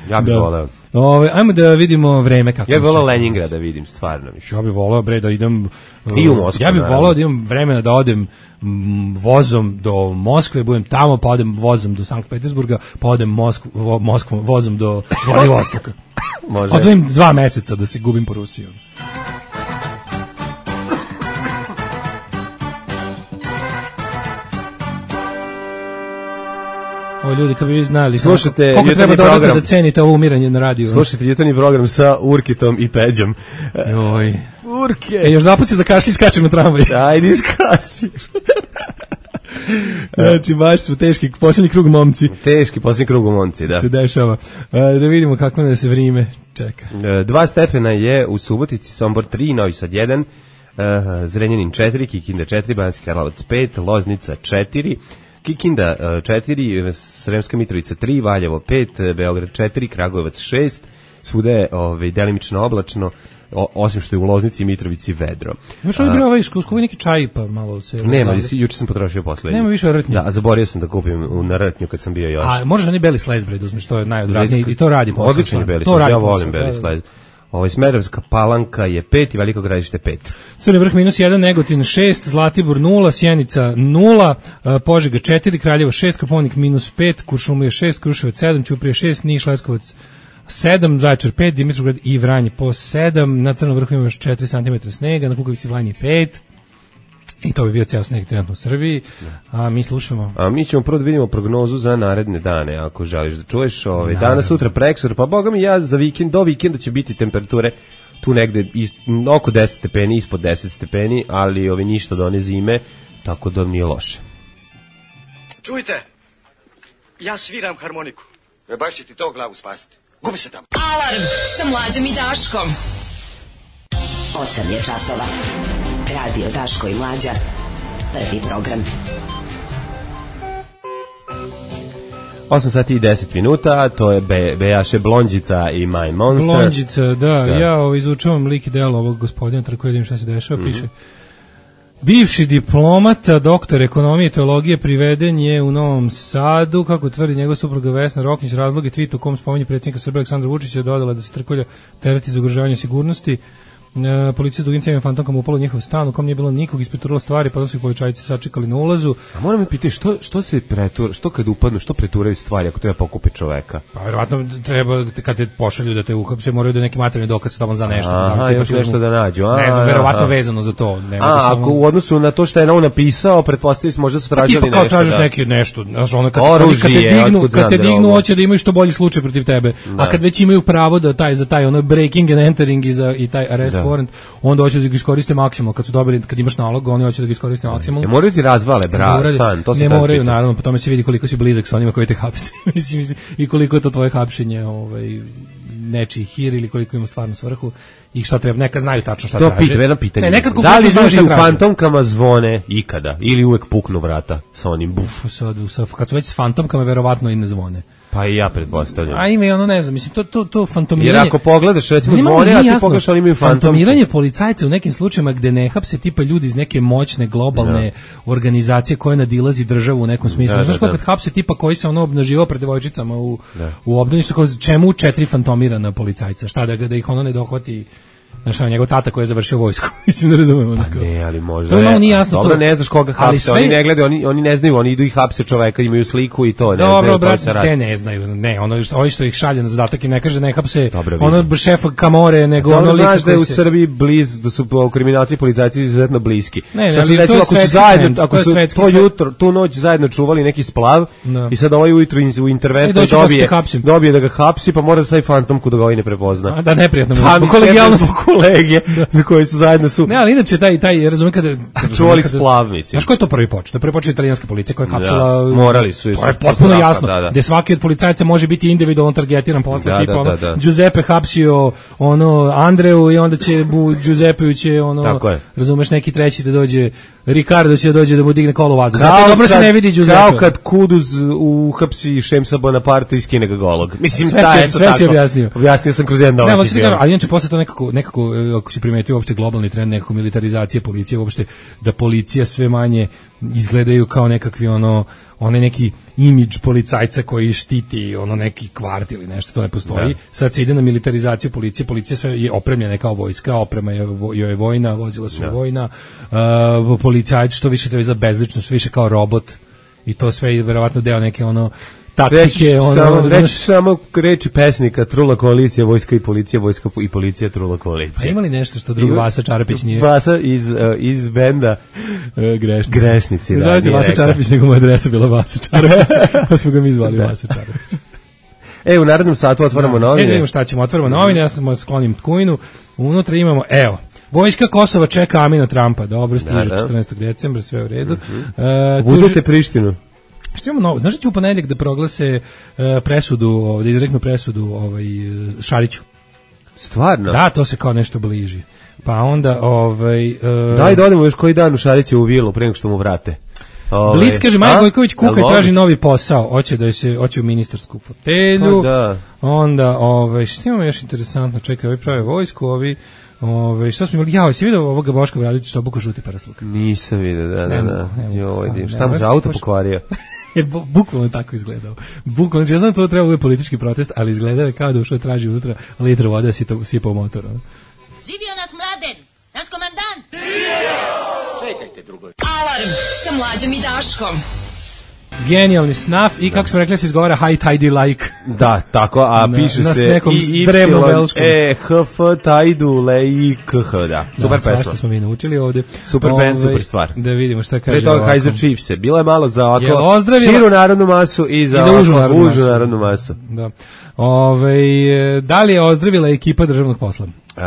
Ja bih voleo. Ove, ajmo da vidimo vreme kako. Ja bih voleo Leningrad da vidim, stvarno. Ja bih voleo, bre, da idem... I u Moskvu. Ja bih voleo da imam vremena da odem m, vozom do Moskve, budem tamo, pa odem vozom do Sankt Petersburga, pa odem Moskvu, vo, Moskvom vozom do Vladivostoka. Može. Odvojim dva meseca da se gubim po Rusiji. O ljudi, kad bi vi znali slušajte, koliko treba dodati da cenite ovo umiranje na radiju. Slušajte jutarnji program sa Urkitom i Peđom. Joj. Urke. E, još zaput se da kašli skačem na tramvaj. Ajde, iskači. Znači, baš su teški, posljednji krug momci. Teški, posljednji krug momci, da. Se dešava. Da vidimo kako da se vrime čeka. Dva stepena je u Subotici, Sombor tri, Novi Sad jedan, Zrenjanin četiri, Kikinda četiri, Banatski Karlovac pet, Loznica četiri, Kikinda četiri, Sremska Mitrovica tri, Valjevo pet, Beograd četiri, Kragujevac šest, svuda je ovaj, delimično oblačno, o, osim što je u Loznici i Mitrovici vedro. Imaš ovdje bio ovaj školskovi neki čaj pa malo se... Nema, juče sam potrošio poslednji. Nema više rtnje. Da, a zaboravio sam da kupim u, na rtnju kad sam bio još. A možeš oni beli slice bread uzmeš, to je najodvratnije i to radi posao. Odličan je beli slice, ja volim beli slice. Ovaj Smederevska Palanka je pet i Veliko Gradište pet. Crni Vrh minus jedan, Negotin šest, Zlatibor nula, Sjenica nula, Požega četiri, Kraljevo šest, Koponik minus pet, Kuršumlija šest, Kruševac sedam, Ćuprija šest, Niš, Leskovac sedam, Zaječar pet, Dimitrovgrad i Vranje po sedam, na Crnom vrhu ima još četiri centimetra snega, na Kukovici Vranje pet. I to bi bio ceo sneg trenutno u Srbiji. A mi slušamo. A mi ćemo prvo da vidimo prognozu za naredne dane, ako želiš da čuješ. Ovaj, danas, sutra, preksur, pa boga mi ja za vikend, do vikenda će biti temperature tu negde is, oko deset stepeni, ispod deset stepeni, ali ovi ništa do one zime, tako da nije loše. Čujte, ja sviram harmoniku. E baš će ti to glavu spasiti. Gubi se tamo. Alarm sa Mlađom i Daškom. osam je časova. Radio Daško i Mlađa. Prvi program. osam sati i deset minuta, to je Be, Bejaše Blondžica i My Monster. Blondžica, da, da. ja ovo, izučavam lik i delo ovog gospodina, tako vidim šta se dešava, mm-hmm. piše. Bivši diplomata, doktor ekonomije i teologije, priveden je u Novom Sadu, kako tvrdi njegov supruga Vesna Roknić. Razlog je tweet u kom spominje predsjednika Srbije Aleksandra Vučića, dodala da se Trkulja tereti za ugrožavanje sigurnosti. E, policija s dugim cijevim fantomkama upala u njihov stan u kom nije bilo nikog, ispiturala stvari, pa su ih policajci sačekali na ulazu. A moram me pitati, što, što se pretura, što kad upadnu, što preturaju stvari ako treba pokupiti čoveka? Pa verovatno treba, kad te pošalju da te uhapse, moraju da neki materijalni dokaz tamo za nešto. Aha, još nešto da nađu. A, ne znam, verovatno vezano za to. Nema a, ako u odnosu na to što je on napisao, pretpostavljamo možda su tražili nešto. Pa kao tražiš neki nešto, znaš, ono kad, oružje, kad te dignu, kad te dignu da hoće da imaju što bolji slučaj protiv tebe. Da. A kad već imaju pravo da taj za taj ono breaking and entering i za i taj arrest da. warrant, onda hoće da ga iskoriste maksimalno. Kad su dobili, kad imaš nalog, oni hoće da ga iskoriste maksimalno. Ne moraju ti razvale, bra, stan, to se ne moraju, naravno, po tome se vidi koliko si blizak sa onima koji te hapse. Mislim, i koliko je to tvoje hapšenje, ovaj, nečiji hir ili koliko ima stvarno svrhu i šta treba, neka znaju tačno šta to traže. To pitanje, pitanje. Ne, nekad da li ljudi u fantomkama zvone ikada ili uvek puknu vrata sa onim buf? Sad, kad su već s fantomkama, verovatno i ne zvone. Pa i ja pretpostavljam. A ima i ono, ne znam, mislim, to, to, to fantomiranje... Jer ako pogledaš, recimo zvone, a ti pogledaš, oni imaju fantomke. Fantomiranje policajca u nekim slučajima gde ne hapse tipa ljudi iz neke moćne, globalne da. organizacije koje nadilazi državu u nekom smislu. Da, Znaš da, da. kad hapse tipa koji se ono obnaživao pred devojčicama u, da. u obdaništu, su kao čemu četiri fantomirana policajca? Šta, da, da ih ono ne dohvati... Znaš, njegov tata koji je završio vojsku. Mislim da razumemo. Pa ne, ali možda... To je malo nije jasno. Dobro, to... ne znaš koga hapse, sve... oni ne gledaju, oni, oni ne znaju, oni idu i hapse čoveka, imaju sliku i to, ne Dobro, znaju brat, te ne znaju, ne, ono, ovi što ih šalje na zadatak im ne kaže ne hapse Dobro, ono šefa Kamore, nego Dobro, ono lik... znaš da je u se... Srbiji bliz, da su kriminalci i policajci izuzetno bliski. Ne, Šta ali recimo, to je ako su zajedno, ako to su to jutro, tu noć zajedno čuvali neki splav no. i sad ovaj ujutru u interventu dobije, dobije da ga hapsi, pa mora da stavi fantomku da ga ovaj ne prepozna. A, da, neprijatno. Pa, kolegijalnost kolege. Za koji su zajedno su. Ne, ali inače taj taj razumem kada čuvali splav, mislim. Znaš ko je to prvi počeo? To prvi počeo italijanska policija koja je hapsila. Da, morali su. To je potpuno jasno. Da, da. Gde svaki od policajaca može biti individualno targetiran posle da, tipa. Da, da, da. Giuseppe hapsio ono Andreu i onda će bu Giuseppe će ono razumeš neki treći da dođe Ricardo će da dođe da mu digne kolo u vazduh. Zato dobro se ne vidi Giuseppe. Kao kad Kuduz uhapsi Šemsa Bonaparte i skine ga golog. Mislim sve taj sve se objasnio. Objasnio sam kroz jedan domaći. Ne, ali inače posle to nekako nekako ako se primetio uopšte globalni trend nekako militarizacije policije, uopšte da policija sve manje izgledaju kao nekakvi ono onaj neki imidž policajca koji štiti ono neki kvart ili nešto, to ne postoji. Da. Sad se ide na militarizaciju policije, policija sve je opremljena kao vojska, oprema je, je vojna, vozila su da. vojna, uh, policajci što više treba za bezlično, što više kao robot i to sve je verovatno deo neke ono taktike, ono, samo, reći samo reči pesnika, trula koalicija, vojska i policija, vojska i policija, trula koalicija. A ima li nešto što drugi Vasa Čarapić nije? Vasa iz, uh, iz benda uh, Grešnici. Grešnici, da. Zove se Vasa Čarapić, nego mu adresa bila Vasa Čarapić, pa smo ga mi zvali Vasa Čarapić. E, u narednom satu otvaramo da. novine. E, vidimo šta ćemo, otvaramo novine, ja sam sklonim Tkujinu, unutra imamo, evo, Vojska Kosova čeka Amina Trumpa, dobro, stiže da, da. četrnaestog decembra, sve u redu. Mm-hmm. Uh, Budete Prištinu. Što imamo novo? Znaš da će u ponedeljak da proglase uh, presudu, da izreknu presudu ovaj, Šariću? Stvarno? Da, to se kao nešto bliži. Pa onda... Ovaj, uh, daj da odemo još koji dan u Šariću u vilu, prije nego što mu vrate. Ove, Blic kaže, Maja Gojković kuka i traži novi posao. Hoće da se hoće u ministarsku fotelju. Pa da. Onda, ovaj, što imamo još interesantno? Čekaj, ovi prave vojsku, ovi... Ove, šta smo imali? Ja, jesi vidio ovoga Boška Obradovića što obuku žuti parasluk? Nisam vidio, da, da, da. Joj, ne, šta mu za auto pokvario? Je bukvalno tako izgledao. Bukvalno, ja znam da to treba biti politički protest, ali izgledao je kao da ušao traži unutra litru vode, si to sipa u motor. Živio nas Mladen, naš komandant! Čekajte drugo. Alarm sa Mlađom i Daškom. Genijalni snaf i kako smo rekli se izgovara high tidy like. Da, tako, a na, piše na se i y e h f tajdu le i k h, da. Super da, pesma. Smo mi naučili ovde. Super Ove, band, super stvar. Da vidimo šta kaže. Pre toga Kaiser Chiefs. Bilo je malo za ovako ozdravila... širu narodnu masu i za, I za užu, ovako, narodnu, užu masu. narodnu masu. Da. Ove, da li je ozdravila ekipa državnog posla? E,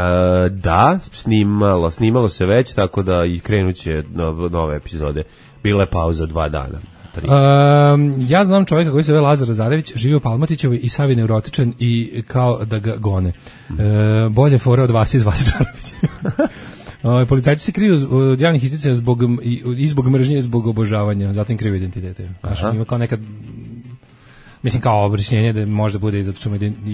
da, snimalo, snimalo se već, tako da i krenuće nove, nove epizode. Bila je pauza dva dana. Um, ja znam čovjeka koji se zove Lazar Zarević, živi u Palmatićevoj i sav je neurotičan i kao da ga gone. E, bolje fore od vas iz Vasičarovića. O, policajci se kriju od javnih isticanja zbog, i, i zbog mržnje, zbog obožavanja, zato im kriju identitete. Znaš, ima kao nekad, mislim kao obrešnjenje da može bude i zato što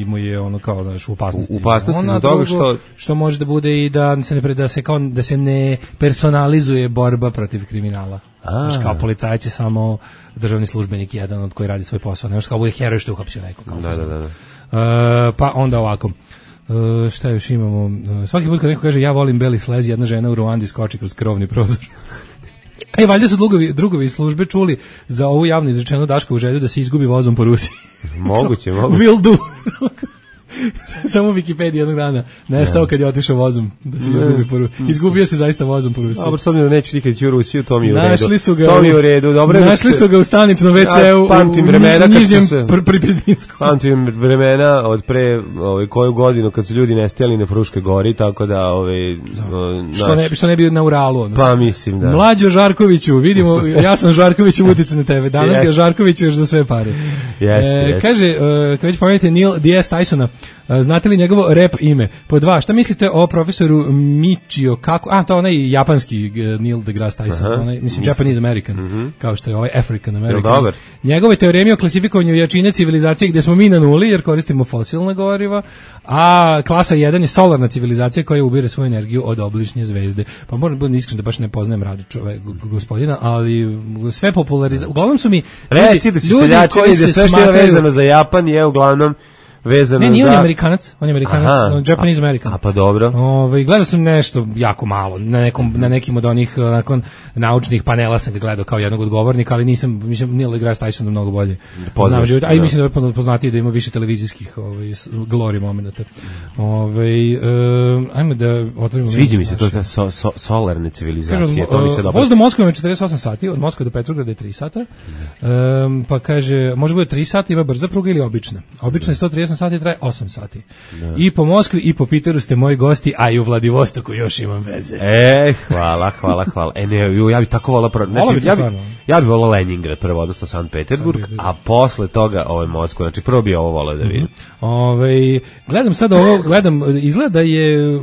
mu je ono kao, znaš, u opasnosti. U opasnosti zbog toga što... Što može da bude i da se ne, da se kao, da se ne personalizuje borba protiv kriminala. Znaš, kao policajac je samo državni službenik, jedan od koji radi svoj posao. Ne može kao bude heroj što je uhapsio neko. Kao da, da, da. Uh, pa onda ovako. Uh, šta još imamo? Uh, svaki put kad neko kaže ja volim beli slez, jedna žena u Ruandi skoči kroz krovni prozor. E, valjda su drugovi, drugovi iz službe čuli za ovu javno izrečenu Daškovu želju da se izgubi vozom po Rusiji. Moguće, moguće. Will do. Samo u Wikipediji jednog dana nestao kad je otišao vozom da se izgubi po Rusiji. Izgubio se zaista vozom po Rusiji. Dobro, s obzirom da neće nikad ići u Rusiju, to mi je u redu. Našli su ga, to mi je u redu. Dobro, našli su ga u staničnom ve ceu ja, u, u nižnjem Pripizdinskom. Pamtim vremena od pre ovaj, koju godinu kad su ljudi nestajali na Fruškoj gori, tako da... Ovaj, naš, što, ne, što ne bi na Uralu. Ono. Pa mislim, da. Mlađo Žarkoviću, vidimo, ja sam Žarkoviću utice na tebe. Danas yes. ga Žarkoviću još za sve pare. Jeste, e, jeste. Kaže, uh, kad već pomenete Neil deGrasse Tysona, uh, znate li njegovo rap ime? Po dva, šta mislite o profesoru Michio Kaku? A, to onaj japanski uh, Neil deGrasse Tyson, Aha, onaj, mislim, Japanese American, mm -hmm. kao što je ovaj African American. Njegove teoreme o klasifikovanju jačine civilizacije gdje smo mi na nuli, jer koristimo fosilna goriva, a klasa jedan je solarna civilizacija koja ubire svoju energiju od obližnje zvezde. Pa moram biti iskren da baš ne poznajem radi čovjek gospodina, ali sve populariza... Uglavnom su mi Reci da si seljačini, da sve što je vezano za Japan je uglavnom vezano. Ne, nije za... on je Amerikanac, on je Amerikanac, Aha, Japanese American. A pa dobro. Ove, gledao sam nešto jako malo, na, nekom, na nekim od onih nakon naučnih panela sam ga gledao kao jednog od govornika, ali nisam, mislim, Neil deGrasse Tyson mnogo bolje. Poznaš, znam, a i mislim da je poznatiji da ima više televizijskih ovaj, glory momenata. Ove, um, ajmo da otvorimo... Sviđa mi se to ta so, so, solarne civilizacije, kaže, to mi se dobro... Voz do Moskve je četrdeset osam sati, od Moskve do Petrograda je tri sata, um, pa kaže, može bude tri sata, ima brza pruga ili obična. Obična je sto trideset sati, traje osam sati. Da. I po Moskvi i po Piteru ste moji gosti, a i u Vladivostoku još imam veze. E, hvala, hvala, hvala. E, ne, ja bih tako volao prvo. Znači, ja bih ja bi volao Leningrad prvo, odnosno Sankt Peterburg, a posle toga ovaj Moskva. Znači, prvo bi ovo volao da vidim. Mm-hmm. Ove, gledam sad ovo, gledam, izgleda je...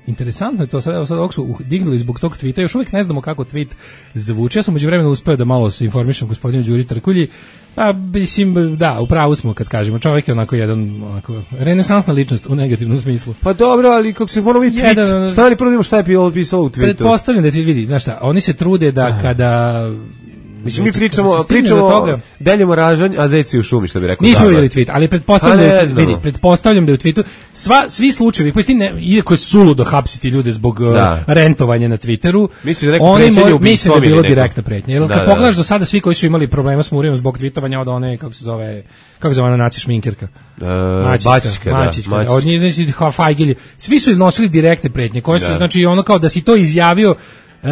Interesantno je to, sad, sad ovog su dignuli zbog tog tvita, još uvijek ne znamo kako tweet zvuči. Ja sam uđe vremena uspeo da malo se informišem gospodinu Đuri Trkulji. Pa, mislim, da, upravo smo kad kažemo, čovjek je onako jedan onako, renesansna ličnost u negativnom smislu. Pa dobro, ali kako se moramo vidjeti tweet, stani prvo da šta je pisalo u tweetu. Pretpostavljam da ti vidi, znaš šta, oni se trude da kada... Mislim, mi pričamo, pričamo o Delju Ražanj, a zeci u šumi, što bi rekao. Nismo vidjeli tweet, ali pretpostavljam, da je, vidi, pretpostavljam da je u tweetu sva, svi slučajevi, koji ne, iako je suludo hapsiti ljude zbog da. rentovanja na Twitteru, mislim da, oni moj, mislim da je bilo direktna pretnja. Jer da, kad da, pogledaš do sada, svi koji su imali problema s Murijom zbog tweetovanja od one, kako se zove, kako se zove ona naci šminkerka? Uh, Mačićka, Mačićka, da. Od njih, znači, Fajgilj, svi su iznosili direktne pretnje, koje su, da. znači, ono kao da si to izjavio, uh,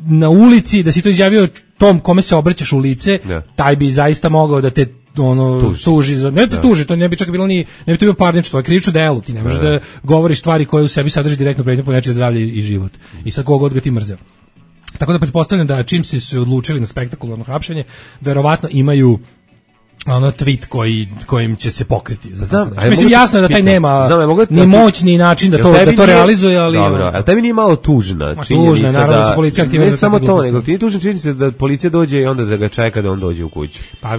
na ulici, da si to izjavio tom kome se obraćaš u lice, ja. taj bi zaista mogao da te ono tuži, tuži za, ne te ja. tuži, to ne bi čak bilo ni, ne bi to bio parnično, to je krivično delo, ti ne možeš ja. da govoriš stvari koje u sebi sadrži direktno pretnju po nečije zdravlje i život. I sad kogod ga ti mrzeo. Tako da pretpostavljam da čim se su odlučili na spektakularno hapšenje, verovatno imaju ono tweet koji kojim će se pokriti. Znam, mislim jasno je da taj nema znam, da ni moć ni način da to da to nije, realizuje, ali dobro, ali tebi nije malo tužna činjenica tužna, naravno, da se policija aktivira. Ne samo to, nego ti je tužna činjenica da policija dođe i onda da ga čeka da on dođe u kuću. Pa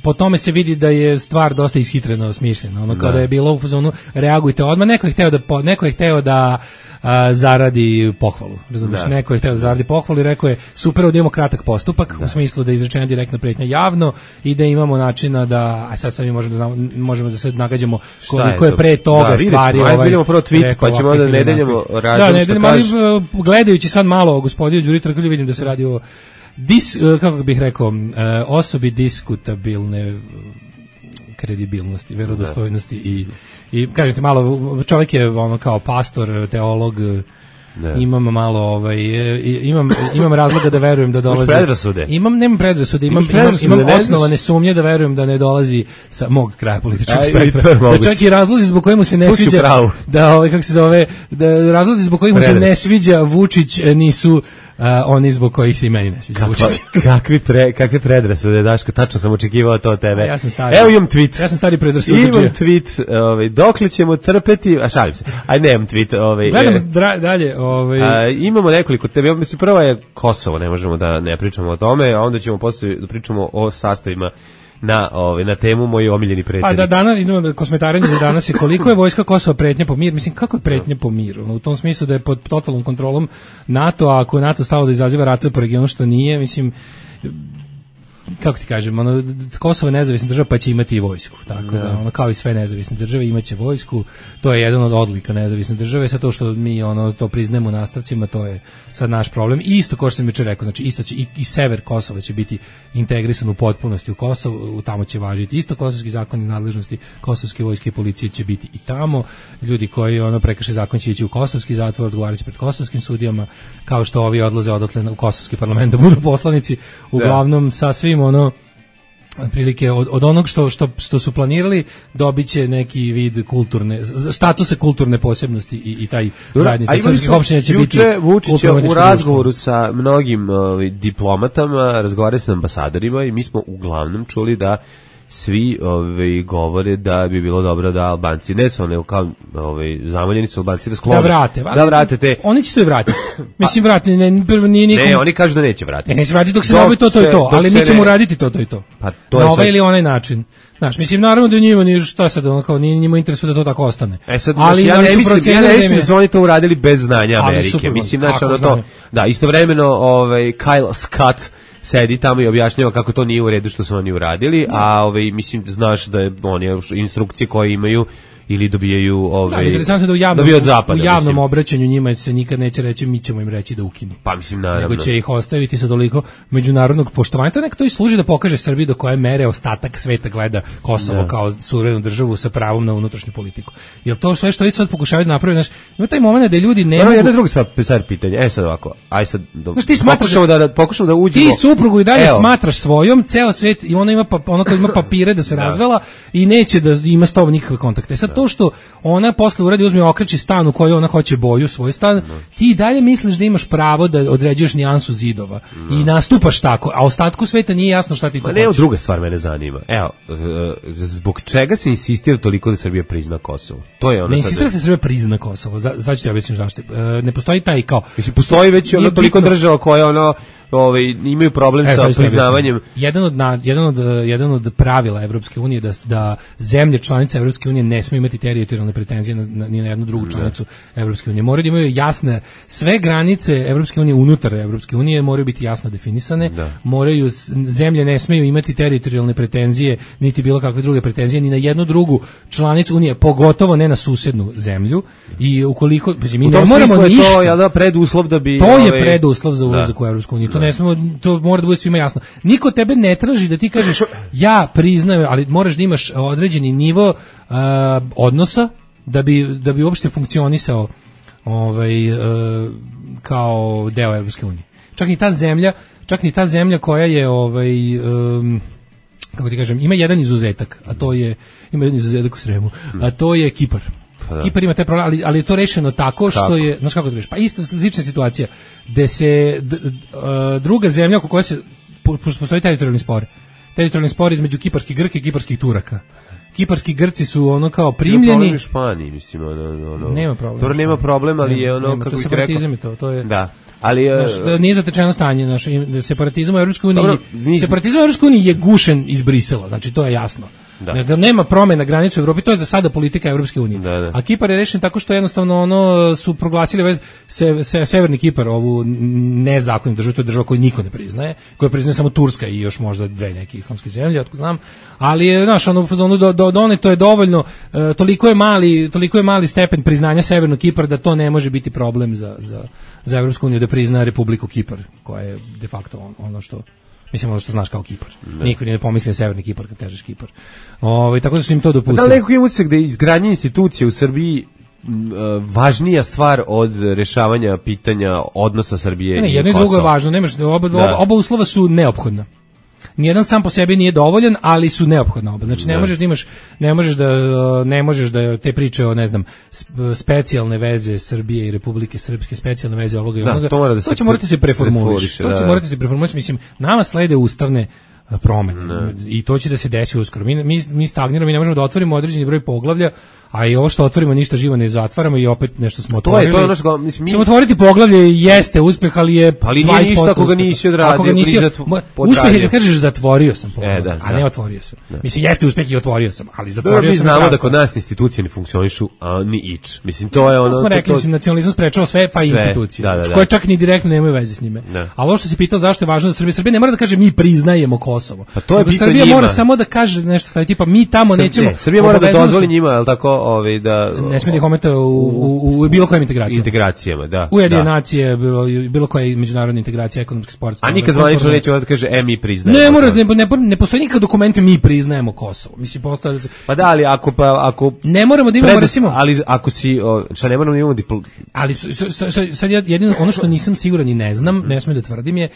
po tome se vidi da je stvar dosta ishitreno smišljena. Ono kada je bilo u zonu reagujte odmah, neko je hteo da neko je hteo da a, zaradi pohvalu. Razumiješ, neko je hteo da zaradi pohvalu i rekao je super, da imamo kratak postupak da. u smislu da je izrečena direktna pretnja javno i da imamo načina da, a sad sad mi možemo da znamo, možemo da se nagađamo koliko je, je pre toga da, stvari ćemo, ovaj. Vidimo prvo tweet, pa ćemo da ne deljamo razum. Da, ne deljamo, ali gledajući sad malo gospodinu Đuri Trkulju vidim da se radi o dis, uh, kako bih rekao, uh, osobi diskutabilne kredibilnosti, verodostojnosti i, i kažete malo, čovjek je ono kao pastor, teolog, ne. Imam malo ovaj imam imam razloga da verujem da dolazi. Imam nemam predrasude, imam imam, imam osnovane sumnje da verujem da ne dolazi sa mog kraja političkog spektra. Da čak i razlozi zbog kojih mu se ne sviđa da ovaj kako se zove, da razlozi zbog kojih mu se ne sviđa Vučić nisu Uh, oni zbog kojih se i meni ne sviđa Vučić. Kakvi pre, kakve predrasude, Daško, tačno sam očekivao to od tebe. A ja sam stari. Evo imam tweet. Ja sam stari predrasude. Imam tweet, ovaj, dokle ćemo trpeti, a šalim se, aj nemam tweet. Ovaj, Gledam e, dra, dalje. Ovaj. A, imamo nekoliko tebe, mislim, prva je Kosovo, ne možemo da ne pričamo o tome, a onda ćemo posle da pričamo o sastavima na ovaj na temu moj omiljeni predsjednik. Pa da danas idemo da kosmetarenje za danas je koliko je vojska Kosova pretnja po mir, mislim kako je pretnja po miru, u tom smislu da je pod totalnom kontrolom NATO, a ako je NATO stalo da izaziva ratove po regionu što nije, mislim kako ti kažem, ono, Kosovo je nezavisna država pa će imati i vojsku, tako da, da ono, kao i sve nezavisne države imaće vojsku, to je jedan od odlika nezavisne države, sa to što mi ono to priznajemo u nastavcima, to je sad naš problem. I isto kao što sam jučer rekao, znači isto će i, i sever Kosova će biti integrisan u potpunosti u Kosovo, tamo će važiti isto kosovski zakon i nadležnosti kosovske vojske i policije će biti i tamo, ljudi koji ono prekrše zakon će ići u kosovski zatvor, odgovaraće pred kosovskim sudijama, kao što ovi odlaze odatle u kosovski parlament da budu poslanici, uglavnom da. Sa svim ono prilike od, od onog što, što, što su planirali dobiće neki vid kulturne statuse kulturne posebnosti i, i taj zajednica srpskih opština će biti Vučić u razgovoru sa mnogim uh, diplomatama, razgovarali sa ambasadorima i mi smo uglavnom čuli da svi ovaj govore da bi bilo dobro da Albanci ne su ne kao ovaj zamoljeni su Albanci da sklone da vrate, da vrate te oni će to i vratiti. Mislim vrati ne nije nikom. Ne, oni kažu da neće vratiti. Ne, neće vratiti dok se ne obavi to to i to, ali mi ćemo raditi to to i to. Pa to na ovaj ili onaj način. Znaš, mislim naravno da njima ni šta sad ono kao nije njima interesuje da to tako ostane. E sad, ali ja ne mislim, ja ne mislim da su oni to uradili bez znanja Amerike. Super, mislim znači ono to. Da, istovremeno ovaj Kyle Scott sedi tamo i objašnjava kako to nije u redu što su oni uradili, a ovaj mislim znaš da je oni instrukcije koje imaju ili dobijaju ovaj da, interesantno da u javnom, od zapada, u javnom mislim. Obraćanju njima se nikad neće reći mi ćemo im reći da ukinu. Pa mislim naravno. Nego će ih ostaviti sa toliko međunarodnog poštovanja. To nekako to i služi da pokaže Srbiji do koje mere ostatak sveta gleda Kosovo ne. Kao suverenu državu sa pravom na unutrašnju politiku. Jel to sve što i sad pokušavaju da naprave, znaš, ima taj momenat da ljudi ne no, mogu. Jedno drugo sad sad pitanje. E sad ovako. Aj sad do... znaš, ti smatraš da, da pokušamo da uđemo. Ti suprugu i dalje Evo. Smatraš svojom, ceo svet i ona ima pa, ona koja ima papire da se da. Razvela i neće da ima s tobom nikakve kontakte. Sad da. To što ona posle uradi uzme okreći stan u kojoj ona hoće boju svoj stan, no. Ti dalje misliš da imaš pravo da određuješ nijansu zidova no. I nastupaš tako, a ostatku sveta nije jasno šta ti to hoćeš. Ne, druga stvar mene zanima. Evo, zbog čega se insistira toliko da Srbija prizna Kosovo? To je ono. Ne insistira da se Srbija prizna Kosovo. Sad ću ti objasniti zašto. Ne postoji taj kao. Mislim postoji već ono toliko država koje ono ovaj imaju problem e, sa priznavanjem. Jedan od na, jedan od jedan od pravila Evropske unije da da zemlje članice Evropske unije ne smiju imati teritorijalne pretenzije na, na, ni na jednu drugu članicu Evropske unije. Moraju da imaju jasne sve granice Evropske unije unutar Evropske unije moraju biti jasno definisane. Da. Moraju zemlje ne smeju imati teritorijalne pretenzije niti bilo kakve druge pretenzije ni na jednu drugu članicu unije, pogotovo ne na susednu zemlju. I ukoliko mi ne moramo ništa. To je da preduslov da bi To je ovaj, preduslov za ulazak da. U Evropsku uniju. Ne smemo, to mora da bude svima jasno. Niko tebe ne traži da ti kažeš ja priznajem, ali moraš da imaš određeni nivo uh, odnosa da bi da bi uopšte funkcionisao ovaj uh, kao deo Evropske unije. Čak ni ta zemlja, čak ni ta zemlja koja je ovaj um, kako ti kažem, ima jedan izuzetak, a to je ima jedan izuzetak u Sremu, a to je Kipar. Da. Kipar ima taj problem, ali, ali je to rešeno tako što tako. Je, znaš kako to reš, pa isto slična situacija, gde se d, d, druga zemlja oko koja se, postoji teritorijalni spor, teritorijalni spor između kiparskih Grka i kiparskih Turaka. Kiparski Grci su ono kao primljeni. Nema problem u Španiji, mislim, ono, ono. Nema problem. To nema problem, ali nema, je ono, nema, kako bih ti rekao. To, to je, da. Ali naš, nije zatečeno stanje, naš separatizam u Evropskoj uniji, separatizam u Evropskoj uniji je gušen iz Brisela, znači to je jasno. Da. Nema promena granice u Evropi, to je za sada politika Evropske unije. Da, da. A Kipar je rešen tako što jednostavno ono su proglasili se, se, severni Kipar ovu nezakonitu državu, to je država koju niko ne priznaje, koju priznaje samo Turska i još možda dve neke islamske zemlje, otko znam. Ali je, znaš, ono fazonu do do do one to je dovoljno, e, toliko je mali, toliko je mali stepen priznanja severnog Kipra da to ne može biti problem za za za Evropsku uniju da prizna Republiku Kipar, koja je de facto on, ono što mislim ono što znaš kao Kipar. Ne. Niko ne pomisli na severni Kipar kad kažeš Kipar. Ovaj tako da su im to dopustili. Da li neko ima utisak da je izgradnja institucija u Srbiji m, važnija stvar od rešavanja pitanja odnosa Srbije ne, i jedno i drugo je važno, nemaš oba, oba, oba uslova su neophodna. Nijedan sam po sebi nije dovoljan, ali su neophodna oba. Znači ne možeš da imaš, ne možeš da ne možeš da te priče o ne znam specijalne veze Srbije i Republike Srpske, specijalne veze ovoga i onoga. To, mora da to će morati se preformulisati. To će morati se preformulisati, mislim, nama slede ustavne promene ne. I to će da se desi uskoro. Mi mi mi stagniramo, mi ne možemo da otvorimo određeni broj poglavlja, a i ovo što otvorimo ništa živo ne zatvaramo i opet nešto smo otvorili. To je to ono što mislim mi. Samo otvoriti poglavlje jeste uspeh, ali je ali nije ništa ako ga nisi odradio. Uspeh je da kažeš zatvorio sam poglavlje, e, da, a ne da. otvorio sam. Da. Mislim jeste uspeh i otvorio sam, ali zatvorio da, mi sam. Mi znamo da kod nas institucije ne funkcionišu, a ni ič. Mislim to je ono. Smo rekli, mislim nacionalizam sprečava sve pa i institucije. Da, da, da. Koje čak ni direktno nemaju veze s njime. A ovo što se pitao zašto je važno za Srbiju, Srbija ne mora da kaže mi priznajemo Kosovo. Pa to je Srbija mora samo da kaže nešto sa tipa mi tamo nećemo. Srbija mora da dozvoli njima, el tako, ovaj da ne smije da ih ometa u, u, u bilo kojim integracijama. Integracijama, da. Ujedinjene nacije, bilo, bilo koja međunarodna integracija, ekonomski, sportski. A nikad zvanično neće da kaže, e, mi priznajemo. Ne, mora, ne, ne, ne postoji nikad dokumente mi priznajemo Kosovo. Mislim, postoji... Pa da, ali ako... Pa, ako ne moramo da imamo, predos, recimo... Ali ako si... O, šta ne moramo da imamo dipl... Ali sad jedino, ono što nisam siguran i ne znam, ne smijem da tvrdim je,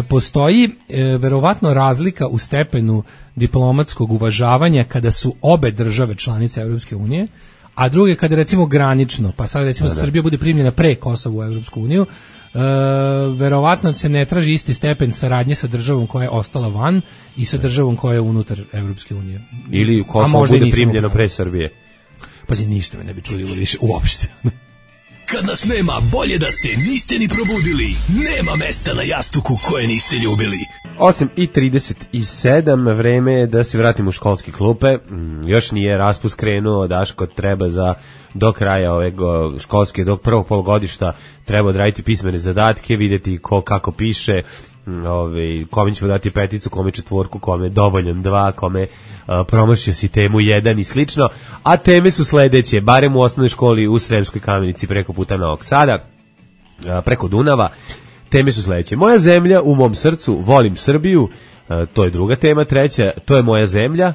postoji e, verovatno razlika u stepenu diplomatskog uvažavanja kada su obe države članice Evropske unije, a druge kada recimo granično, pa sad recimo da, da. Srbija bude primljena pre Kosova u Evropsku uniju, e, verovatno se ne traži isti stepen saradnje sa državom koja je ostala van i sa državom koja je unutar Evropske unije. Ili Kosovo bude primljeno pre Srbije. Pazi, ništa me ne bi čuli više uopšte. Kad nas nema, bolje da se niste ni probudili. Nema mesta na jastuku koje niste ljubili. osam i trideset sedam, vreme je da se vratimo u školske klupe. Još nije raspust krenuo, Daško treba za do kraja ove školske, do prvog polugodišta treba odraditi pismene zadatke, videti ko kako piše, ove, kome ćemo dati peticu, kome četvorku, kome dovoljan dva, kome a, promašio si temu jedan i slično, a teme su sledeće, barem u osnovnoj školi u Sremskoj Kamenici preko puta Novog Sada, a, preko Dunava. Teme su sledeće: moja zemlja u mom srcu, volim Srbiju, a, to je druga tema. Treća, to je moja zemlja,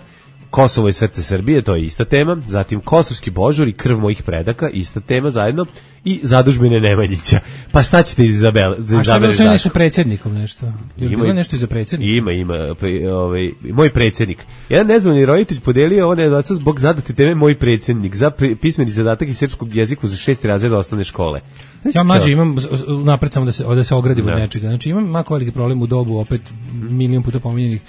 Kosovo i srce Srbije, to je ista tema. Zatim kosovski božur i krv mojih predaka, ista tema zajedno. I zadužbine Nemanjića. Pa šta ćete izabele? A šta je bilo sve nešto predsjednikom nešto? Je bilo nešto iza predsjednika? Ima, ima. Pre, ovaj, moj predsjednik. Jedan neznani roditelj podelio one oca zbog zadate teme moj predsjednik za pre, pismeni zadatak iz srpskog jeziku za šesti razred osnovne škole. Znači, ja mlađe imam, napred samo da se, da se ogradim od nečega. Znači imam mako veliki problem u dobu, opet milion puta pominjenih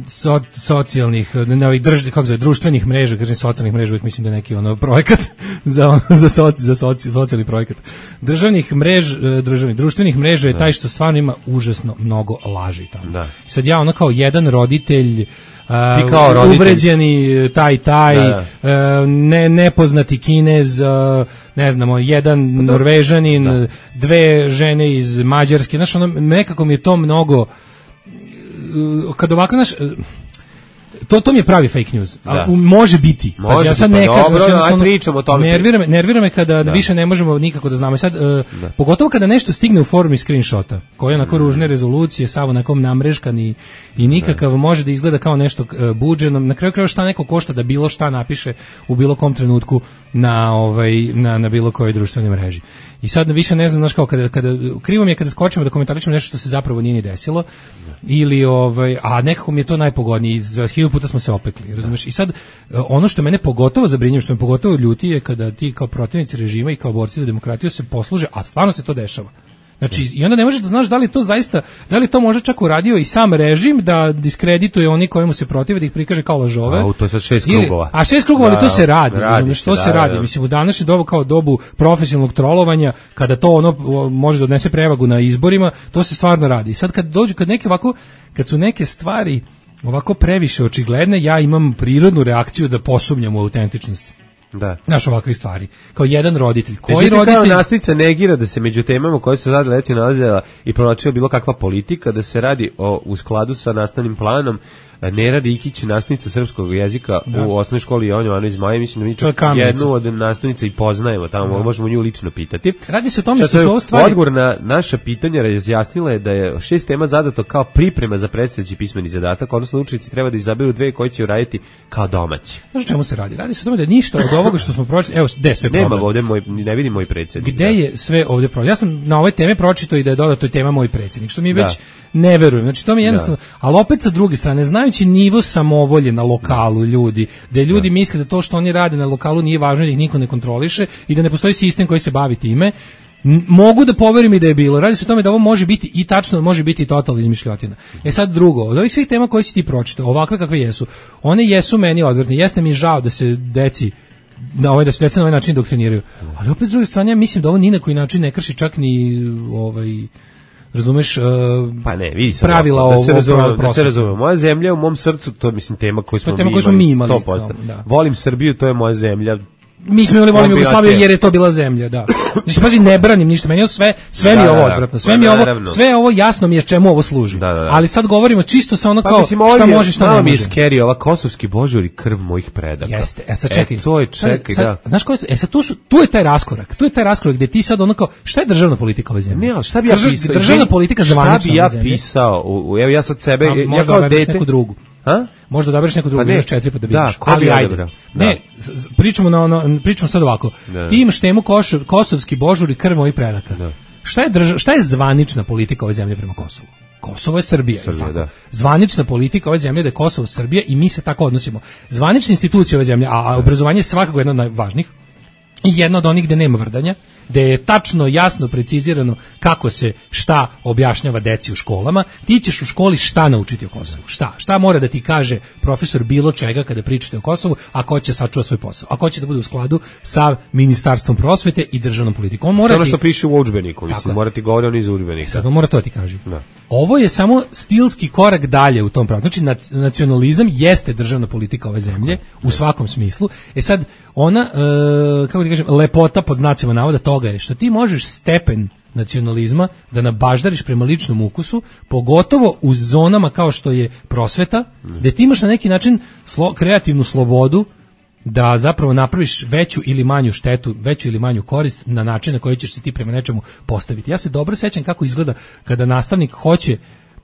So, socijalnih, ne ovih drž, kako zove, društvenih mreža, kažem socijalnih mreža, uvijek mislim da je neki ono projekat za za soci, za soci, socijalni projekat. Državnih mrež, državnih društvenih mreža je taj što stvarno ima užasno mnogo laži tamo. Da. Sad ja ono kao jedan roditelj, Ti kao roditelj. Uvređeni taj taj da, da. Ne, nepoznati Kinez, ne znamo, jedan da. Norvežanin, da. Dve žene iz Mađarske, znaš, ono, nekako mi je to mnogo. Kad ovako naš to to mi je pravi fake news. A, može biti. Može pa ja sad pa ne kažem, dobro, aj pričamo o tome. Nervira me, nervira me kada da. Više ne možemo nikako da znamo. Sad uh, pogotovo kada nešto stigne u formi screenshota, koji je onako mm. ružne rezolucije, sav onako namreškan i, i nikakav da. Može da izgleda kao nešto uh, buđeno. Na kraju krajeva šta neko košta da bilo šta napiše u bilo kom trenutku na ovaj na na bilo kojoj društvenoj mreži. I sad više ne znam, znaš kao kada kada krivo mi je kada skočimo da komentarišemo nešto što se zapravo nije ni desilo. Ili ovaj, a nekako mi je to najpogodnije, za hiljadu puta smo se opekli, razumeš? I sad ono što mene pogotovo zabrinjava, što me pogotovo ljuti je kada ti kao protivnici režima i kao borci za demokratiju se posluže, a stvarno se to dešava. Znači, i onda ne možeš da znaš da li to zaista, da li to može čak uradio i sam režim da diskredituje oni kojemu se protive, da ih prikaže kao lažove. A to je sad šest krugova. A šest krugova, ali to se radi, razumiješ, što se radi. Mislim, u današnje dobu kao dobu profesionalnog trolovanja, kada to ono može da odnese prevagu na izborima, to se stvarno radi. I sad kad dođu, kad neke ovako, kad su neke stvari ovako previše očigledne, ja imam prirodnu reakciju da posumnjam u autentičnost. Da. Naš ovakve stvari. Kao jedan roditelj. Koji Međutim, roditelj? kao nastavnica negira da se među temama koje su sada recimo nalazila i provlačila bilo kakva politika, da se radi o, u skladu sa nastavnim planom. Nera Rikić, nastavnica srpskog jezika da. U osnovnoj školi Jovan Jovanović Zmaje, mislim da mi čak jednu od nastavnica i poznajemo, tamo da. Možemo nju lično pitati. Radi se o tome što su ovo stvari... Odgovor na naša pitanja razjasnila je da je šest tema zadato kao priprema za predstojeći pismeni zadatak, odnosno učenici treba da izaberu dve koje će uraditi kao domaći. Znaš o čemu se radi? Radi se o tome da ništa od ovoga što smo pročitali, evo, gde je sve problem? Nema ovdje, moj, ne vidim moj predsjednik. Gde da. Je sve ovdje problem? Ja sam na ovoj teme pročitao i da je dodato tema moj predsjednik, što mi već ne verujem. Znači to mi je jednostavno, da. Ali opet sa druge strane, znajući nivo samovolje na lokalu ljudi, da ljudi da. Misle da to što oni rade na lokalu nije važno, da ih niko ne kontroliše i da ne postoji sistem koji se bavi time, mogu da poverim i da je bilo. Radi se o tome da ovo može biti i tačno, može biti i totalno izmišljotina. E sad drugo, od ovih svih tema koje si ti pročitao, ovakve kakve jesu, one jesu meni odvrtne. Jeste mi žao da se deci na ovaj da se deca na ovaj način doktriniraju. Ali opet s druge strane ja mislim da ovo ni na koji način ne krši čak ni ovaj razumeš uh, pa ne, vidi sad pravila da se ovo da se razume. Moja zemlja u mom srcu, to je mislim tema koju smo, tema mi, koju smo mi imali sto posto. Da. Volim Srbiju, to je moja zemlja. Mi smo imali volim Jugoslaviju jer je to bila zemlja, da. Mislim, pazi, ne branim ništa, meni je sve, sve mi je ovo odvratno, sve mi je ovo, sve ovo jasno mi je čemu ovo služi. Da, da, da. Ali sad govorimo čisto sa ono kao, pa, mislim, šta može, šta ne može. Mi je skeri, ova kosovski božur i krv mojih predaka. Jeste, e sad čekaj. E, to je, čekaj, sad, da. Znaš ko je, e sad tu, su, tu je taj raskorak, tu je taj raskorak gde ti sad ono kao, šta je državna politika ove zemlje? Ne, ali šta bi ja pisao? Državna politika zvanična ove zemlje. Šta bi ja pisao? Evo ja sad sebe, ja kao dete. Neku drugu. Ha? Možda odabereš neku drugu, pa imaš četiri pa da vidiš. Da, ali ajde. Da. Ne, pričamo na ono, pričamo sad ovako. Da. Ti imaš temu košov, kosovski božur i krv mojih predaka. Da. Šta je drža, šta je zvanična politika ove zemlje prema Kosovu? Kosovo je Srbija, Srbija da. Zvanična politika ove zemlje da je Kosovo Srbija i mi se tako odnosimo. Zvanične institucije ove zemlje, a, a obrazovanje je svakako jedno od najvažnijih i jedno od onih gde nema vrdanja, gde je tačno, jasno, precizirano kako se šta objašnjava deci u školama. Ti ćeš u školi šta naučiti o Kosovu? Šta? Šta mora da ti kaže profesor bilo čega kada pričate o Kosovu, a ko će sačuva svoj posao? A ko će da bude u skladu sa Ministarstvom prosvete i državnom politikom? On mora ono što ti... piše u udžbeniku, mislim, mora ti govori on iz udžbenika. Sad on mora to ti kaže. Da. Ovo je samo stilski korak dalje u tom pravu. Znači, nacionalizam jeste državna politika ove zemlje u svakom smislu. E sad, ona, e, kako ti kažem, lepota pod znacima navoda toga je što ti možeš stepen nacionalizma da nabaždariš prema ličnom ukusu, pogotovo u zonama kao što je prosveta, gde ti imaš na neki način slo, kreativnu slobodu da zapravo napraviš veću ili manju štetu, veću ili manju korist na način na koji ćeš se ti prema nečemu postaviti. Ja se dobro sećam kako izgleda kada nastavnik hoće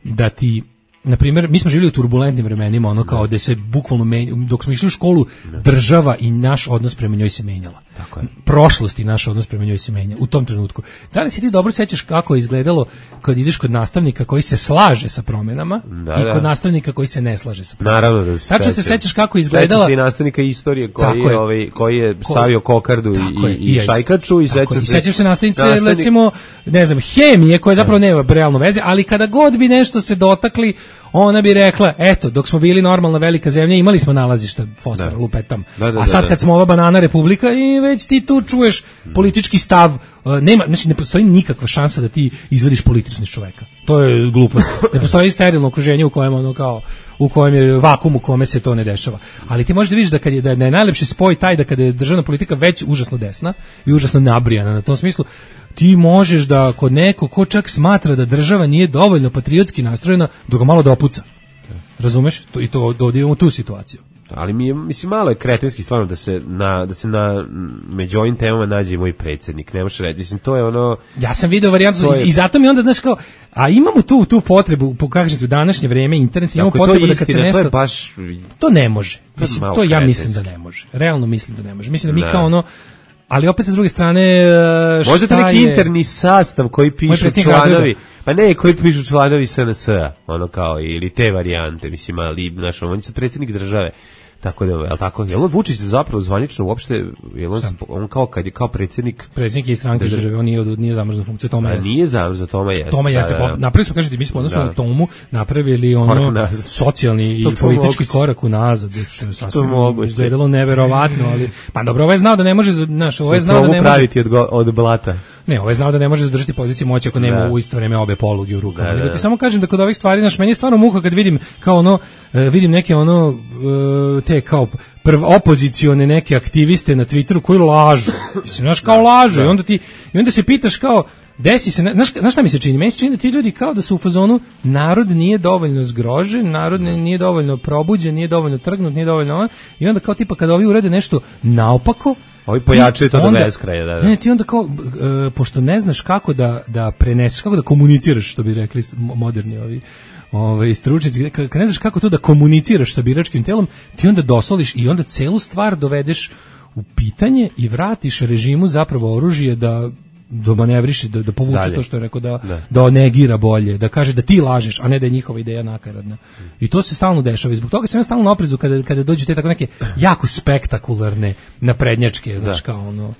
da ti, na primjer, mi smo živjeli u turbulentnim vremenima, ono kao da se bukvalno menja, dok smo išli u školu, država i naš odnos prema njoj se menjala. Tako je. Prošlost i naš odnos prema njoj se menja u tom trenutku. Da li si ti dobro sećaš kako je izgledalo kad ideš kod nastavnika koji se slaže sa promjenama da, i kod da. nastavnika koji se ne slaže sa promjenama? Naravno da se Tačno se sećaš kako je izgledala... Sećaš se i nastavnika istorije koji je, ovaj, koji je stavio kokardu i, i, i šajkaču i sećaš se... Sećaš se nastavnice, nastavnik... recimo, ne znam, hemije koje zapravo nema realno veze, ali kada god bi nešto se dotakli, ona bi rekla, eto, dok smo bili normalna velika zemlja, imali smo nalazišta fosfora, lupetam. Da, da, a sad kad smo ova banana republika i već ti tu čuješ politički stav, nema, znači ne postoji nikakva šansa da ti izvediš politični čoveka. To je glupost. Ne postoji sterilno okruženje u kojem ono kao u kojem je vakum u kome se to ne dešava. Ali ti možeš da vidiš da kad je da je najlepši spoj taj da kada je državna politika već užasno desna i užasno nabrijana na tom smislu, ti možeš da kod neko ko čak smatra da država nije dovoljno patriotski nastrojena, da ga malo dopuca. Razumeš? To, I to dođemo u tu situaciju. Ali mi je, mislim, malo je kretenski stvarno da se na, da se na među ovim temama nađe moj predsjednik. Ne možeš reći, mislim, to je ono... Ja sam video varijantu je... i zato mi onda, znaš, kao, a imamo tu tu potrebu, pokažete u današnje vreme, internet, imamo Ako potrebu to da kad se nešto... To je baš... To ne može. To, mislim, to ja mislim da ne može. Realno mislim da ne može. Mislim da mi ne. kao ono... Ali opet sa druge strane, šta možda je... neki interni sastav koji pišu članovi, pa ne, koji pišu članovi S N S-a, ono kao, ili te varijante, mislim, ali, znaš, on je predsjednik države. Tako da, je li tako? Je li Vučić zapravo zvanično uopšte, je on, on kao kad je kao predsjednik... Predsjednik je stranke države, države, on nije, nije zamrzna funkcija, Toma jeste. Nije zamrzna, Toma jeste. Toma jeste, da, da. Napravili smo, kažete, mi smo odnosno na Tomu napravili ono socijalni i politički korak unazad, što je sasvim izgledalo neverovatno, ali, pa dobro, ovaj je znao da ne može, znaš, ovaj je znao da ne može... praviti od, od blata. Ne, ovaj znao da ne može zadržati poziciju moći ako nema da. u isto vreme obe poluge u rukama. Da, da, Nego ti da. samo kažem da kod ovih stvari, znaš, meni je stvarno muka kad vidim kao ono, uh, vidim neke ono, uh, te kao prv opozicione neke aktiviste na Twitteru koji lažu. Mislim, znaš, kao lažu. I onda ti, i onda se pitaš kao, desi se, znaš, znaš šta mi se čini? Meni se čini da ti ljudi kao da su u fazonu narod nije dovoljno zgrožen, narod nije dovoljno probuđen, nije dovoljno trgnut, nije dovoljno ono, i onda kao tipa kada ovi urede nešto naopako, ovi pojačaju to do beskraja, da, da. Ne, ti onda kao, uh, pošto ne znaš kako da, da preneseš, kako da komuniciraš, što bi rekli moderni ovi ovaj stručnjaci, kad ne znaš kako to da komuniciraš sa biračkim telom, ti onda dosoliš i onda celu stvar dovedeš u pitanje i vratiš režimu zapravo oružje da do manevriši, da, da povuče dalje. To što je rekao, da, da. da negira bolje, da kaže da ti lažeš, a ne da je njihova ideja nakaradna. I to se stalno dešava i zbog toga sam ja stalno na oprezu kada, kada dođu te tako neke jako spektakularne naprednjačke, znaš, kao ono.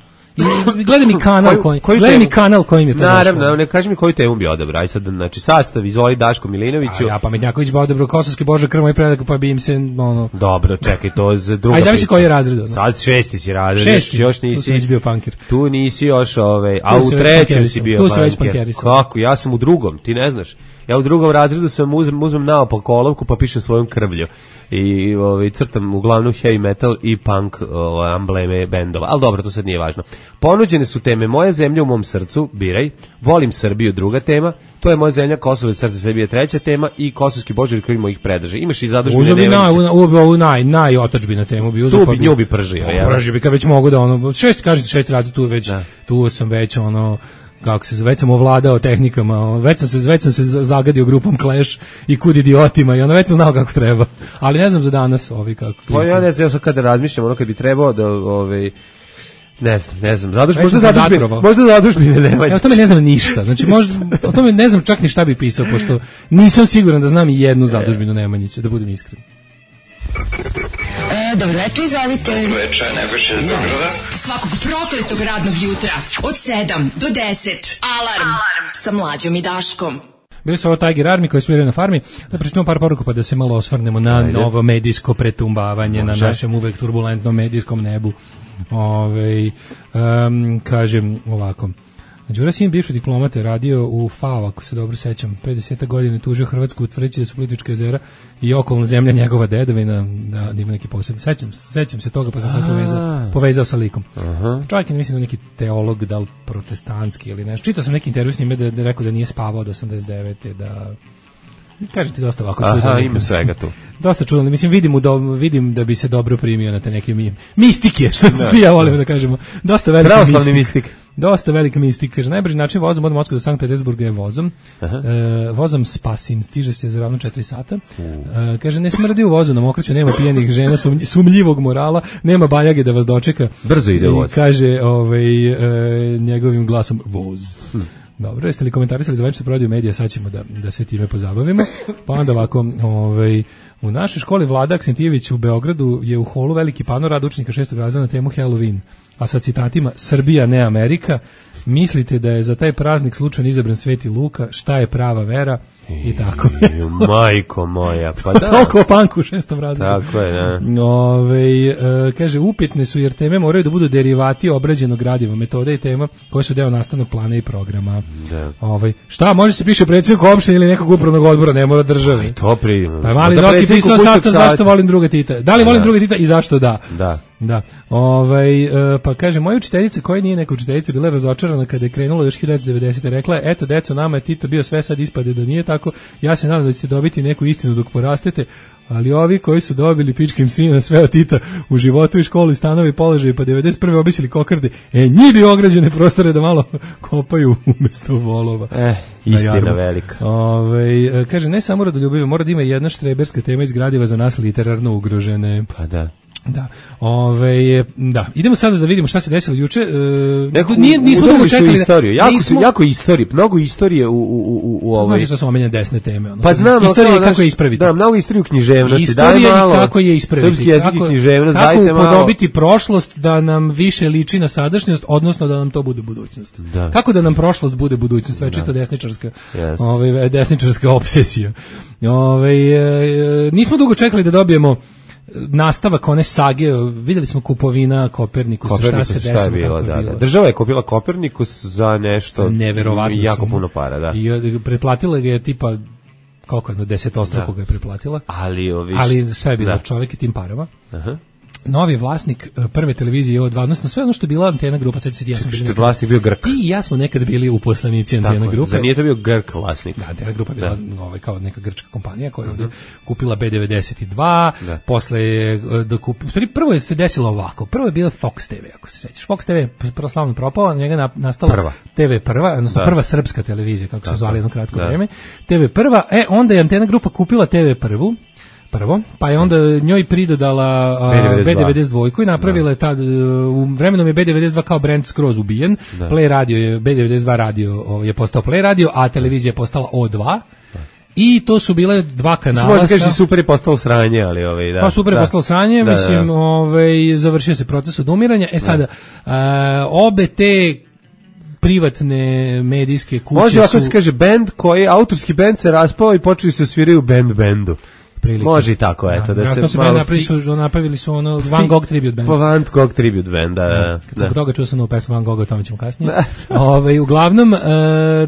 I gledam i kanal koji, koji gledam i kanal kojim je to. Naravno, ne kaži mi koju temu bi odabrao. Aj sad, znači sastav izvoli Daško Milinoviću. A ja Pametnjaković bi odabrao Kosovski Bože krmo i predak, pa bi im se ono. Dobro, čekaj, to za druga. Aj zavisi koji je razred. Ono. Sad šesti si razred, šesti, još nisi. Tu si bio pankir. Tu nisi još ovaj, a u trećem si bio pankir. Kako? Ja sam u drugom, ti ne znaš. Ja u drugom razredu sam uzmem, uzmem naopak olovku pa pišem svojom krvlju i ovaj, crtam uglavnom heavy metal i punk ovaj, ambleme bendova, ali dobro, to sad nije važno. Ponuđene su teme Moja zemlja u mom srcu, biraj, Volim Srbiju, druga tema, To je Moja zemlja, Kosovo i srce Srbije, treća tema i Kosovski Božari koji mojih predrže. Imaš i zadužbine Nemanjića. Uzeo bi naj, naj otačbina temu bi uzeo. Tu bi nju bi pržio. Pržio bi kad već mogu da ono, šest, kažete šest razli tu već, da. Tu sam već ono, kako se već sam ovladao tehnikama, već sam se već sam se zagadio grupom Clash i Kud idiotima i ono već sam znao kako treba. Ali ne znam za danas ovi kako. Pa ja ne znam, ja sad kada razmišljam, ono kad bi trebao da ovaj ne znam, ne znam, zaduž, možda zadužbine, možda zadužbine nema. Ja o tome ne znam ništa, znači možda, o tome ne znam čak ni šta bi pisao, pošto nisam siguran da znam i jednu zadužbinu Nemanjića, da budem iskren. E, dobro večer, izvalite. Dobro večer, Nebojša iz Zagrada. Svakog prokletog radnog jutra, od sedam do deset, Alarm, Alarm. Sa Mlađom i Daškom. Bili su ovo Tiger Army koji sviraju na farmi. Da pričamo par poruka pa da se malo osvrnemo na Ajde. Novo medijsko pretumbavanje Može. Na našem uvek turbulentnom medijskom nebu. Ove, um, kažem ovako. Đura Sin, bivši diplomate, radio u F A O, ako se dobro sećam, pedeset godine tužio Hrvatsku utvrđujući da su Plitvička jezera i okolna zemlja njegova dedovina, da, da ima neki posebno. Sećam, sećam se toga, pa sam sad povezao, povezao sa likom. Aha. Čovjek je, mislim, da neki teolog, da li protestantski ili nešto. Čitao sam neki intervju s njime da, da rekao da nije spavao od osamdeset devete da... Kažem ti dosta ovako čudno. Aha, ima svega tu. Dosta čudno. Mislim, vidim, u do, vidim da bi se dobro primio na te neke mi, mistike, što da. Ja volim da kažemo. Dosta velike mistike. Pravoslavni mistik. Dosta velike mistike. Kaže, najbrži način vozom od Moskve do Sankt Petersburga je vozom. E, vozom Spasin, stiže se za ravno četiri sata. E, kaže, ne smrdi u vozu na mokraću, nema pijenih žena, sum, sumljivog morala, nema bajage da vas dočeka. Brzo ide voz. I kaže, ovaj, e, njegovim glasom, voz. Hm. Dobro, jeste li komentarisali za večer prodaju medija, sad ćemo da, da se time pozabavimo. Pa onda ovako, ovaj, u našoj školi Vlada Aksentijević u Beogradu je u holu veliki pano rad učenika šestog razreda na temu Halloween. A sa citatima Srbija ne Amerika, mislite da je za taj praznik slučajno izabran Sveti Luka, šta je prava vera i tako. Majko moja, pa da. Toliko o panku u šestom razredu. Tako je, da. Ove, e, kaže, upitne su jer teme moraju da budu derivati obrađenog gradiva, metode i tema koje su deo nastavnog plana i programa. Da. Ove, šta, može se piše predsjednik opštine ili nekog upravnog odbora, ne mora državi. Aj, to primimo. Pa mali Doki pisao sastav zašto volim druga Tita. Da li volim da. druga Tita i zašto da? Da. Da. Ovaj e, pa kaže moja učiteljica koja nije neka učiteljica bila razočarana kada je krenulo još hiljadu devetsto devedesete rekla je eto deco nama je Tito bio sve sad ispade da nije tako. Ja se nadam da ćete dobiti neku istinu dok porastete, ali ovi koji su dobili pičkim sina sve od Tita u životu i školi, stanovi, položaji pa devedeset prve obisili kokarde, e njih bi ograđene prostore da malo kopaju umesto volova. Eh, istina velika. Ovaj kaže ne samo rodoljubive, mora da ima jedna štreberska tema iz gradiva za nas literarno ugrožene. Pa da. Da. Ove, da. Idemo sada da vidimo šta se desilo juče. E, Neko, nije nismo dugo čekali istoriju. Jako nismo... jako istorije, mnogo istorije u u u u ovoj. Znaš šta su omenjene desne teme, ono. Pa znam, istorija kako je ispraviti. Da, mnogo istoriju književnosti, istorija daj malo. Kako je ispraviti? Srpski jezik i književnost, kako dajte malo. Kako upodobiti prošlost da nam više liči na sadašnjost, odnosno da nam to bude budućnost. Da. Kako da nam prošlost bude budućnost, već je to desničarska. Yes. Ovaj desničarska opsesija. Ovaj e, nismo dugo čekali da dobijemo nastavak one sage, vidjeli smo kupovina Kopernikus, Kopernikus šta se šta je desilo, bilo, kako da, je bilo. da. Država je kupila Kopernikus za nešto Za neverovatnu jako sumu. puno para, da. I pretplatila ga je tipa koliko je, desetostruko ga je pretplatila. Ali, ovi, Ali šta je bilo, da. čovjek i tim parama. Aha. Novi vlasnik uh, prve televizije O dva, odnosno sve ono što je bila Antena grupa, sad se ja sam Što bili je vlasnik bio Grk. Ti i ja smo nekada bili uposlenici Antena Tako, grupe. za nije to bio Grk vlasnik. Da, Antena grupa bila ovaj, kao neka grčka kompanija koja je ovdje kupila B devedeset dva, Da. posle je da kup... U stvari, prvo je se desilo ovako. Prvo je bila Fox T V, ako se sećaš. Fox T V je proslavno propao, na njega na- nastala Prva. T V prva, odnosno Da. prva srpska televizija, kako Tako, se zvali jedno kratko da. vrijeme. T V prva, e, onda je Antena grupa kupila T V prvu, prvo, pa je onda njoj pridodala a, B devedeset dva. B devedeset dva i napravila je tad, u vremenom je B devedeset dva kao brand skroz ubijen, Da. Play radio je, B devedeset dva radio o, je postao Play radio, a televizija je postala O dva, i to su bile dva kanala. Možda kažeš sa- i super je postalo sranje, ali ovaj, da. Pa super je da. postalo sranje, Da, mislim, da. ovaj, završio se proces odumiranja. E sada, a, obe te privatne medijske kuće Može ovako su... se kaže bend koji, autorski bend se raspao i počeli su sviraju band bendu. Prilike. Može i tako, eto, da, vjerojatno se se malo... napravili su, napravili su ono Van Gogh tribute band. Pa Van Gogh tribute band, da, da. Kad sam kod toga čuo sam novu pesmu Van Gogha, o tome ćemo kasnije. Ove, uglavnom, e,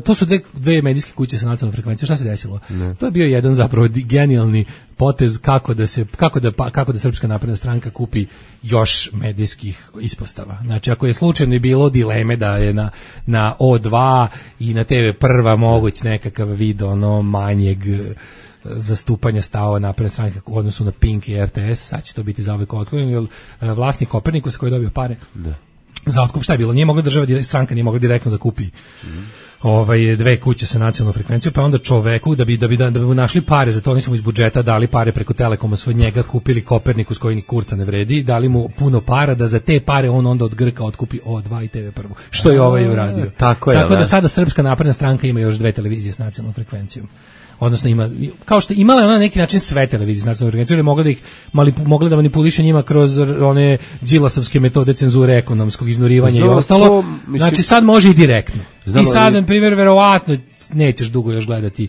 to su dve, dve medijske kuće sa nacionalnom frekvencijom. Šta se desilo? Ne. To je bio jedan zapravo di- genijalni potez kako da se kako da pa- kako da Srpska napredna stranka kupi još medijskih ispostava. Znači ako je slučajno i bilo dileme da je na na O dva i na T V prva moguć nekakav vid ono manjeg e, zastupanja stavova napredne stranke u odnosu na Pink i R T S, sad će to biti zauvek otklonjeno, jer e, vlasnik Kopernikus koji je dobio pare Da. za otkup, šta je bilo? Nije mogla država, dire- stranka nije mogla direktno da kupi ovaj, dve kuće sa nacionalnom frekvencijom, pa onda čoveku, da bi, da bi, da, da bi mu našli pare, za to oni su mu iz budžeta dali pare preko Telekoma, su od njega kupili Kopernikus koji ni kurca ne vredi, dali mu puno para da za te pare on onda od Grka otkupi O dva i T V prvu, što je ovaj uradio. tako je, Tako da da. sada Srpska napredna stranka ima još dve televizije s nacionalnom frekvencijom. Odnosno ima, kao što imala je ona na neki način sve televizije s nacionalnom frekvencijom, jer je mogla da ih malipu, mogla da manipuliše njima kroz one đilasovske metode cenzure ekonomskog iznurivanja i Znam, ostalo. to, mislim- Znači sad može i direktno. Znam, I sad, ali- na primjer, verovatno nećeš dugo još gledati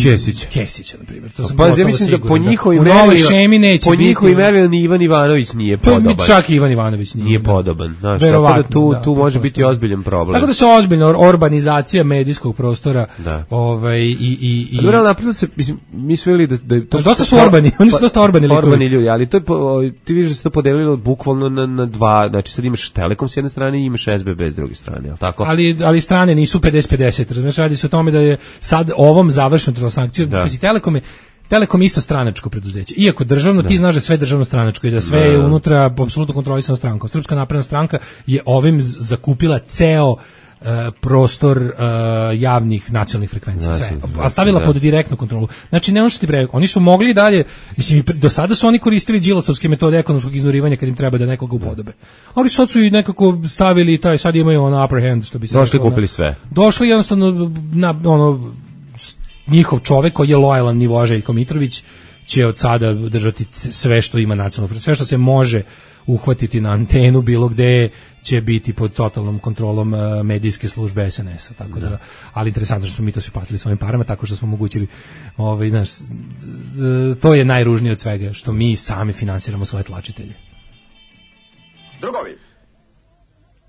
Kesića. Kesića, na primjer. To sam Pa ja gotovo mislim da po siguran. njihovim u novoj merilima- šemi neće po biti. njihovim merilima ni Ivan Ivanović nije Pa mi podoban. čak i Ivan Ivanović nije. Nije da. podoban, znaš, tako Verovatno, da tu, da, tu može biti pretpostavljam. ozbiljan problem. Tako da se ozbiljno or- urbanizacija medijskog prostora Da. ovaj, i, i, i, A dobro, ali napravilo se, mislim, mi smo vidjeli da, da je to... Znaš, dosta su orbani, oni su dosta orbani likovi. Orbani ljudi, ali to je, po- ti vidiš da se to podelilo bukvalno na, na dva, znači sad imaš Telekom s jedne strane i imaš S B B s druge strane, ali tako? ali ali strane nisu pedeset pedeset, razumeš, radi se o tome da je sad ovom završnom transakcijom, Da. pazi, Telekom je Telekom je isto stranačko preduzeće. Iako državno, ti znaš da je sve državno stranačko i da sve Da. je unutra apsolutno kontrolisano strankom. Srpska napredna stranka je ovim z- zakupila ceo e, prostor e, javnih nacionalnih frekvencija, sve. Nacionalnih, A stavila da. pod direktnu kontrolu. Znači, ne ono što ti pre, oni su mogli i dalje, mislim, i pre- do sada su oni koristili đilasovske metode ekonomskog iznurivanja kad im treba da nekoga upodobe. Ali sad su i nekako stavili taj, sad imaju ono upper hand, što bi se Došli, reklo, na- kupili sve. Došli jednostavno na ono s- njihov čovek koji je lojalan nivo Željko Mitrović će od sada držati c- sve što ima nacionalno frekvenciju, sve što se može uhvatiti na antenu bilo gde će biti pod totalnom kontrolom e, medijske službe S N S-a, tako da, ali interesantno što smo mi to svi platili svojim parama, tako što smo omogućili, ovaj, znaš, s- e, to je najružnije od svega, što mi sami finansiramo svoje tlačitelje. Drugovi,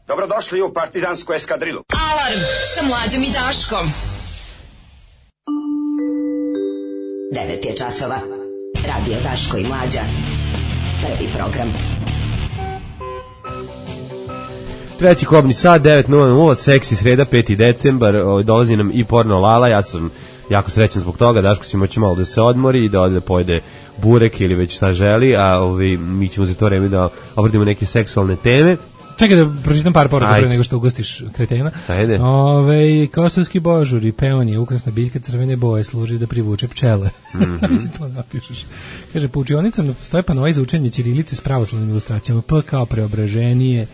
dobrodošli u partizansku eskadrilu. Alarm sa Mlađom i Daškom. devet je časova. Radio Daško i Mlađa. Prvi program. Treći kobni sat, devet nula nula, seksi sreda, peti decembar, ovaj, dolazi nam i porno Lala, ja sam jako srećan zbog toga, Daško će moći malo da se odmori i da ode da pojede burek ili već šta želi, a ovaj, mi ćemo za to vreme da obradimo neke seksualne teme. Čekaj da pročitam par poruka Ajde. pre nego što ugostiš kretena. Ajde. Ove, kosovski božur i peonije, ukrasna biljka crvene boje, služi da privuče pčele. Samo si to napišeš. Kaže, po učionicama stoje panoji za učenje ćirilice s pravoslavnim ilustracijama. P kao preobraženije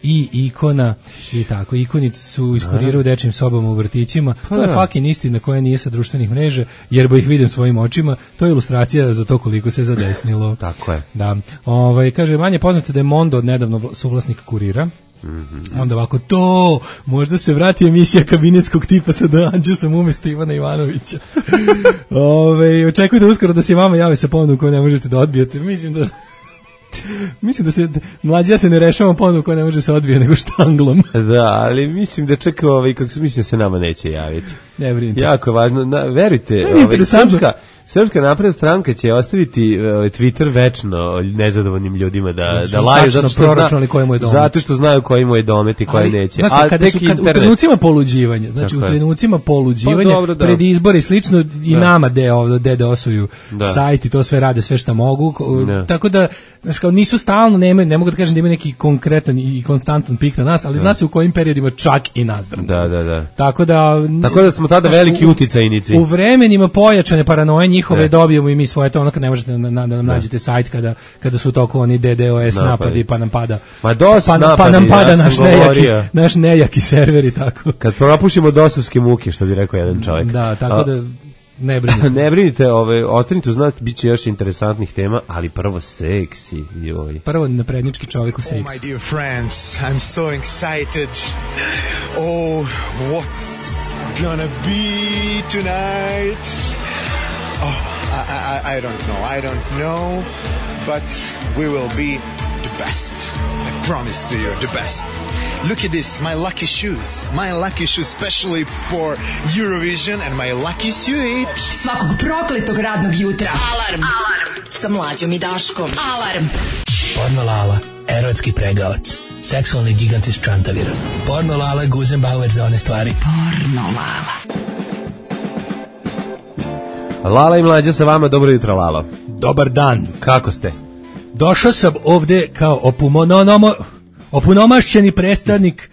i ikona i tako. Ikonice su iskuriraju u dečjim sobama u vrtićima. To je da. fucking istina koja nije sa društvenih mreža, jer bo ih vidim svojim očima. To je ilustracija za to koliko se zadesnilo. Tako je. Da. Ovaj, kaže, manje poznato da je Mondo odnedavno vla- suvlasnik Kurira. Mhm. Onda ovako, to, možda se vrati emisija kabinetskog tipa sa Danđe sam umjesto Ivana Ivanovića. Ove, očekujte uskoro da se vama javi sa ponudom koju ne možete da odbijete. Mislim da Mislim da se mlađa se ne rešava ponovno koja ne može se odbije nego štanglom. Da, ali mislim da čak ovaj, kako se mislim se nama neće javiti. Ne brinite. Jako je važno, na, verujte, Ne, ovaj, srpska, srpska napredna stranka će ostaviti ovaj, Twitter večno nezadovoljnim ljudima da, da laju, zato što, zna, zato što znaju koji mu je domet i koji neće. Znaš, A kada tek su, kad, internet. u trenucima poluđivanja, znači Tako u je. trenucima poluđivanja, Pa dobro, da. pred izbori i slično, i Da. nama de ovdje de dosuju Da. sajt i to sve rade, sve što mogu, ko- Da. tako da, znaš, kao nisu stalno, ne, ne mogu da kažem da imaju neki konkretan i konstantan pik na nas, ali zna se u kojim periodima čak i nas drmaju. Da, da, da. Tako da, Tako da smo tada znaš, veliki u- uticajnici. U vremenima pojačane paranoje njihove Ne. dobijemo i mi svoje, to ono kad ne možete na, na, da nam nađete sajt kada, kada su toliko oni D D O S Napadi. napadi, pa nam pada Ma dos pa, pa napadi, nam pada ja sam naš nejaki, govorio. naš nejaki server i tako. Kad propušimo dosovske muke, što bi rekao jedan čovjek. Da, tako A, da ne brinite. ne brinite, ove, ostanite uz nas, bit će još interesantnih tema, ali prvo seksi. Joj. Prvo naprednički čovjek u Oh, seksu. my dear friends, I'm so excited. Oh, what's gonna be tonight? Oh, I, I, I don't know, I don't know, but we will be the best. I promise to you, the best. Look at this, my lucky shoes. My lucky shoes, especially for Eurovision, and my lucky suit. Svakog prokletog radnog jutra. Alarm. Alarm. Sa Mlađom i Daškom. Alarm. Porno Lala, erotski pregavac. Seksualni gigant iz Čantavira. Porno Lala, Guzenbauer za one stvari. Porno Lala. Lala i Mlađa sa vama, dobro jutro, Lalo. Dobar dan. Kako ste? Došao sam ovde kao opunomono, opunomašćeni predstavnik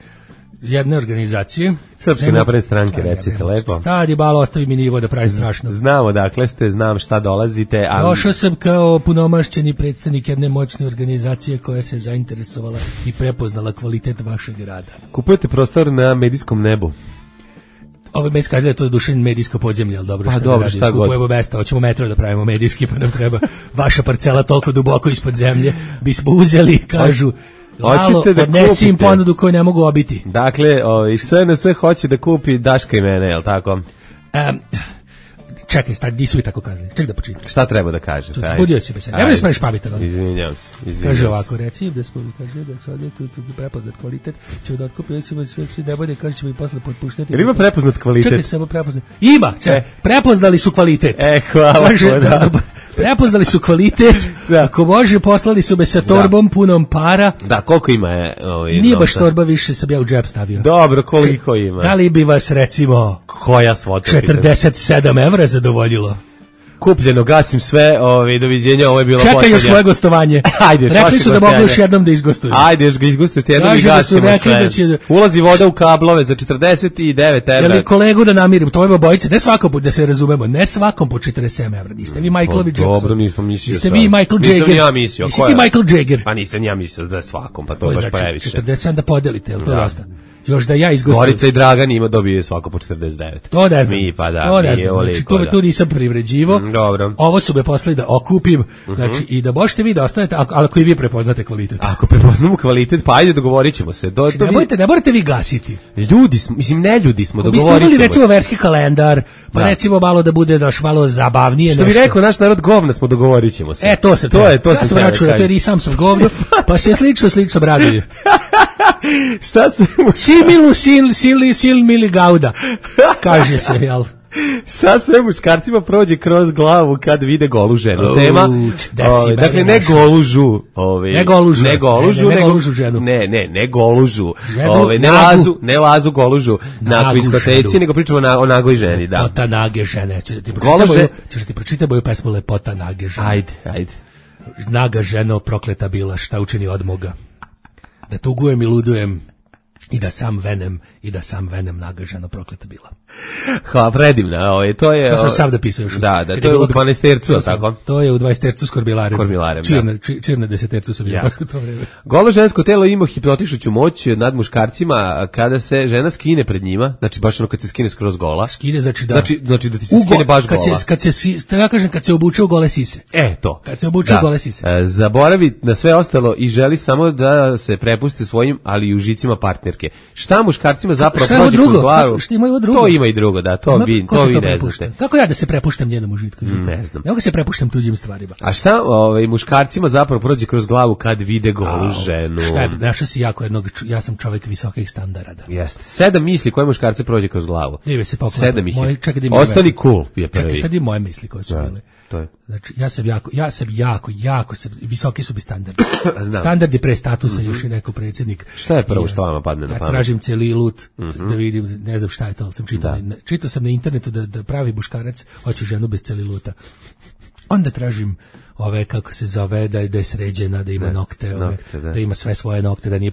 jedne organizacije. Srpske Nema- napredne stranke, Šta recite jebem, lepo. Stadi balo, ostavi mi nivo da pravi strašno. Znamo dakle ste, znam šta dolazite, a Došao sam kao punomašćeni predstavnik jedne moćne organizacije koja se zainteresovala i prepoznala kvalitet vašeg rada. kupujete prostor na medijskom nebu. Ovo me iskazuje to dušen medijsko podzemlje, ali dobro, Pa šta da dobro, radim? šta god. Kupujemo mesta, hoćemo metro da pravimo medijski, pa nam treba vaša parcela toliko duboko ispod zemlje. Bismo uzeli, kažu, Lalo, Hoćete da odnesi im kupite? ponudu koju ne mogu obiti. Dakle, ovaj S N S hoće da kupi Daška i mene, je li tako? Um, čekaj, stari, nisu vi tako kazali. Čekaj da počitam. Šta treba da kažete? Ajde. Budio si me se. Nemoj da smeš pametan. Izvinjavam se. izvinjavam Kaže se. ovako, reci im da smo, kaže da sad je tu, tu prepoznat kvalitet, ćemo da otkupimo, ćemo sve sve ne bude, kaže ćemo i posle potpuštati. Jel ima prepoznat kvalitet? Čekaj, samo prepoznat. Ima, čekaj, E. prepoznali su kvalitet. E, hvala. Kaže, da. da, da, prepoznali su kvalitet, Da. ako može, poslali su me sa torbom punom para, Da, koliko ima je ovaj i nije baš novca? torba više, sam ja u džep stavio. Dobro, koliko ima? Da li bi vas, recimo, Koja svota? četrdeset sedam evra zadovoljilo? Kupljeno, gasim sve, ovaj, doviđenja, ovo je bilo Čekaj poslednja. još svoje gostovanje. Ajde, još Rekli vaše su da mogu gostovanje. još jednom da izgostuju. Ajde, još ga izgustite jednom i Kaže da su gasimo rekli sve. da će- Ulazi voda u kablove za četrdeset devet Jel evra. je kolegu da namirim, to je obojice, ne svakom po, da se razumemo, ne svakom po četrdeset sedam evra, niste vi Michaelovi Pa, Jackson. dobro, nismo mislio. Niste sad. vi Michael Nisam Jagger. ni ja mislio. Nisi ko ti je? Michael Jagger. Pa nisam ja mislio da je svakom, pa to To je je baš znači previše. četrdeset sedam da podelite, jel to Da. dosta? Još da ja izgostujem. Gorica i Dragan ima dobije svako po četrdeset devet. To ne znam. Mi pa da, to ne mi znam. je Znači, oliko, tu, da. tu nisam privređivo. Mm, dobro. Ovo su me poslali da okupim, znači i da možete vi da ostanete, ako, ali ako i vi prepoznate kvalitet. Ako prepoznamo kvalitet, pa ajde dogovorit ćemo se. Do, Znači, do, ne, morate, ne morate vi gasiti. ljudi smo, mislim ne ljudi smo, Ako biste dogovorit uveli ćemo recimo se. verski kalendar, pa Da. recimo malo da bude daš malo zabavnije. Što bi nešto. rekao naš narod, govna smo, dogovorit ćemo se. E, to se to je, to ja sam sam teo da računao, to kažem. jer i sam sam govno, pa se slično, slično bradovi. Šta su... Similu sil, sili, sil, mili gauda, kaže se, jel? Šta sve muškarcima prođe kroz glavu kad vide golu ženu? Au, Tema, da si ovaj, dakle, mene ne našao. golužu. Ovaj, Ne golužu. Ne golužu, Ne, ne, ne nego- golužu ženu. Ne, ne, ne golužu. Ženu Ovaj, ne, nagu. lazu, ne lazu golužu na Nagu kviskoteci, ženu. nego pričamo na, o nagoj ženi, da. Lepota nage žene. Ćeš da ti Gola pročitam že- moju, ćeš da ti pročitam moju pesmu Lepota nage žene. Ajde, ajde. Naga ženo prokleta bila, šta učini od moga. Da tugujem i ludujem, i da sam venem, i da sam venem naga ženo prokleta bila. Hvala, predivna. Ovaj, to je... To sam ovaj, sam da pisao još. Da, da, Kad to je bilo u dvanaestercu, to sam- tako? To je u dvadesetercu s korbilarem. Korbilarem, čir da. na, či- čir na desetercu sam bio Jasno. u to vreme. Golo žensko telo ima hipnotišuću moć nad muškarcima kada se žena skine pred njima, znači baš ono kad se skine skroz gola. Skide, znači da... Znači, znači da ti se U go- skine baš kad gola. Se, kad se, si- ja kažem, kad se obuče u gole sise. E, to. Kad se obuče u gole sise. E, zaboravi na sve ostalo i želi samo da se prepusti svojim, ali i užicima partnerke. Šta muškarcima zapravo Šta je ovo prođe kroz drugo? glavu? Kako- šta ima ovo drugo? To ima prvo i drugo, da, to Ma, vi, ko to se vi to ne prepušta? znate. Kako ja da se prepuštam njenom užitku? Ne znam. Ne mogu se prepuštam tuđim stvarima. A šta ovaj, muškarcima zapravo prođe kroz glavu kad vide golu ženu? Šta je, našao si jako jednog, ja sam čovjek visokih standarda. Jeste. Sedam misli koje muškarce prođe kroz glavu. Dive se poklapa. Sedam ih je. Moje, čekaj, da Ostali cool je prvi. Čekaj, sad je moje misli koje su Da, bile. to je. Znači, ja sam jako, ja sam jako, jako, sam, visoki su bi standardi. Standardi pre statusa, mm-hmm. još je rekao predsjednik. Šta je prvo što vama padne na ja pamet? tražim celilut, mm-hmm. da vidim, ne znam šta je to, ali sam čitao, na, čitao sam na internetu da, da pravi muškarac hoće ženu bez celiluta. Onda tražim ove, kako se zove, da je, da je sređena, da ima nokte, ove, nokte da. da ima sve svoje nokte, da nije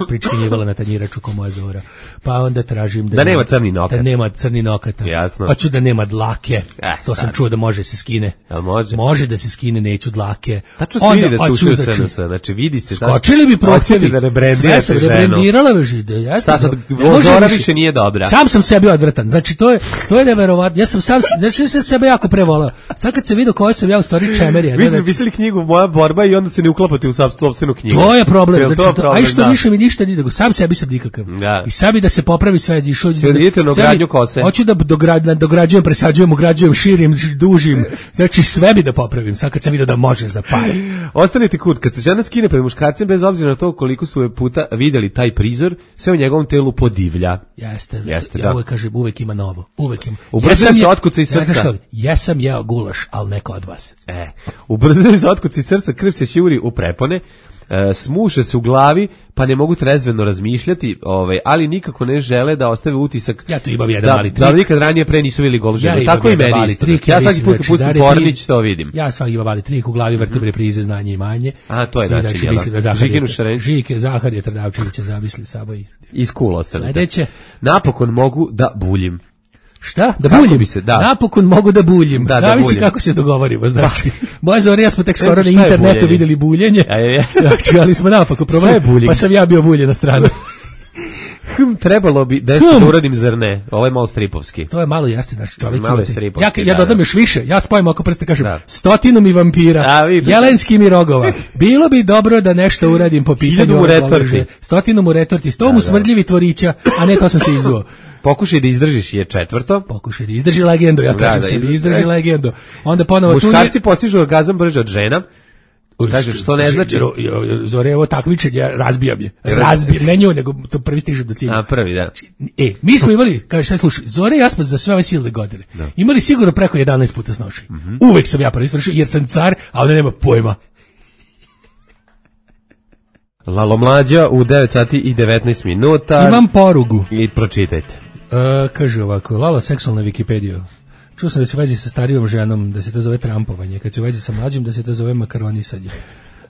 pričkinjivala na tanjiraču ko moja Zora. Pa onda tražim da, da nema crni nokat. Da nema crni nokata. Jasno. Hoću da nema dlake. Eh, to sam sad. čuo da može se skine. Jel može? Može da se skine, neću dlake. Tačno se vidi da ste ušli u S N S, znači vidi se. Skočili bi prohtjevi. Da rebrendirate sve ženu. sam rebrendirala veži. Da, ja Šta sad, Zora više nije dobra. Sam sam sebi odvratan. Znači, to je, to je neverovatno. Ja sam sam, znači, sam sebe jako prevolao. Sad kad se vidio koja sam ja u stvari čemerija. Vi ste pisali knjigu Moja borba i onda se ne uklapate u sopstvenu knjigu. To je problem. Znači, to, problem, aj što da. više mi ništa nije, nego sam sebi sam nikakav. Da. I sebi da se popravi sve. Išao, da, idete na ogradnju kose. Hoću da dograđujem, dograđujem, presađujem, ugrađujem, širim, dužim. Znači, sve bi da popravim. Sad kad sam vidio da može za pare. Ostanite kut, kad se žena skine pred muškarcem, bez obzira na to koliko su je puta videli taj prizor, sve u njegovom telu podivlja. Jeste, Jeste, ja da. uvek kažem, uvek ima novo. Uvek ima. Ubrzaju se otkuci iz srca. Jesam jeo gulaš, ali neko od vas. E, ubrzaju se otkuci iz srca, krv se šjuri u prepone, e, smuše se u glavi, pa ne mogu trezveno razmišljati, ovaj, ali nikako ne žele da ostave utisak. Ja tu imam jedan da, mali trik. Da nikad ranije pre nisu vidjeli golu ženu. Ja tako i meni isto. Trik, ja ja svaki put kad pustim Pornić to vidim. Ja svaki imam mali trik, u glavi vrtim reprize Znanje i manje. A, to je način, znači, mislim da Žikinu Šarenč. Žike, Zaharije Trdavčevića zamisli sabo i... Iz cool ostanite. Sledeće. Napokon mogu da buljim. Šta? Da Kako buljim? bi se, da. Napokon mogu da buljim. Da, Zavisi da buljim. kako se dogovorimo, znači. Moja Zora i ja smo tek skoro na šta je internetu buljenje? videli buljenje. A je, je. Znači, ali smo napako probali. Pa sam ja bio buljen na stranu. Hm, trebalo bi da Hm. da uradim zar ne. Ovo je malo stripovski. To je malo jeste, znači čovjek Malo je ima- stripovski, Ja, ja da, dodam da. još više, ja spojim oko prste, kažem, Da. stotinu mi vampira, A, vidim. jelenski mi rogova. Bilo bi dobro da nešto uradim po pitanju Hiljadu mu ove retorti. goluže. Stotinu mu retorti, sto mu da. smrdljivi tvorića, a ne to sam se izvuo. Pokušaj da izdržiš je četvrto. Pokušaj da izdrži legendu, ja Da, kažem da, sebi, izdrži- izdrži legendu. Onda ponovo tu Muškarci postižu orgazam brže od žena. nije- Kaže, što ne znači? Zore, ovo takmičenje, ja razbijam je. Razbijam, ne nju, nego to prvi stižem do cilja. A, prvi, da. E, mi smo imali, kaže, sad slušaj, Zore i ja smo za sve ove silne godine imali sigurno preko jedanaest puta snoši. Mhm. Uvek sam ja prvi svršio, jer sam car, a ona nema pojma. Lalo mlađa u devet sati i devetnaest minuta. Imam porugu. I pročitajte. E, kaže ovako, Lala seksualna Wikipedija. Čuo sam da se u vezi sa starijom ženom, da se to zove trampovanje, kad se u vezi sa mlađim, da se to zove makaronisanje.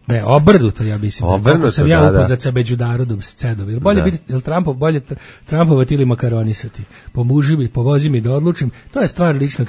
Ne, obrnuto, ja mislim. Obrnuto, Kako sam ja da, da. upoznat sa međunarodom scedom. Jel bolje Da. biti, jel Trumpov, bolje tr- Trumpovati ili makaronisati? Pomoži mi, povozi mi da odlučim. To je stvar ličnog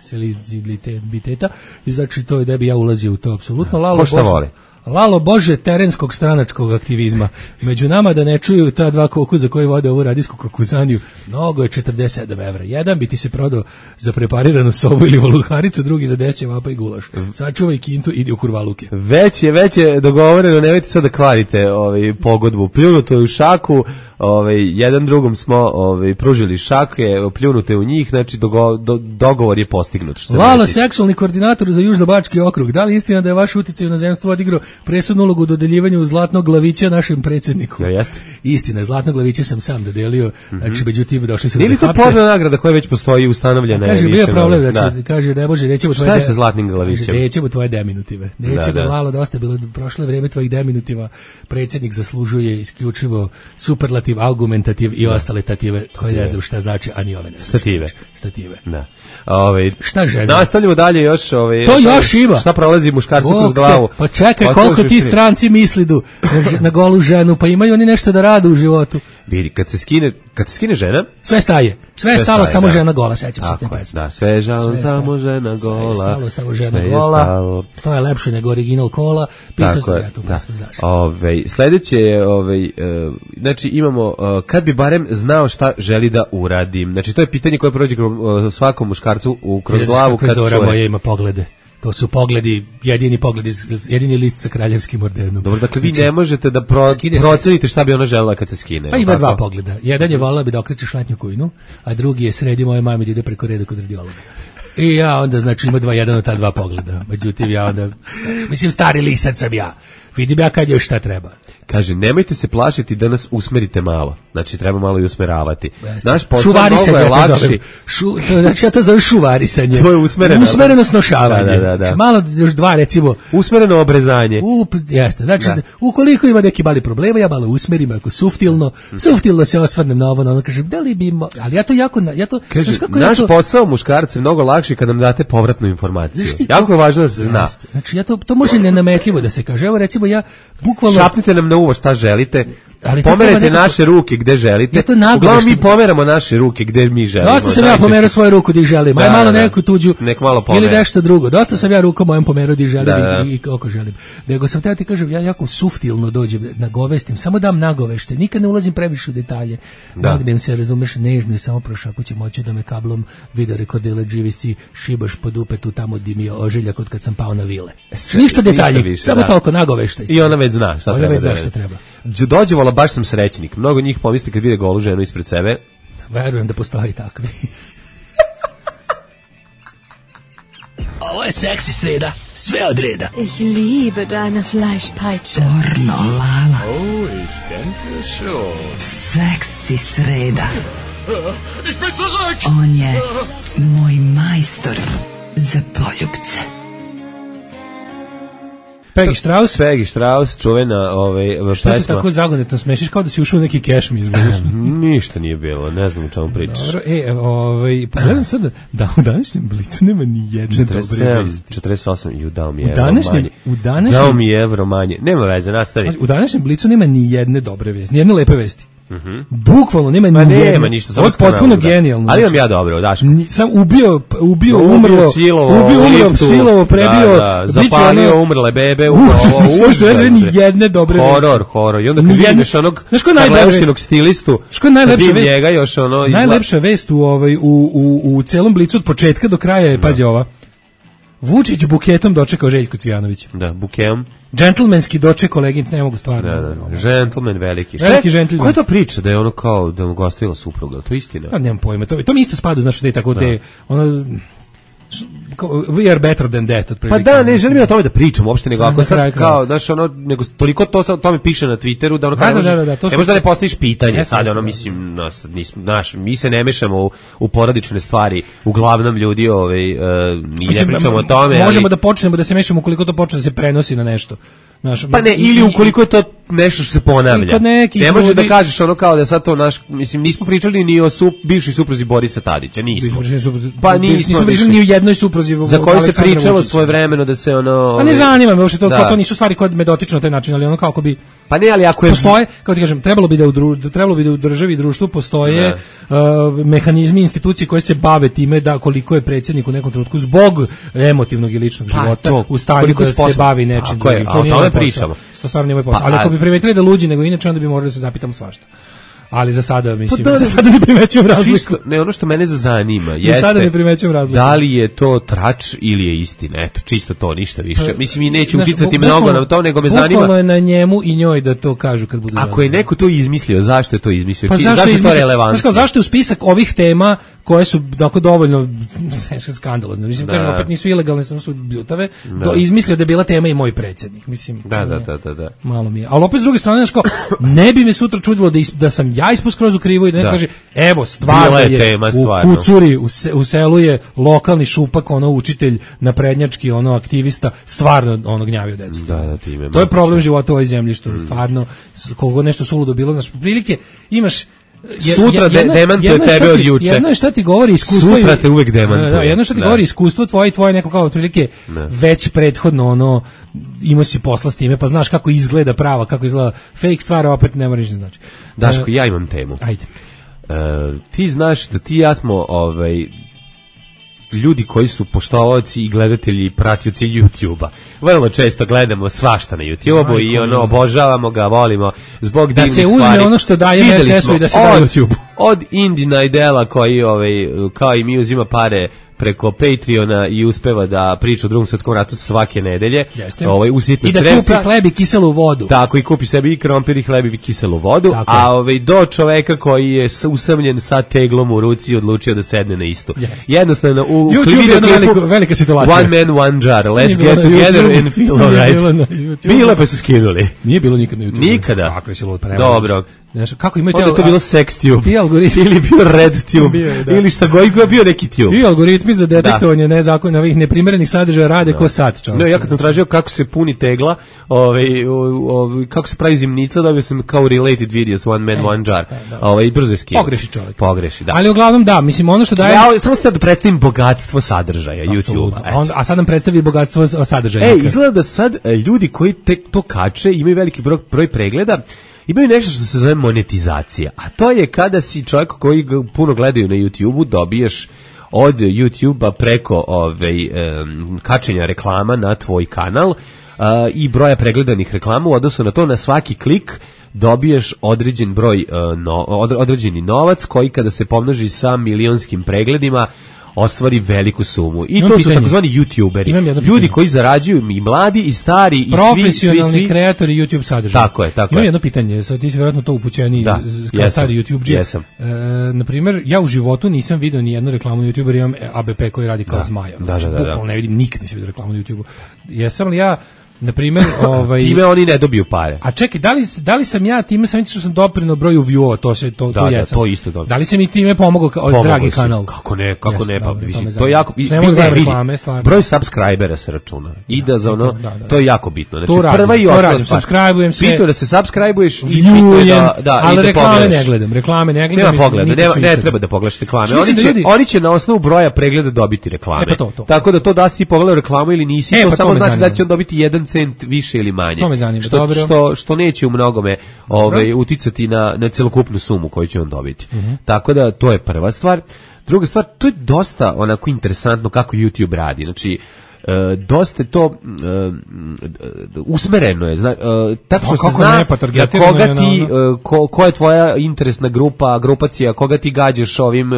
senzibiliteta. I znači to je da bi ja ulazio u to apsolutno. Lalo, Ko šta Bože- voli? Lalo Bože terenskog stranačkog aktivizma. Među nama da ne čuju ta dva kokuza koji vode ovu radijsku kokuzaniju. Mnogo je četrdeset sedam evra. Jedan bi ti se prodao za prepariranu sobu ili voluharicu, drugi za deset vapa i gulaš. Sačuvaj kintu, idi u kurvaluke. Već je, već je dogovoreno, nemojte sad da kvarite ovaj, pogodbu. Pljunuto je u šaku, ovaj, jedan drugom smo ovaj, pružili šake, pljunute u njih, znači dogo, do, dogovor je postignut. Što se Lala, mene tiče. seksualni koordinator za Južnobački okrug. Da li je istina da je vaš uticaj u inozemstvu odigrao presudnu ulogu u dodeljivanju zlatnog glavića našem predsjedniku? Ja, jeste. Istina, zlatnog glavića sam sam dodelio, znači međutim došli su Nije da li to hapse. porna nagrada koja već postoji ustanovljena? je Kaže, bio je više, problem, da. znači, kaže, ne može, nećemo Šta tvoje... je sa zlatnim glavićem? Kaže, nećemo tvoje deminutive. Nećemo, Da, da. Lalo, dosta je bilo prošle vreme tvojih deminutiva. Predsjednik zaslužuje isključivo superlativ, argumentativ i ostale tative, koje ne znam šta znači, a ni ove ne znam. Stative. Stative. Da. Ove, Šta žena? Nastavljamo dalje još. Ove, To još ima. Šta prolazi muškarcu Bog kroz te, glavu? Pa čekaj, to koliko još ti uvijek. stranci mislidu na, ž- na golu ženu, pa imaju oni nešto da rade u životu. Vidi, kad se skine, kad se skine žena, Sve staje. Sve je Sve stalo, staje, samo da. žena gola, sećam se te tako, pesme. da, sve je žao, Sve je samo stalo. žena Sve je gola. stalo, samo žena sve je gola. stalo. To je lepše nego original kola. Pisao Tako sam je, ja tu da. pesmu, znaš. Ovaj, sledeće je, ovaj, e, znači imamo, e, kad bi barem znao šta želi da uradim. Znači to je pitanje koje prođe kroz e, svakom muškarcu u, kroz Vidiš glavu kakve kad Zora čuje. moja ima poglede. To su pogledi, jedini pogledi, jedini list sa kraljevskim ordenom. Dobro, dakle vi ne možete da pro, procenite šta bi ona želela kad se skine. Pa ima dva pogleda. Jedan je volila bi da okreće šlatnju kujnu, a drugi je sredi moje mame da ide preko reda kod radiologa. I ja onda, znači, ima dva, jedan od ta dva pogleda. Međutim, ja onda, mislim, stari lisac sam ja. Vidim ja kad još šta treba. Kaže, nemojte se plašiti da nas usmerite malo. Znači, treba malo i usmeravati. Naš posao mnogo je lakši. Šu, znači, ja to zovem šuvarisanje. To je usmereno. Usmereno snošavanje. Da, da, da. Malo, još dva, recimo. Usmereno obrezanje. Up, jeste, znači, da. Ukoliko ima neki mali problema, ja malo usmerim, ako suftilno, suftilno se osvrnem na ovo, na ono, kažem, da li bi, mo... ali ja to jako, ja to, kaže, kako naš ja to... posao muškarca je mnogo lakši kad nam date povratnu informaciju. Jako je važno da se zna. Jeste. Znači, ja to, to može nenametljivo da se kaže. Evo, recimo, ja bukvalno... Šapnite nam na uvo šta želite. Ali pomerajte nekako... naše ruke gde želite. Uglavnom mi pomeramo naše ruke gde mi želimo. Dosta sam ja pomerao svoju ruku gde želim. Aj malo neku tuđu. Nek malo ili nešto drugo. Dosta sam ja rukom mojom pomerao gde želim da, da. I, i kako želim. Nego sam te ti kažem, ja jako suftilno dođem, nagovestim, samo dam nagovešte. Nikad ne ulazim previše u detalje. Da. Nagnem se, razumeš, nežno i samo prošapućem moću da me kablom video rekordile G V C šibaš po dupetu tamo di mi je ožiljak od kad sam pao na vile. Sve, ništa detalji, više, samo da. Toliko nagoveštaj. I ona već zna šta ona treba. Već zna šta treba. Dođevala, baš sam srećnik. Mnogo njih pomisli kad vide golu ženu ispred sebe. Verujem da postoji takvi. Ovo je seksi sreda, sve od reda. Ich liebe deine Fleischpeitsche. Pornolala. Oh, ich denke schon. Seksi sreda. Ich bin zurück! On je moj majstor za poljubce. Peggy Strauss. Peggy Strauss, čuvena ovaj, pesma. Što se tako zagonetno smešiš kao da si ušao u neki keš mi izgledaš? Ništa nije bilo, ne znam o čemu pričaš. Dobro, e, ovaj, pogledam sad da u današnjem Blicu nema ni jedne dobre vesti. četrdeset osam, ju dao mi je evro manje. U današnjem, dao mi je evro manje. Nema veze, nastavi. U današnjem Blicu nema ni jedne dobre vesti, ni jedne lepe vesti. Mhm. Bukvalno nema Ma ni nema jedne. ništa, ovo je potpuno genijalno. Ali imam ja dobro, Daško. Sam ubio, ubio, umrlo, silovo, ubio, umrlo, silovo, prebio, da, da, zapalio ono, umrle bebe, upravo, upravo, ni jedne dobre vesti. Horor, horor. I onda kad vidiš onog Karleušinog stilistu, što je najlepša vest? Njega još ono izla... Najlepša vest u ovaj u u u celom Blicu od početka do kraja je, pazi ova. Vučić buketom dočekao Željko Cvijanović. Da, buketom. Džentlmenski doček koleginic, ne mogu stvarno. Da, da, da. Džentlmen veliki. Veliki džentlmen. Koja je to priča da je ono kao da mu gostila supruga? To je istina. Ja nemam pojma. To, to mi isto spada, znaš, da je tako da. Te ono we are better than that. Pa da, ne želim ja o tome da pričam uopšte, nego ako sad kao, znaš, ono, nego toliko to sad o tome piše na Twitteru, da ono kao, da, da, da, ne možeš da ne postaviš pitanje, sad ono, mislim, nas, naš, mi se ne mešamo u, u porodične stvari, uglavnom ljudi, ovaj, uh, mi ne pričamo o tome. Možemo ali... da počnemo da se mešamo ukoliko to počne da se prenosi na nešto. Naš, pa ne, ili ukoliko je to nešto što se ponavlja. Ne možeš da kažeš ono kao da sad to naš, mislim, nismo pričali ni o sup, bivšoj supruzi Borisa Tadića, nismo. Pa nismo, nismo pričali ni o jednoj supruzi za koju se pričalo svojevremeno da se ono... Pa ne zanima me uopšte to, to nisu stvari koje me dotiču na taj način, ali ono kako bi... Pa ne, ali ako je... Postoje, kao ti kažem, trebalo bi da u, dru, trebalo bi da u državi i društvu postoje uh, mehanizmi, institucije koje se bave time da koliko je predsjednik u nekom trenutku zbog emotivnog i ličnog pa, života to, u stanju da se bavi nečim drugim. To nije moj pričamo. To stvarno nije moj posao. Pa, ali ako bi primetili da luđi nego inače, onda bi morali da se zapitamo svašta. Ali za sada, mislim, pa da, za sada ne primećujem razliku. Čisto, ne, ono što mene zanima jeste, za sada ne primećujem razliku. Da li je to trač ili je istina, eto, čisto to, ništa više. Pa, mislim, i neću uticati mnogo na to, nego me zanima... Bukvalno je na njemu i njoj da to kažu kad budu... Ako je neko to izmislio, zašto je to izmislio? Pa Či, zašto, zašto je to relevantno? Znaš, zašto je u spisak ovih tema koje su dakle dovoljno skandalozne. Mislim, da. Kažem, opet nisu ilegalne, samo su bljutave. Do, izmislio da je bila tema i moj predsjednik. Mislim, da, da, da, da, da. Malo mi je. Ali opet s druge strane, kao, ne bi me sutra čudilo da, is, da sam ja ispod skroz u krivu i da ne da. Kaže, evo, stvarno je, je tema, stvarno. U Kucuri, u, se, u selu je lokalni šupak, ono učitelj, naprednjački, ono aktivista, stvarno ono gnjavio decu. Da, da, time, to je problem života u ovoj zemlji, što mm. stvarno, koliko nešto suludo bilo, znaš, prilike, imaš Je, sutra jedna, demantuje tebe od juče. Jedno je šta ti govori iskustvo. Sutra te uvek demantuje. Da, jedno što ti da. govori iskustvo tvoje i tvoje neko kao otprilike već prethodno ono imao si posla s time, pa znaš kako izgleda prava, kako izgleda fake stvar, a opet ne moraš da znači. Daško, uh, ja imam temu. Ajde. Uh, ti znaš da ti i ja smo ovaj ljudi koji su poštovaoci i gledatelji i pratioci YouTube-a. Vrlo često gledamo svašta na YouTube-u i ono obožavamo ga, volimo zbog divnih stvari. Da se uzme ono što daje R T S-u i da se daje YouTube-u. Od Indina i Dela koji ovaj, kao i mi uzima pare preko Patreona i uspeva da priča o Drugom svetskom ratu svake nedelje. Jeste. Ovaj usitne I da crevca. kupi hleb i kiselu vodu. Tako, i kupi sebi i krompir i hleb i kiselu vodu, tako. A ovaj do čoveka koji je usamljen sa teglom u ruci odlučio da sedne na istu. Yes. Jednostavno u klipu velika situacija. One man one jar. Let's get together YouTube. And feel alright. Bilo pa su skinuli. Nije bilo nikad na YouTube. Nikada. Kako je se lud prema. Dobro. Znaš, kako imaju te... Onda je to bilo sextube. Ili bio redtube. Bio, da. Ili šta god bio neki tube. Ti algoritmi za detektovanje nezakonnih, ovih neprimerenih sadržaja rade da. Ko sat, čovječe. No, ja kad sam tražio kako se puni tegla, ovaj, ovaj, kako se pravi zimnica, dobio sam kao related videos, one man, e, one jar. E, ovaj, brzo je skinu. Pogreši čovjek. Pogreši, da. Ali uglavnom da, mislim, ono što daje... Ja samo sad da predstavim bogatstvo sadržaja YouTube-a. A sad nam predstavi bogatstvo sadržaja. E, izgleda da sad ljudi koji te, to kače imaju veliki broj, broj pregleda, imaju nešto što se zove monetizacija, a to je kada si čovjek koji puno gledaju na YouTube-u, dobiješ od YouTube-a preko ovaj, um, kačenja reklama na tvoj kanal uh, i broja pregledanih reklama u odnosu na to, na svaki klik dobiješ određen broj, uh, no, određeni novac koji kada se pomnoži sa milionskim pregledima ostvari veliku sumu. I imam to pitanje. Su takozvani YouTuberi. Ljudi koji zarađuju, i mladi i stari i profesionalni svi, svi, svi. kreatori YouTube sadržaja. Tako je, tako imam je. jedno pitanje, sad ti si vjerojatno to upućeni da, kao jesam, stari YouTuber. Jesam. E, na primjer, ja u životu nisam vidio ni jednu reklamu na YouTuber, imam A B P koji radi kao da. zmaja. Da, znači, da, da, da. ne vidim, nikad nisam vidio reklamu na YouTubeu. Jesam li ja na primjer, ovaj time oni ne dobiju pare. A čekaj, da li da li sam ja time sam što sam doprineo broju view-ova, to se to da, to jesam. Da, to isto dobro. Da li se mi time pomogao kao dragi kanal? Kako ne, kako yes, ne, pa dobro, mislim, to, to je jako reklame, broj subscribera se računa. I da za ono, da, da, to je jako bitno. Znači to radim, prva i osnovna stvar. Subscribe-ujem se. Bitno da se subscribe-uješ i bitno da da ali i da reklame ne gledam, reklame ne gledam. Nema pogleda, nema, ne treba da pogledaš reklame. Oni će oni će na osnovu broja pregleda dobiti reklame. Tako da to da si ti pogledao reklamu ili nisi, to samo znači da će on dobiti jedan cent više ili manje. Što, dobro. što, što neće u mnogome ovaj, uticati na, na celokupnu sumu koju će on dobiti. Uh-huh. Tako da to je prva stvar. Druga stvar, to je dosta onako interesantno kako YouTube radi. Znači, e, dosta je to e, usmereno je. Zna, e, tako što se zna da koga ti, e, ko, ko je tvoja interesna grupa, grupacija, koga ti gađaš ovim,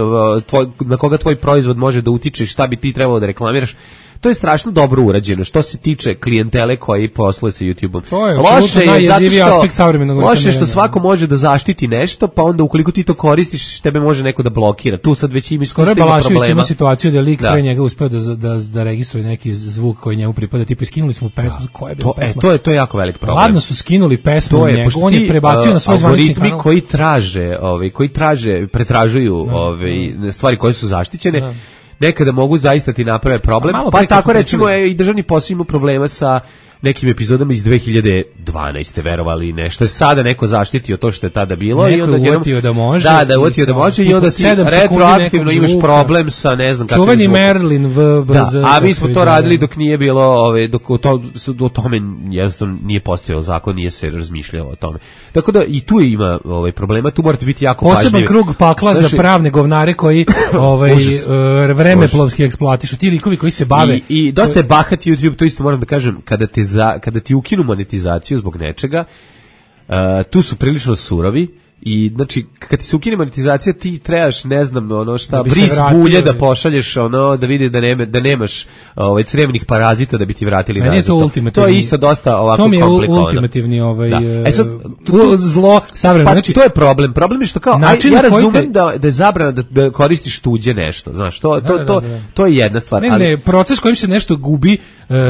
tvoj, na koga tvoj proizvod može da utiče, šta bi ti trebalo da reklamiraš. To je strašno dobro urađeno što se tiče klijentele koji posluje sa YouTubeom. Loše je zato što, loše što svako može da zaštiti nešto, pa onda ukoliko ti to koristiš, tebe može neko da blokira. Tu sad već ima skoro problema. Ima situaciju da lik da. pre njega uspeo da, da, da registruje neki zvuk koji njemu pripada, tipa skinuli smo pesmu, koja je bila to, pesma. E, to, je, to je jako velik problem. Ladno su skinuli pesmu je, njegu, on je prebacio uh, na svoj zvanični kanal. Algoritmi koji traže, ovaj, koji traže, pretražuju no, ovaj, no. stvari koje su zaštićene, no. nekada mogu zaista ti naprave problem, pa tako recimo je i državni posao ima problema sa nekim epizodama iz dve hiljade dvanaeste verovali ne, što je sada neko zaštitio to što je tada bilo. Neko i onda je uvatio da može. Da, da je uvatio da može i onda ti retroaktivno imaš problem sa ne znam kakvim čuveni Merlin v brz. Da, a mi smo to radili dok nije bilo, ove, dok to, do tome jednostavno nije postojao zakon, nije se razmišljalo o tome. Tako da i tu ima ovaj, problema, tu morate biti jako pažljivi. Poseban krug pakla znači, za pravne govnare koji ovaj, vremeplovski eksploatišu, ti likovi koji se bave. I, i dosta je bahat YouTube, to isto moram da kažem, kada te za, kada ti ukinu monetizaciju zbog nečega, uh, tu su prilično surovi i znači kad ti se ukine monetizacija ti trebaš ne znam ono šta bris bulje da pošalješ ono da vidi da nema da nemaš ovaj crevnih parazita da bi ti vratili nazad. To, to je isto dosta ovako komplikovano. To mi je ultimativni ovaj e sad, tu, zlo savremeno. Pa znači to je problem. Problem je što kao aj, ja razumem te... da da je zabrana da, da koristiš tuđe nešto, znaš, to to da, to da, da. to je jedna stvar. Ne, ali ne, proces kojim se nešto gubi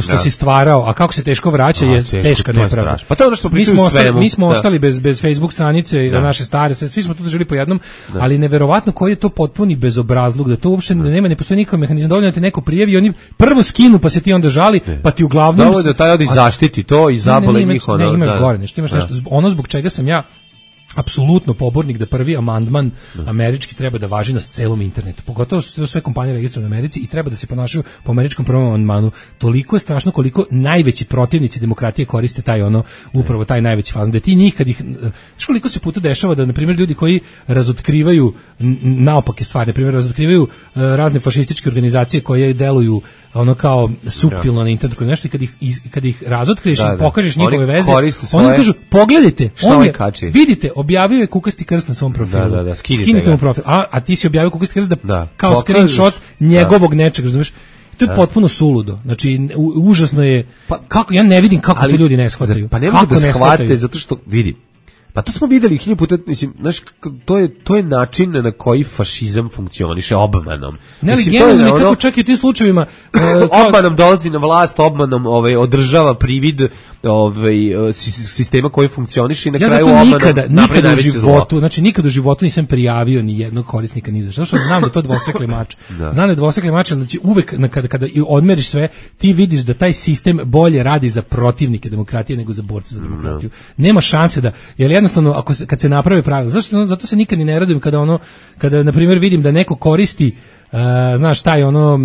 što da. si stvarao, a kako se teško vraća je teško, teška nepravda. Pa to je ono što pričamo sve. Mi smo ostali bez bez Facebook stranice i naše stare, svi smo to držali po jednom, da. ali neverovatno koji je to potpuni bezobrazluk, da to uopšte da. nema, ne postoji nikakav mehanizam, dovoljno te neko prijavi, oni prvo skinu, pa se ti onda žali, ne. pa ti uglavnom... Da, da taj odi zaštiti to i zabole njih. Ne, ne, imaš da. gore nešto, imaš da. nešto, ono zbog čega sam ja apsolutno pobornik da prvi amandman američki treba da važi na celom internetu. Pogotovo su sve kompanije registrovane u Americi i treba da se ponašaju po američkom prvom amandmanu. Toliko je strašno koliko najveći protivnici demokratije koriste taj ono, upravo taj najveći fazon. Da ti njih kad ih, znaš koliko se puta dešava da, na primjer, ljudi koji razotkrivaju naopake stvari, na primjer, razotkrivaju razne fašističke organizacije koje deluju ono kao suptilno na internetu, nešto i kad ih, kad ih razotkriješ i pokažeš njihove veze, oni kažu, pogledajte, on je, vidite, objavio je kukasti krst na svom profilu. Da, da, da, skinite, skinite mu profil. A, a ti si objavio kukasti krst da, da. kao Pokažeš, screenshot njegovog da. nečeg, razumiješ? To je da. potpuno suludo. Znači, u, užasno je, pa, kako, ja ne vidim kako ali, to ljudi ne shvataju. Pa ne mogu da shvate, zato što, vidi, pa to smo videli hilju puta, mislim, znaš, to je, to je način na koji fašizam funkcioniše obmanom. Ne, ali mislim, generalno nekako ono, čak i u tim slučajevima uh, obmanom dolazi na vlast, obmanom ovaj, održava privid ovaj, sistema koji funkcioniše i na ja kraju obmanom nikada, nikada u životu, zlo. Znači nikada u životu nisam prijavio ni jednog korisnika ni za što, što znam da to dvosekli mač. Da. Znam da je dvosekli mač, znači uvek kada, kada odmeriš sve, ti vidiš da taj sistem bolje radi za protivnike demokratije nego za borce za demokratiju. No. Nema šanse da, jer jednostavno ako se, kad se napravi pravilo, zašto zato se nikad ni ne radujem kada ono kada na primjer vidim da neko koristi Uh, znaš taj ono uh,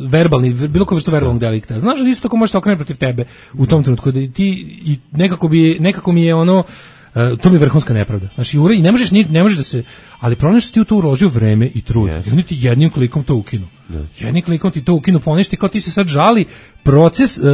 verbalni, bilo koje vrstu verbalnog delikta, znaš da isto tako može se okrenuti protiv tebe u tom trenutku da ti i nekako bi nekako mi je ono uh, to mi je vrhunska nepravda. Znači i ne možeš ni ne možeš da se, ali problem što ti u to uložio vreme i trud. Yes. I oni ti jednim klikom to ukinu. Yes. Jednim klikom ti to ukinu, poništi kao ti se sad žali proces uh,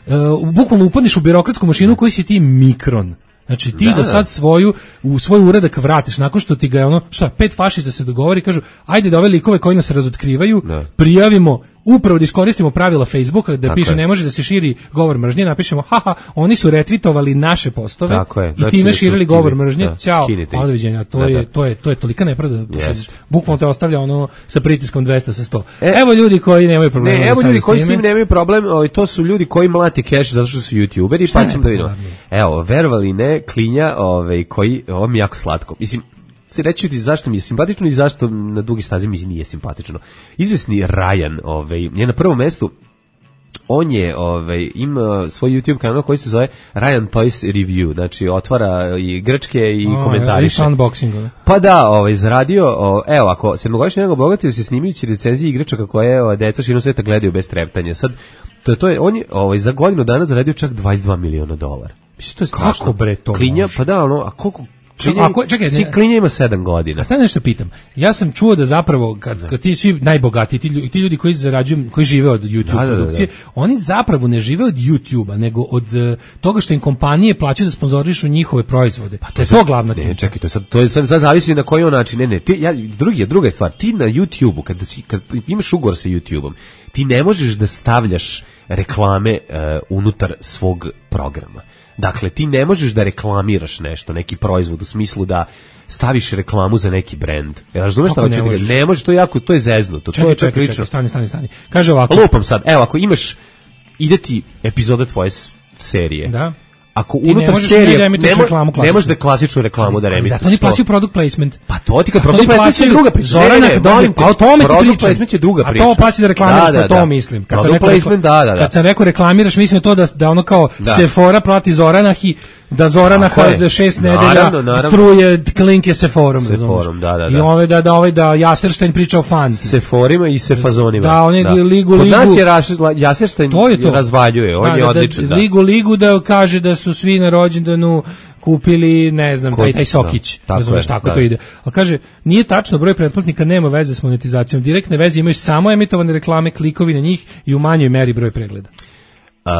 uh, bukvalno upadneš u birokratsku mašinu koji si ti mikron. Znači ti da, da sad svoju u svoj uradak vratiš nakon što ti ga je ono šta pet fašista se dogovori, kažu ajde da ove likove koji nas razotkrivaju da. prijavimo, upravo da iskoristimo pravila Facebooka da tako piše je. Ne može da se širi govor mržnje, napišemo haha oni su retvitovali naše postove je, i time širili govor mržnje, da, ćao, odviđenja, to da, je to je to je tolika nepravda, yes. Bukvalno te ostavlja ono sa pritiskom dvesta sa sto. E, evo ljudi koji nemaju problema. Ne, evo ljudi koji s tim nemaju problem, o, to su ljudi koji mlate keš zato što su youtuberi, šta pa ćemo da vidimo. Evo, verovali ne, klinja, ovaj koji, ovo mi je jako slatko. Mislim, se reći ti zašto mi je simpatično i zašto na dugi stazi mi nije simpatično. Izvesni Ryan, ovaj, je na prvom mestu. On je, ovaj, ima svoj YouTube kanal koji se zove Ryan Toys Review, znači otvara i igračke i oh, komentariše. Unboxing. Pa da, ovaj, zaradio, o, evo, ako sedmogodišnji njegov bogatio se snimajući recenzije igračaka koje o, deca širom sveta gledaju bez treptanja. Sad, to, to je, on je ovaj, za godinu dana zaradio čak dvadeset dva miliona dolara. Mislim, to je strašno. Kako bre to Klinja, može? Pa da, ono, a koliko... Klinja, ako, čekaj, ne, Klinja ima sedam godina. A sad nešto pitam. Ja sam čuo da zapravo kad, kad ti svi najbogatiji, ti ljudi, ti ljudi koji zarađuju, koji žive od YouTube da, produkcije, da, da, da. Oni zapravo ne žive od YouTubea, nego od uh, toga što im kompanije plaćaju da sponzorišu njihove proizvode. Pa to je to glavna. Ne, čekaj, to sad to je sad, sad zavisi na koji način. Ne, ne, ti ja drugi je druga je stvar. Ti na YouTubeu kad si kad imaš ugovor sa YouTubeom, ti ne možeš da stavljaš reklame uh, unutar svog programa. Dakle, ti ne možeš da reklamiraš nešto, neki proizvod u smislu da staviš reklamu za neki brend. Ja razumeš šta hoću da kažem? Ne možeš, to je jako, to je zeznuto. Čekaj, to je čekaj, čekaj, stani, stani, stani. Kaže ovako. Lupam sad, evo, ako imaš, ide ti epizoda tvoje serije. Da. Ako unutar serije ne, ne, reklamu ne možeš da klasičnu reklamu da remituješ. Zato oni plaćaju product placement. Pa to ti kad product placement je druga priča. Zorana, a o tome ti product placement je druga priča. A to plaći da reklamiraš, da, da, to mislim. Kad sam rekao, da, da, da. Kad sam rekao reklamiraš, mislim to da da ono kao da. Sephora plati Zoranah i da Zoranah da šest nedelja truje klinke Sephorom, Sephorom, da, da, da. I ove da da ovaj da Jaserstein priča o fansi. Sephorima i Sefazonima. Da, oni ligu ligu. Kod nas je Jaserstein razvaljuje, on je odličan. Ligu ligu da kaže da su svi na rođendanu kupili, ne znam, taj, taj sokić, da, ne znam tako da. To ide. Ali kaže, nije tačno, broj pretplatnika nema veze s monetizacijom, direktne veze imaju samo emitovane reklame, klikovi na njih i u manjoj meri broj pregleda. Uh,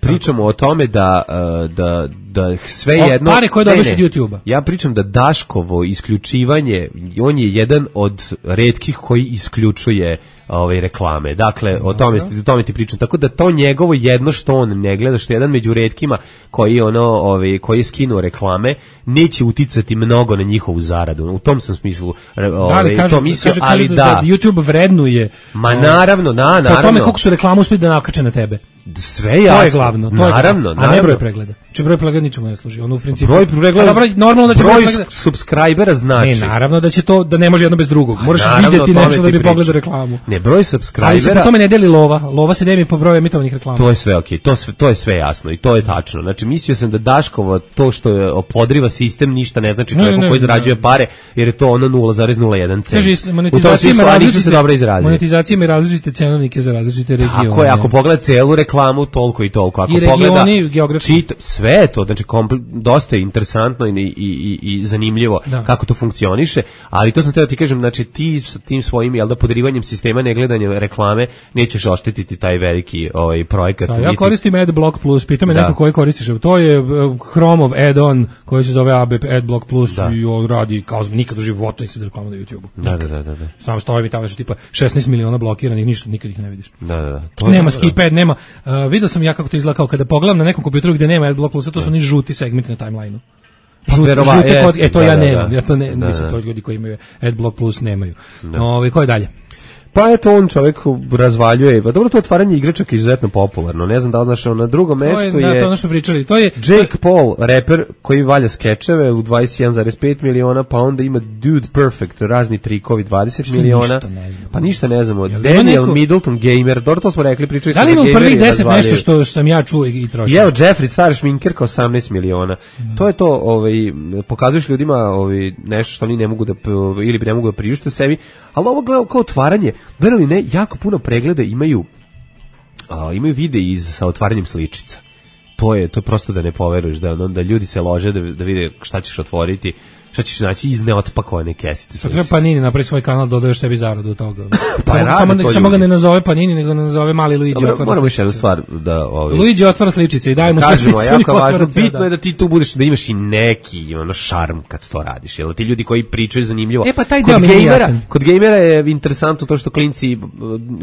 pričamo o tome da, uh, da, da sve o, jedno... Pare koje dobiš od YouTube-a. Ja pričam da Daškovo isključivanje, on je jedan od retkih koji isključuje ove reklame. Dakle, o tome, o tome ti pričam. Tako da to njegovo jedno što on ne gleda, što je jedan među retkima koji ono, ove, koji je skinuo reklame, neće uticati mnogo na njihovu zaradu. U tom sam smislu ove, da, ali kažu, to mislio, kažu, ali kažu da, da YouTube vrednuje. Ma naravno, na, naravno. Po tome koliko su reklamu uspjeli da nakače na tebe. Sve jasno. To je glavno, to naravno, je glavno. A naravno. ne broj pregleda. Či broj pregleda ničemu ne služi. Ono u principu. Broj pregleda. Broj, normalno da će broj, broj pregleda. Subscribera znači. Ne, naravno da će to da ne može jedno bez drugog. Moraš vidjeti nešto da bi pogledao reklamu. Ne, broj subscribera. Ali se po tome ne deli lova. Lova se deli po broju emitovanih reklama. To je sve okej. Okay. To sve to je sve jasno i to je tačno. Znači mislio sam da Daškovo to što je podriva sistem ništa ne znači čovjeku koji zarađuje pare, jer je to ono nula zarez nula jedan cent. Kaže, monetizacija ima različite se dobro izrazio. Monetizacija ima različite cenovnike za različite regione. Ako je, ako pogleda celu reklamu reklamu toliko i toliko. Ako I regioni, pogleda, geografski. čita, sve je to, znači kompl, dosta je interesantno i, i, i, i zanimljivo da. kako to funkcioniše, ali to sam teo ti kažem, znači ti sa tim svojim, jel da, podrivanjem sistema, negledanjem reklame, nećeš oštetiti taj veliki ovaj, projekat. Da, ja koristim AdBlock Plus, pita me da. neko koji koristiš, to je Chrome-ov add-on koji se zove A B P AdBlock Plus da. I on radi kao nikad u životu nisi da reklamu na YouTube-u. Da, da, da, da, da. Samo stoji mi tamo što tipa šesnaest miliona blokiranih, ništa, nikad ih ne vidiš. Da, da, da. To nema je, skip ad, nema. Uh, vidio sam ja kako to izgleda, kao kada pogledam na nekom kompjuteru gde nema AdBlock Plusa, to su oni žuti segmenti na timelineu. Žuti, Verova, žuti jest, kod, e to da, ja nemam, da, ja to ne, da, mislim, to ljudi koji imaju AdBlock Plus nemaju. Ove, ko je dalje? Pa eto, on čovjek razvaljuje. Pa dobro, to otvaranje igračaka je izuzetno popularno. Ne znam da li znaš, na drugom mestu je... Da, to je ono što pričali. To je Jake Paul, reper koji valja skečeve u dvadeset jedan zarez pet miliona, pa onda ima Dude Perfect, razni trikovi, dvadeset miliona. Pa ništa ne znamo. Daniel neko... Middleton, gamer, dobro to smo rekli, pričali smo da li za ima gamer. Da li ima prvih deset nešto što sam ja čuo i trošio? Evo, Jeffrey, star šminkerka, osamnaest miliona. Mm. To je to, ovaj, pokazuješ ljudima ovaj, nešto što oni ne mogu da, ili ne mogu da priušte sebi, ali ovo gleda kao otvaranje, verali ne, jako puno pregleda imaju a, imaju videi iz sa otvaranjem sličica. To je to je prosto da ne poveruješ da da ljudi se lože da da vide šta ćeš otvoriti, šta ćeš naći iz neotpakovane kesice. Pa treba Panini napravi svoj kanal, dodaješ sebi zaradu od toga. Pa samo samo, samo ga ne nazove Panini, nego ga nazove Mali Luigi otvara sličice. Moramo još jednu stvar da ovaj Luigi otvara sličice i dajemo sve sličice. Jako važno, bitno je da ti tu budeš, da imaš i neki ono šarm kad to radiš. Jel ti ljudi koji pričaju zanimljivo. E pa taj kod deo gamera, kod gamera je interesantno to što klinci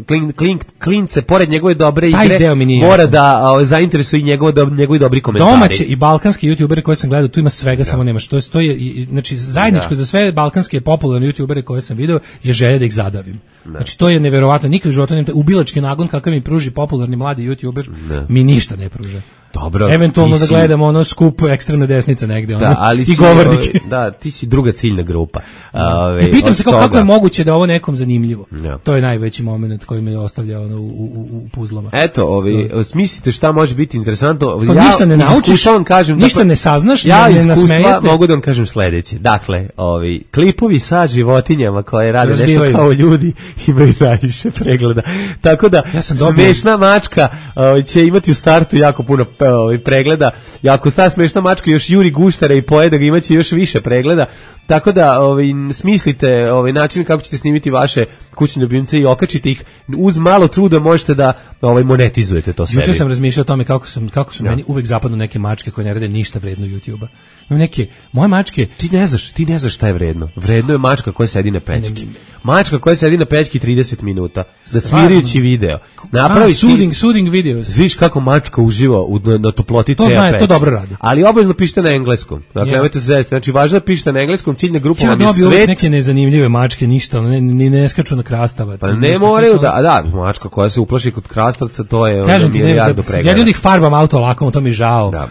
klin, klin, klince pored njegove dobre igre mora da o, zainteresuje i njegove do, njegovi dobri komentari. Domaći i balkanski youtuberi koje sam gledao, tu ima svega, da. Samo nemaš. To je to je znači zajedničko za sve balkanske popularne youtubere koje sam video je želja da ih zadavim. Ne. Znači to je neverovatno, nikad u životu nemate ubilački nagon kakav mi pruži popularni mladi youtuber, ne. Mi ništa ne pruža. Dobro, eventualno da si... gledamo ono skup ekstremne desnice negde, da, ono, ali i govornike. Ove, da, ti si druga ciljna grupa. Ove, I pitam se kako, kako je moguće da ovo nekom zanimljivo. Ja. To je najveći moment koji me ostavlja ono, u, u, u puzlama. Eto, ovi, smislite šta može biti interesantno. Kao ja ništa ne naučiš, vam kažem, ništa dakle, ne saznaš, ja ne, ne nasmejete. Mogu da vam kažem sledeće. Dakle, ovi, klipovi sa životinjama koje rade Razbivaju. Nešto kao ljudi imaju najviše pregleda. Tako da, ja smešna mačka ovi, će imati u startu jako puno ovi, pregleda. I ako sta smešna mačka još juri guštare i pojede ga, imaće još više pregleda. Tako da ovaj, smislite ovaj, način kako ćete snimiti vaše kućne ljubimce i okačite ih. Uz malo truda možete da ovaj, monetizujete to sebi. Juče sam razmišljao o tome kako, sam, kako su ja. Meni uvek zapadnu neke mačke koje ne rade ništa vredno YouTube-a. Imam neke, moje mačke... Ti ne znaš, ti ne znaš šta je vredno. Vredno je mačka koja sedi na pećki. Mačka koja sedi na pećki trideset minuta. Za smirajući video. Napravi soothing, soothing videos. Viš kako mačka uživa u, na, na toploti to te zna, pećke. To dobro radi. Ali obavezno pišite na engleskom. Dakle, yeah. nemojte se zezati. Znači, važno da pišete na engleskom, ciljna grupa vam je ja svet. Neke nezanimljive mačke, ništa, ne, ne, ne skaču na krastavac. Pa ne moraju da, da, mačka koja se uplaši kod krastavca, to je onda milijardu pregleda. Ja ljudi farbam auto lakom, to mi žao. Da,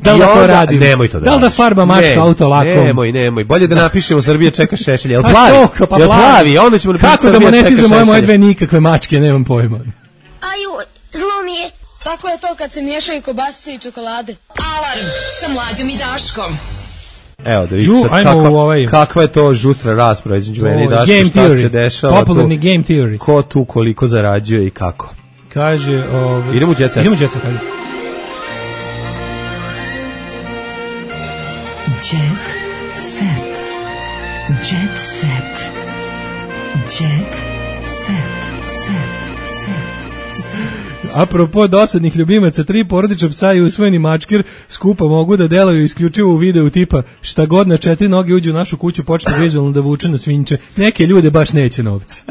da li da to radim? Nemoj to da Da li da farba mačka auto lakom? Nemoj, nemoj. Bolje da napišemo Srbija čeka Šešelj. Jel plavi? Jel plavi? Onda ćemo napisati Srbija čeka Šešelj. Kako da monetizujemo moje dve nikakve mačke, nemam pojma. Aju, zlo mi je. Tako je to kad se miješaju kobasice i čokolade. Alarm sa Mlađom i Daškom. Evo da vidite sad kakva, ovaj, kakva je to žustra rasprava između mene i Daška, šta theory. Se dešava. Popularni tu, game theory. Ko tu koliko zarađuje i kako. Kaže, ovaj, idemo u jet set. Idemo u jet set, ajde. Jet set. Jet set. Jet set. Apropo dosadnih ljubimaca, tri porodična psa i usvojeni mačkir skupa mogu da delaju isključivo u videu tipa šta god na četiri noge uđe u našu kuću počne vizualno da vuče na svinče. Neke ljude baš neće novci.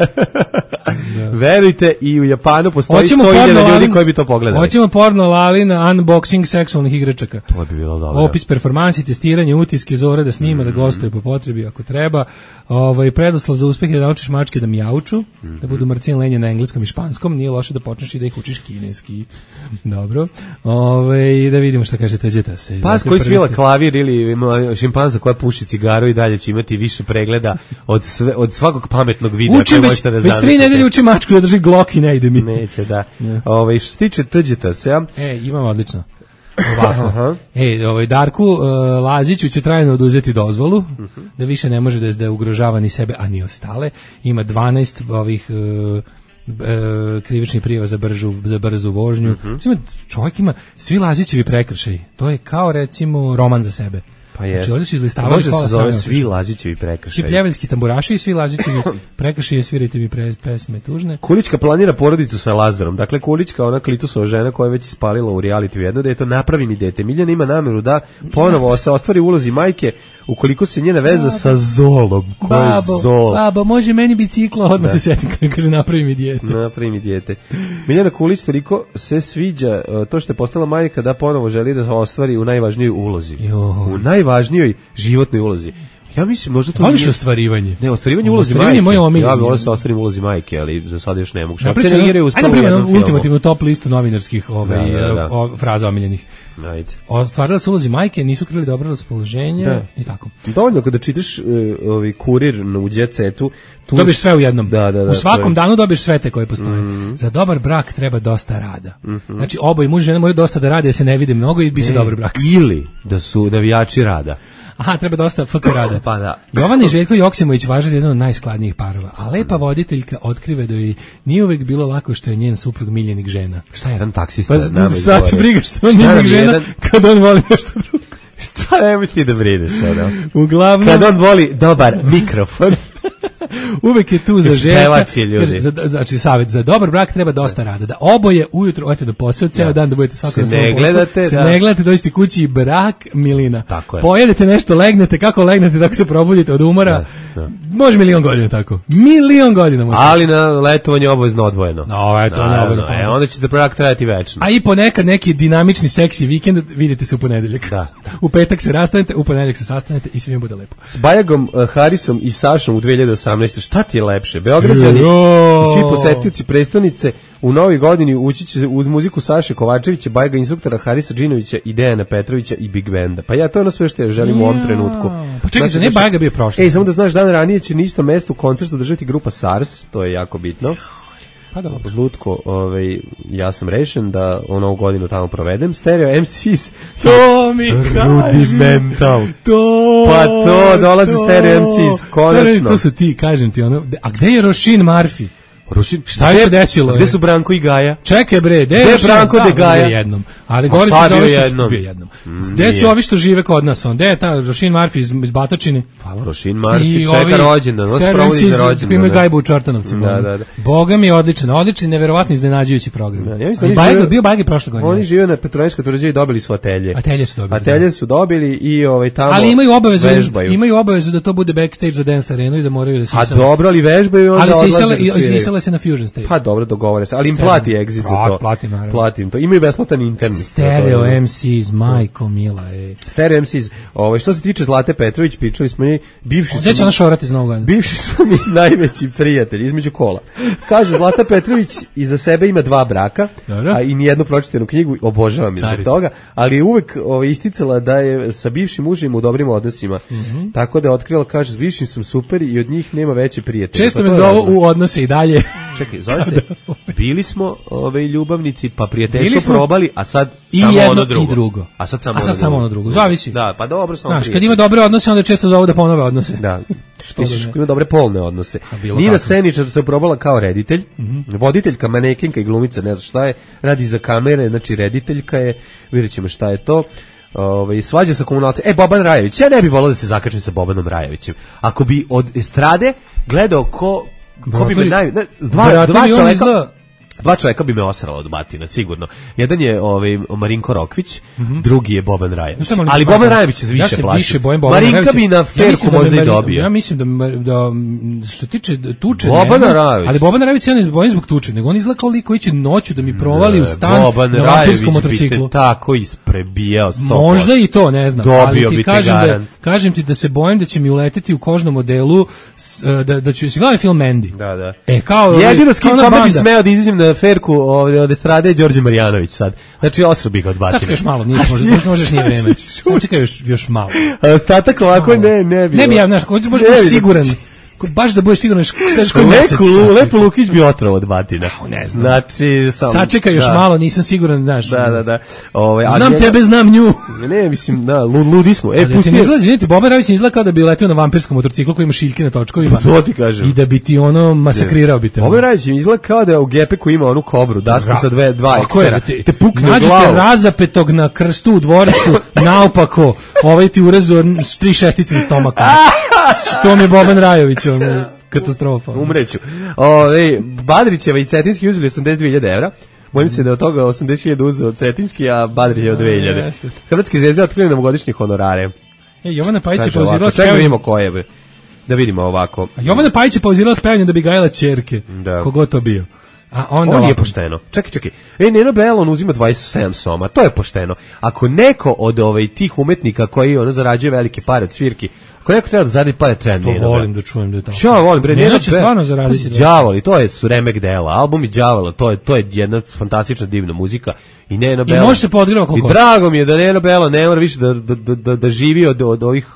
Da. Verujte, i u Japanu postoji sto hiljada ljudi koji bi to pogledali. Hoćemo porno lali na unboxing seksualnih igračaka. To bi bilo dobro. Opis performansi, testiranje, utiske Zore da snima, mm. da gostuje po potrebi ako treba. Ovaj preduslov za uspeh je da naučiš mačke da mijauču, mm-hmm. da budu mrcin lenje na engleskom i španskom, nije loše da počneš i da ih učiš kineski. Dobro. Ove, da vidimo šta kaže Teđeta se. Pas koji svila klavir ili šimpanza koja puši cigaru i dalje će imati više pregleda od sve, od svakog pametnog videa. Učim već, da već tri nedelje učim mačku da drži glok i ne ide mi. Neće, da. Yeah. Ove, što se tiče Teđeta se... E, imam odlično. Ovako. Aha. E, ovaj Darku uh, Laziću će trajno oduzeti dozvolu, uh-huh. da više ne može da, da ugrožava ni sebe, a ni ostale. Ima dvanaest ovih... Uh, e, krivični prijava za bržu za brzu vožnju. Mm-hmm. Ima, čovjek ima svi Lazićevi prekršaji. To je kao recimo roman za sebe. Pa jest. Znači ovdje su izlistavali može se zove svi Lazićevi prekršaji. Svi pljeveljski tamburaši i svi Lazićevi prekršaji, svirajte mi pre, pesme tužne. Kulićka planira porodicu sa Lazarom. Dakle, Kulićka, ona Klitusova žena koja je već ispalila u reality jedno dete, napravi mi dete. Miljana ima nameru da ponovo se ostvari ulozi majke ukoliko se njena veza babo. Sa Zolom. Ko je Zol? Babo, može meni biciklo, odmah da. Se setim kada kaže napravi mi dijete. Napravi mi dijete. Miljana Kulić toliko se sviđa to što je postala majka da ponovo želi da se ostvari u najvažnijoj ulozi. Jo. U najvažnijoj životnoj ulozi. Ja mislim možda to voliš nije... ostvarivanje. Ne, ostvarivanje ulozi majke. Moje omiljeno. Ja bih volio da ostvarim ulozi majke, ali za sad još ne mogu. Šta se igraju u jednom filmu. Ultimativnu top listu novinarskih ovaj da, da, da. O, fraza omiljenih. Ajde. Ostvarila se ulozi majke, nisu krili dobro raspoloženje da. I tako. Dovoljno kada čitaš uh, ovaj kurir u Jet Setu, tu dobiješ sve u jednom. Da, da, da, u svakom je... danu dobiješ sve te koje postoje. Mm-hmm. Za dobar brak treba dosta rada. Mm-hmm. Znači oboje muž i žena moraju dosta da rade, da se ne vide mnogo i biće dobar brak. Ili da su navijači rada. Aha, treba dosta F K rada. Pa da. Jovana i Željko Joksimović važe za jedan od najskladnijih parova, a lepa voditeljka otkrive da joj nije uvek bilo lako što je njen suprug miljenik žena. Šta je jedan taksista? Pa šta će briga što on miljenik žena jedan... kad on voli nešto drugo? Šta ne misli da brineš, ono? Uglavnom... Kad on voli dobar mikrofon. Uvek je tu za Željka. Za, znači, savjet, za dobar brak treba dosta rada. Da oboje ujutro odete na posao, ceo dan da budete svako na svom poslu. Gledate, se da. ne gledate, dođete kući i brak milina. Tako je. Pojedete nešto, legnete, kako legnete, tako se probudite od umora. Da, da. Može milion godina tako. Milion godina može. Ali na letovanje obavezno odvojeno. No, eto, na, no, e, onda će da brak trajati večno. A i ponekad neki dinamični seksi vikend vidite se u ponedeljak. Da. U petak se rastanete, u ponedeljak se sastanete i svima bude lepo. S Bajagom, uh, Harisom i Sašom u dve hiljade osamnaestoj šta ti je lepše? Beograđani i svi posetioci prestonice u novoj godini ući će uz muziku Saše Kovačevića, Bajaga instruktora Harisa Džinovića i Dejana Petrovića i Big Benda. Pa ja to je ono sve što ja želim u ovom trenutku. Pa čekaj, znači, ne Bajaga bio prošle. Ej, samo da znaš, dan ranije će na istom mestu koncert održati grupa SARS, to je jako bitno. Pa dobro. Lutko, ovaj, ja sam rešen da u novu godinu tamo provedem. Stereo em si s. To mi kaže. Rudimental. To. Pa to, dolazi to. Stereo em si s, konačno. To su ti, kažem ti, ono. A gde je Rošin Marfi? Rušin, šta je se desilo? Gde su Branko i Gaja? Čekaj bre, gde je Branko de Gaja? Jednom. Ali govorim ti za ovo što bio jednom. Gde su ovi što žive kod nas? Gde je ta Rošin Marfi iz, iz Batočine? Pa Rošin Marfi čeka rođendan, on sprovodi za rođendan. Ima gajbu u Čortanovcima. Da, da, da. Boga mi je odličan, odličan, neverovatno iznenađujući program. Da, ja mislim da Bajga, bio Bajga prošle godine. Oni žive na Petrovačkoj tvrđavi i dobili su atelje. Atelje su dobili. Atelje su dobili i ovaj tamo. Ali imaju obavezu, imaju obavezu da to bude backstage za Dance Arenu i da moraju da se. A dobro, ali vežbaju onda odlaze. Ali se isele se na Fusion Stage. Pa dobro, dogovore se, ali im plati exit za to. Platim, naravno. Platim to. Imaju besplatan internet. Stereo em si s majko mila, ej. Stereo em si s. Ovaj što se tiče Zlate Petrović, pričali smo njej, bivši su. Gde će ona šorati iz Novog Sada? Bivši su mi najveći prijatelji između kola. Kaže Zlata Petrović iza sebe ima dva braka, dobro, a i nijednu pročitanu knjigu, obožavam je zbog toga, ali je uvek ovaj isticala da je sa bivšim mužem u dobrim odnosima. Mm-hmm. Tako da je otkrila, kaže, s bivšim sam super i od njih nema veće prijatelje. Često me zovu u odnose i dalje. Čekaj, zove se, bili smo ove ljubavnici, pa prijateljstvo probali, a sad i samo jedno ono drugo. I drugo. A sad samo, a sad ono, samo ono drugo. Zavisi. Da, pa dobro, samo znaš, kad ima dobre odnose, onda često zovu da ponove odnose. Da. Što da ima dobre polne odnose. Nina Seničar se probala kao reditelj, mm-hmm. voditeljka, manekenka i glumica, ne znam šta je, radi za kamere, znači rediteljka je, vidjet ćemo šta je to. Ove, svađa sa komunalcem. E, Boban Rajević, ja ne bih volao da se zakačim sa Bobanom Rajevićem. Ako bi od estrade gledao ko, ko bi me naj... Dva, dva čoveka... Dva čovjeka bi me osrala od batina, sigurno. Jedan je ovaj Marinko Rokvić, mm-hmm. drugi je Boban Rajević. No, ali Boban Rajević se više ja plaća. Više bojim Marinka Rajevića. bi na ferku ja možda da i dobio. Ja mislim da, da što tiče tuče, Boban Rajević. Ali Boban Rajević ja ne bojim zbog tuče, nego on izgleda kao lik koji će noću da mi provali ne, u stan Boban na vampirskom motorciklu. Bi te tako isprebijao sto posto. Možda i to, ne znam. Dobio ali ti kažem da, kažem ti da se bojim da će mi uleteti u kožnom modelu, da, da ću se gledati film Mandy. Da, da. E, kao, jedino s kim kome bi smeo da izađem na ferku ovdje od estrade je Đorđe Marjanović sad. Znači, osro bih ga odbatio. Sačekaj još malo, nije, možda, možda možeš nije vreme. Sačekaj još, još malo. A ostatak ovako ne, ne bi. Ne bi ja, znaš, ko možeš biti siguran. baš da budeš siguran sediš koji mesec. Lepo Lukić bi otrov od batina. Ne znam. Znači, sam, sačekaj još da. malo, nisam siguran, znaš. Da, da, da. Ove, znam ja, tebe, znam nju. Ne, mislim, da, ludi smo. E, pusti. Ne izgleda, izvinite, Boban Rajović izgleda kao da bi letio na vampirskom motorciklu koji ima šiljke na točkovima. To ti kažem. I da bi ti ono masakrirao bi te. Boban Rajović izgleda kao da u gepeku ima onu kobru, dasku sa dve, dva eksera. Te, te pukne glavu. Nađete razapetog na krstu u dvorištu, naopako, ovaj ti urezo tri šestice na stomaku. To mi je Boban Rajović, ono, katastrofa. Umreću. Ove, Badrićeva i Cetinski uzeli osamdeset dve hiljade evra. Bojim se da od toga osamdeset hiljada uzeo Cetinski, a Badrićeva dve hiljade. Hrvatske zvezde otkrili novogodišnje honorare. E, Jovana Pajić je pauzirala spevanje. Sve vidimo koje je. Da vidimo ovako. A Jovana Pajić je pauzirala spevanje da bi gajala ćerke. Da. Kogod to bio. A onda on je pošteno. Čekaj, čekaj. E, Neno Belon uzima dvadeset sedam soma. To je pošteno. Ako neko od ovaj tih umetnika koji ono zarađuje velike pare od svirki, ako neko treba da zaradi pare, treba Neno. Što volim da čujem da je tako. Ja volim bre, Neno će stvarno zaraditi. Đavoli, to je su remek dela, albumi Đavola, to je to je jedna fantastična divna muzika. I Neno Belon. I može se podgreva koliko. I drago mi je da Neno Belon ne mora više da da da da živi od od ovih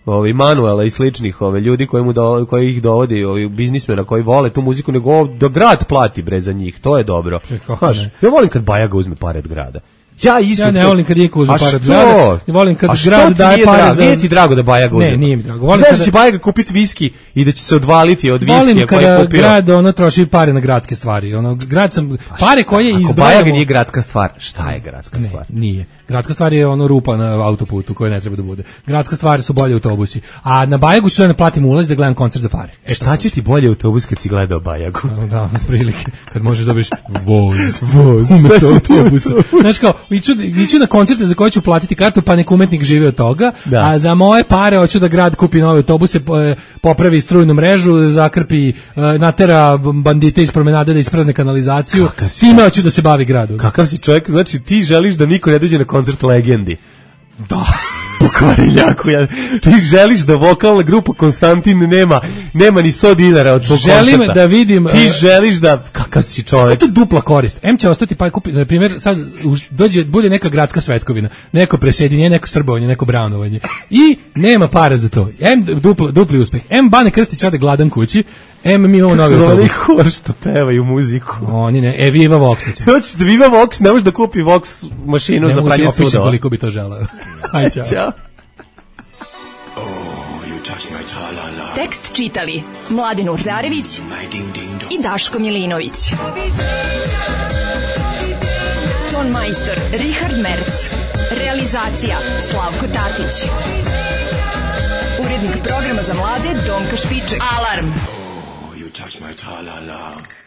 ovih Manuela i sličnih ove ljudi koji mu do, koji ih dovodi, ovi biznismena koji vole tu muziku, nego da grad plati bre za njih. To je dobro. Znaš, ja volim kad Bajaga uzme pare od grada. Ja isto. Ja ne volim kad Iko uzme pare od grada. Ne volim kad grad daje pare za. Nije ti drago da Bajaga uzme? Ne, nije mi drago. Volim kada da će Bajaga kupiti viski i da će se odvaliti od viskija koji je kupio. Volim kada grad ono troši pare na gradske stvari. Ono grad sam pare koje izdvajamo. Ako Bajaga nije gradska stvar, šta je gradska stvar? Ne, nije. Gradska stvar je ono rupa na autoputu koja ne treba da bude. Gradska stvar su bolji autobusi. A na Bajagu ću da ne platim ulaz da gledam koncert za pare. E šta će ti bolje autobus kad si gledao Bajagu? Da, prilike. Kad možeš dobiješ voz, voz umesto autobusa. Znaš kao, iću, iću na koncerte za koje ću platiti kartu, pa nek umetnik živi od toga, da. A za moje pare hoću da grad kupi nove autobuse, popravi strujnu mrežu, zakrpi, natera bandite iz promenade da isprazne kanalizaciju. Time hoću da se bavi gradu. Kakav si čovjek, znači ti želiš da niko ne dođe na koncert Legendi. Da. Pokvariljaku, ja. Ti želiš da vokalna grupa Konstantin nema nema ni sto dinara od svog koncerta. Želim da vidim. Ti uh, želiš da kakav si čovjek. Što je to dupla korist? Em će ostati pa kupi, na primjer, sad dođe bude neka gradska svetkovina, neko presjedinjenje, neko srbovanje, neko brownovanje. I nema para za to. Em dupli, dupli uspeh. Em Bane Krstić ode gladan kući. Em mi imamo novi autobus. Hor što pevaju muziku. Oni ne, e Viva Vox. Hoćeš da Viva Vox, ne možeš da kupi Vox mašinu ne za pranje sudova. Ne mogu ti koliko bi to želeo. Aj, čao. Ćao. Tekst čitali Mladin Urdarević i Daško Milinović. Ton majstor Richard Merc. Realizacija Slavko Tatić. Urednik programa za mlade Donka Špiček. Alarm! Oh, you touch my tra-la-la.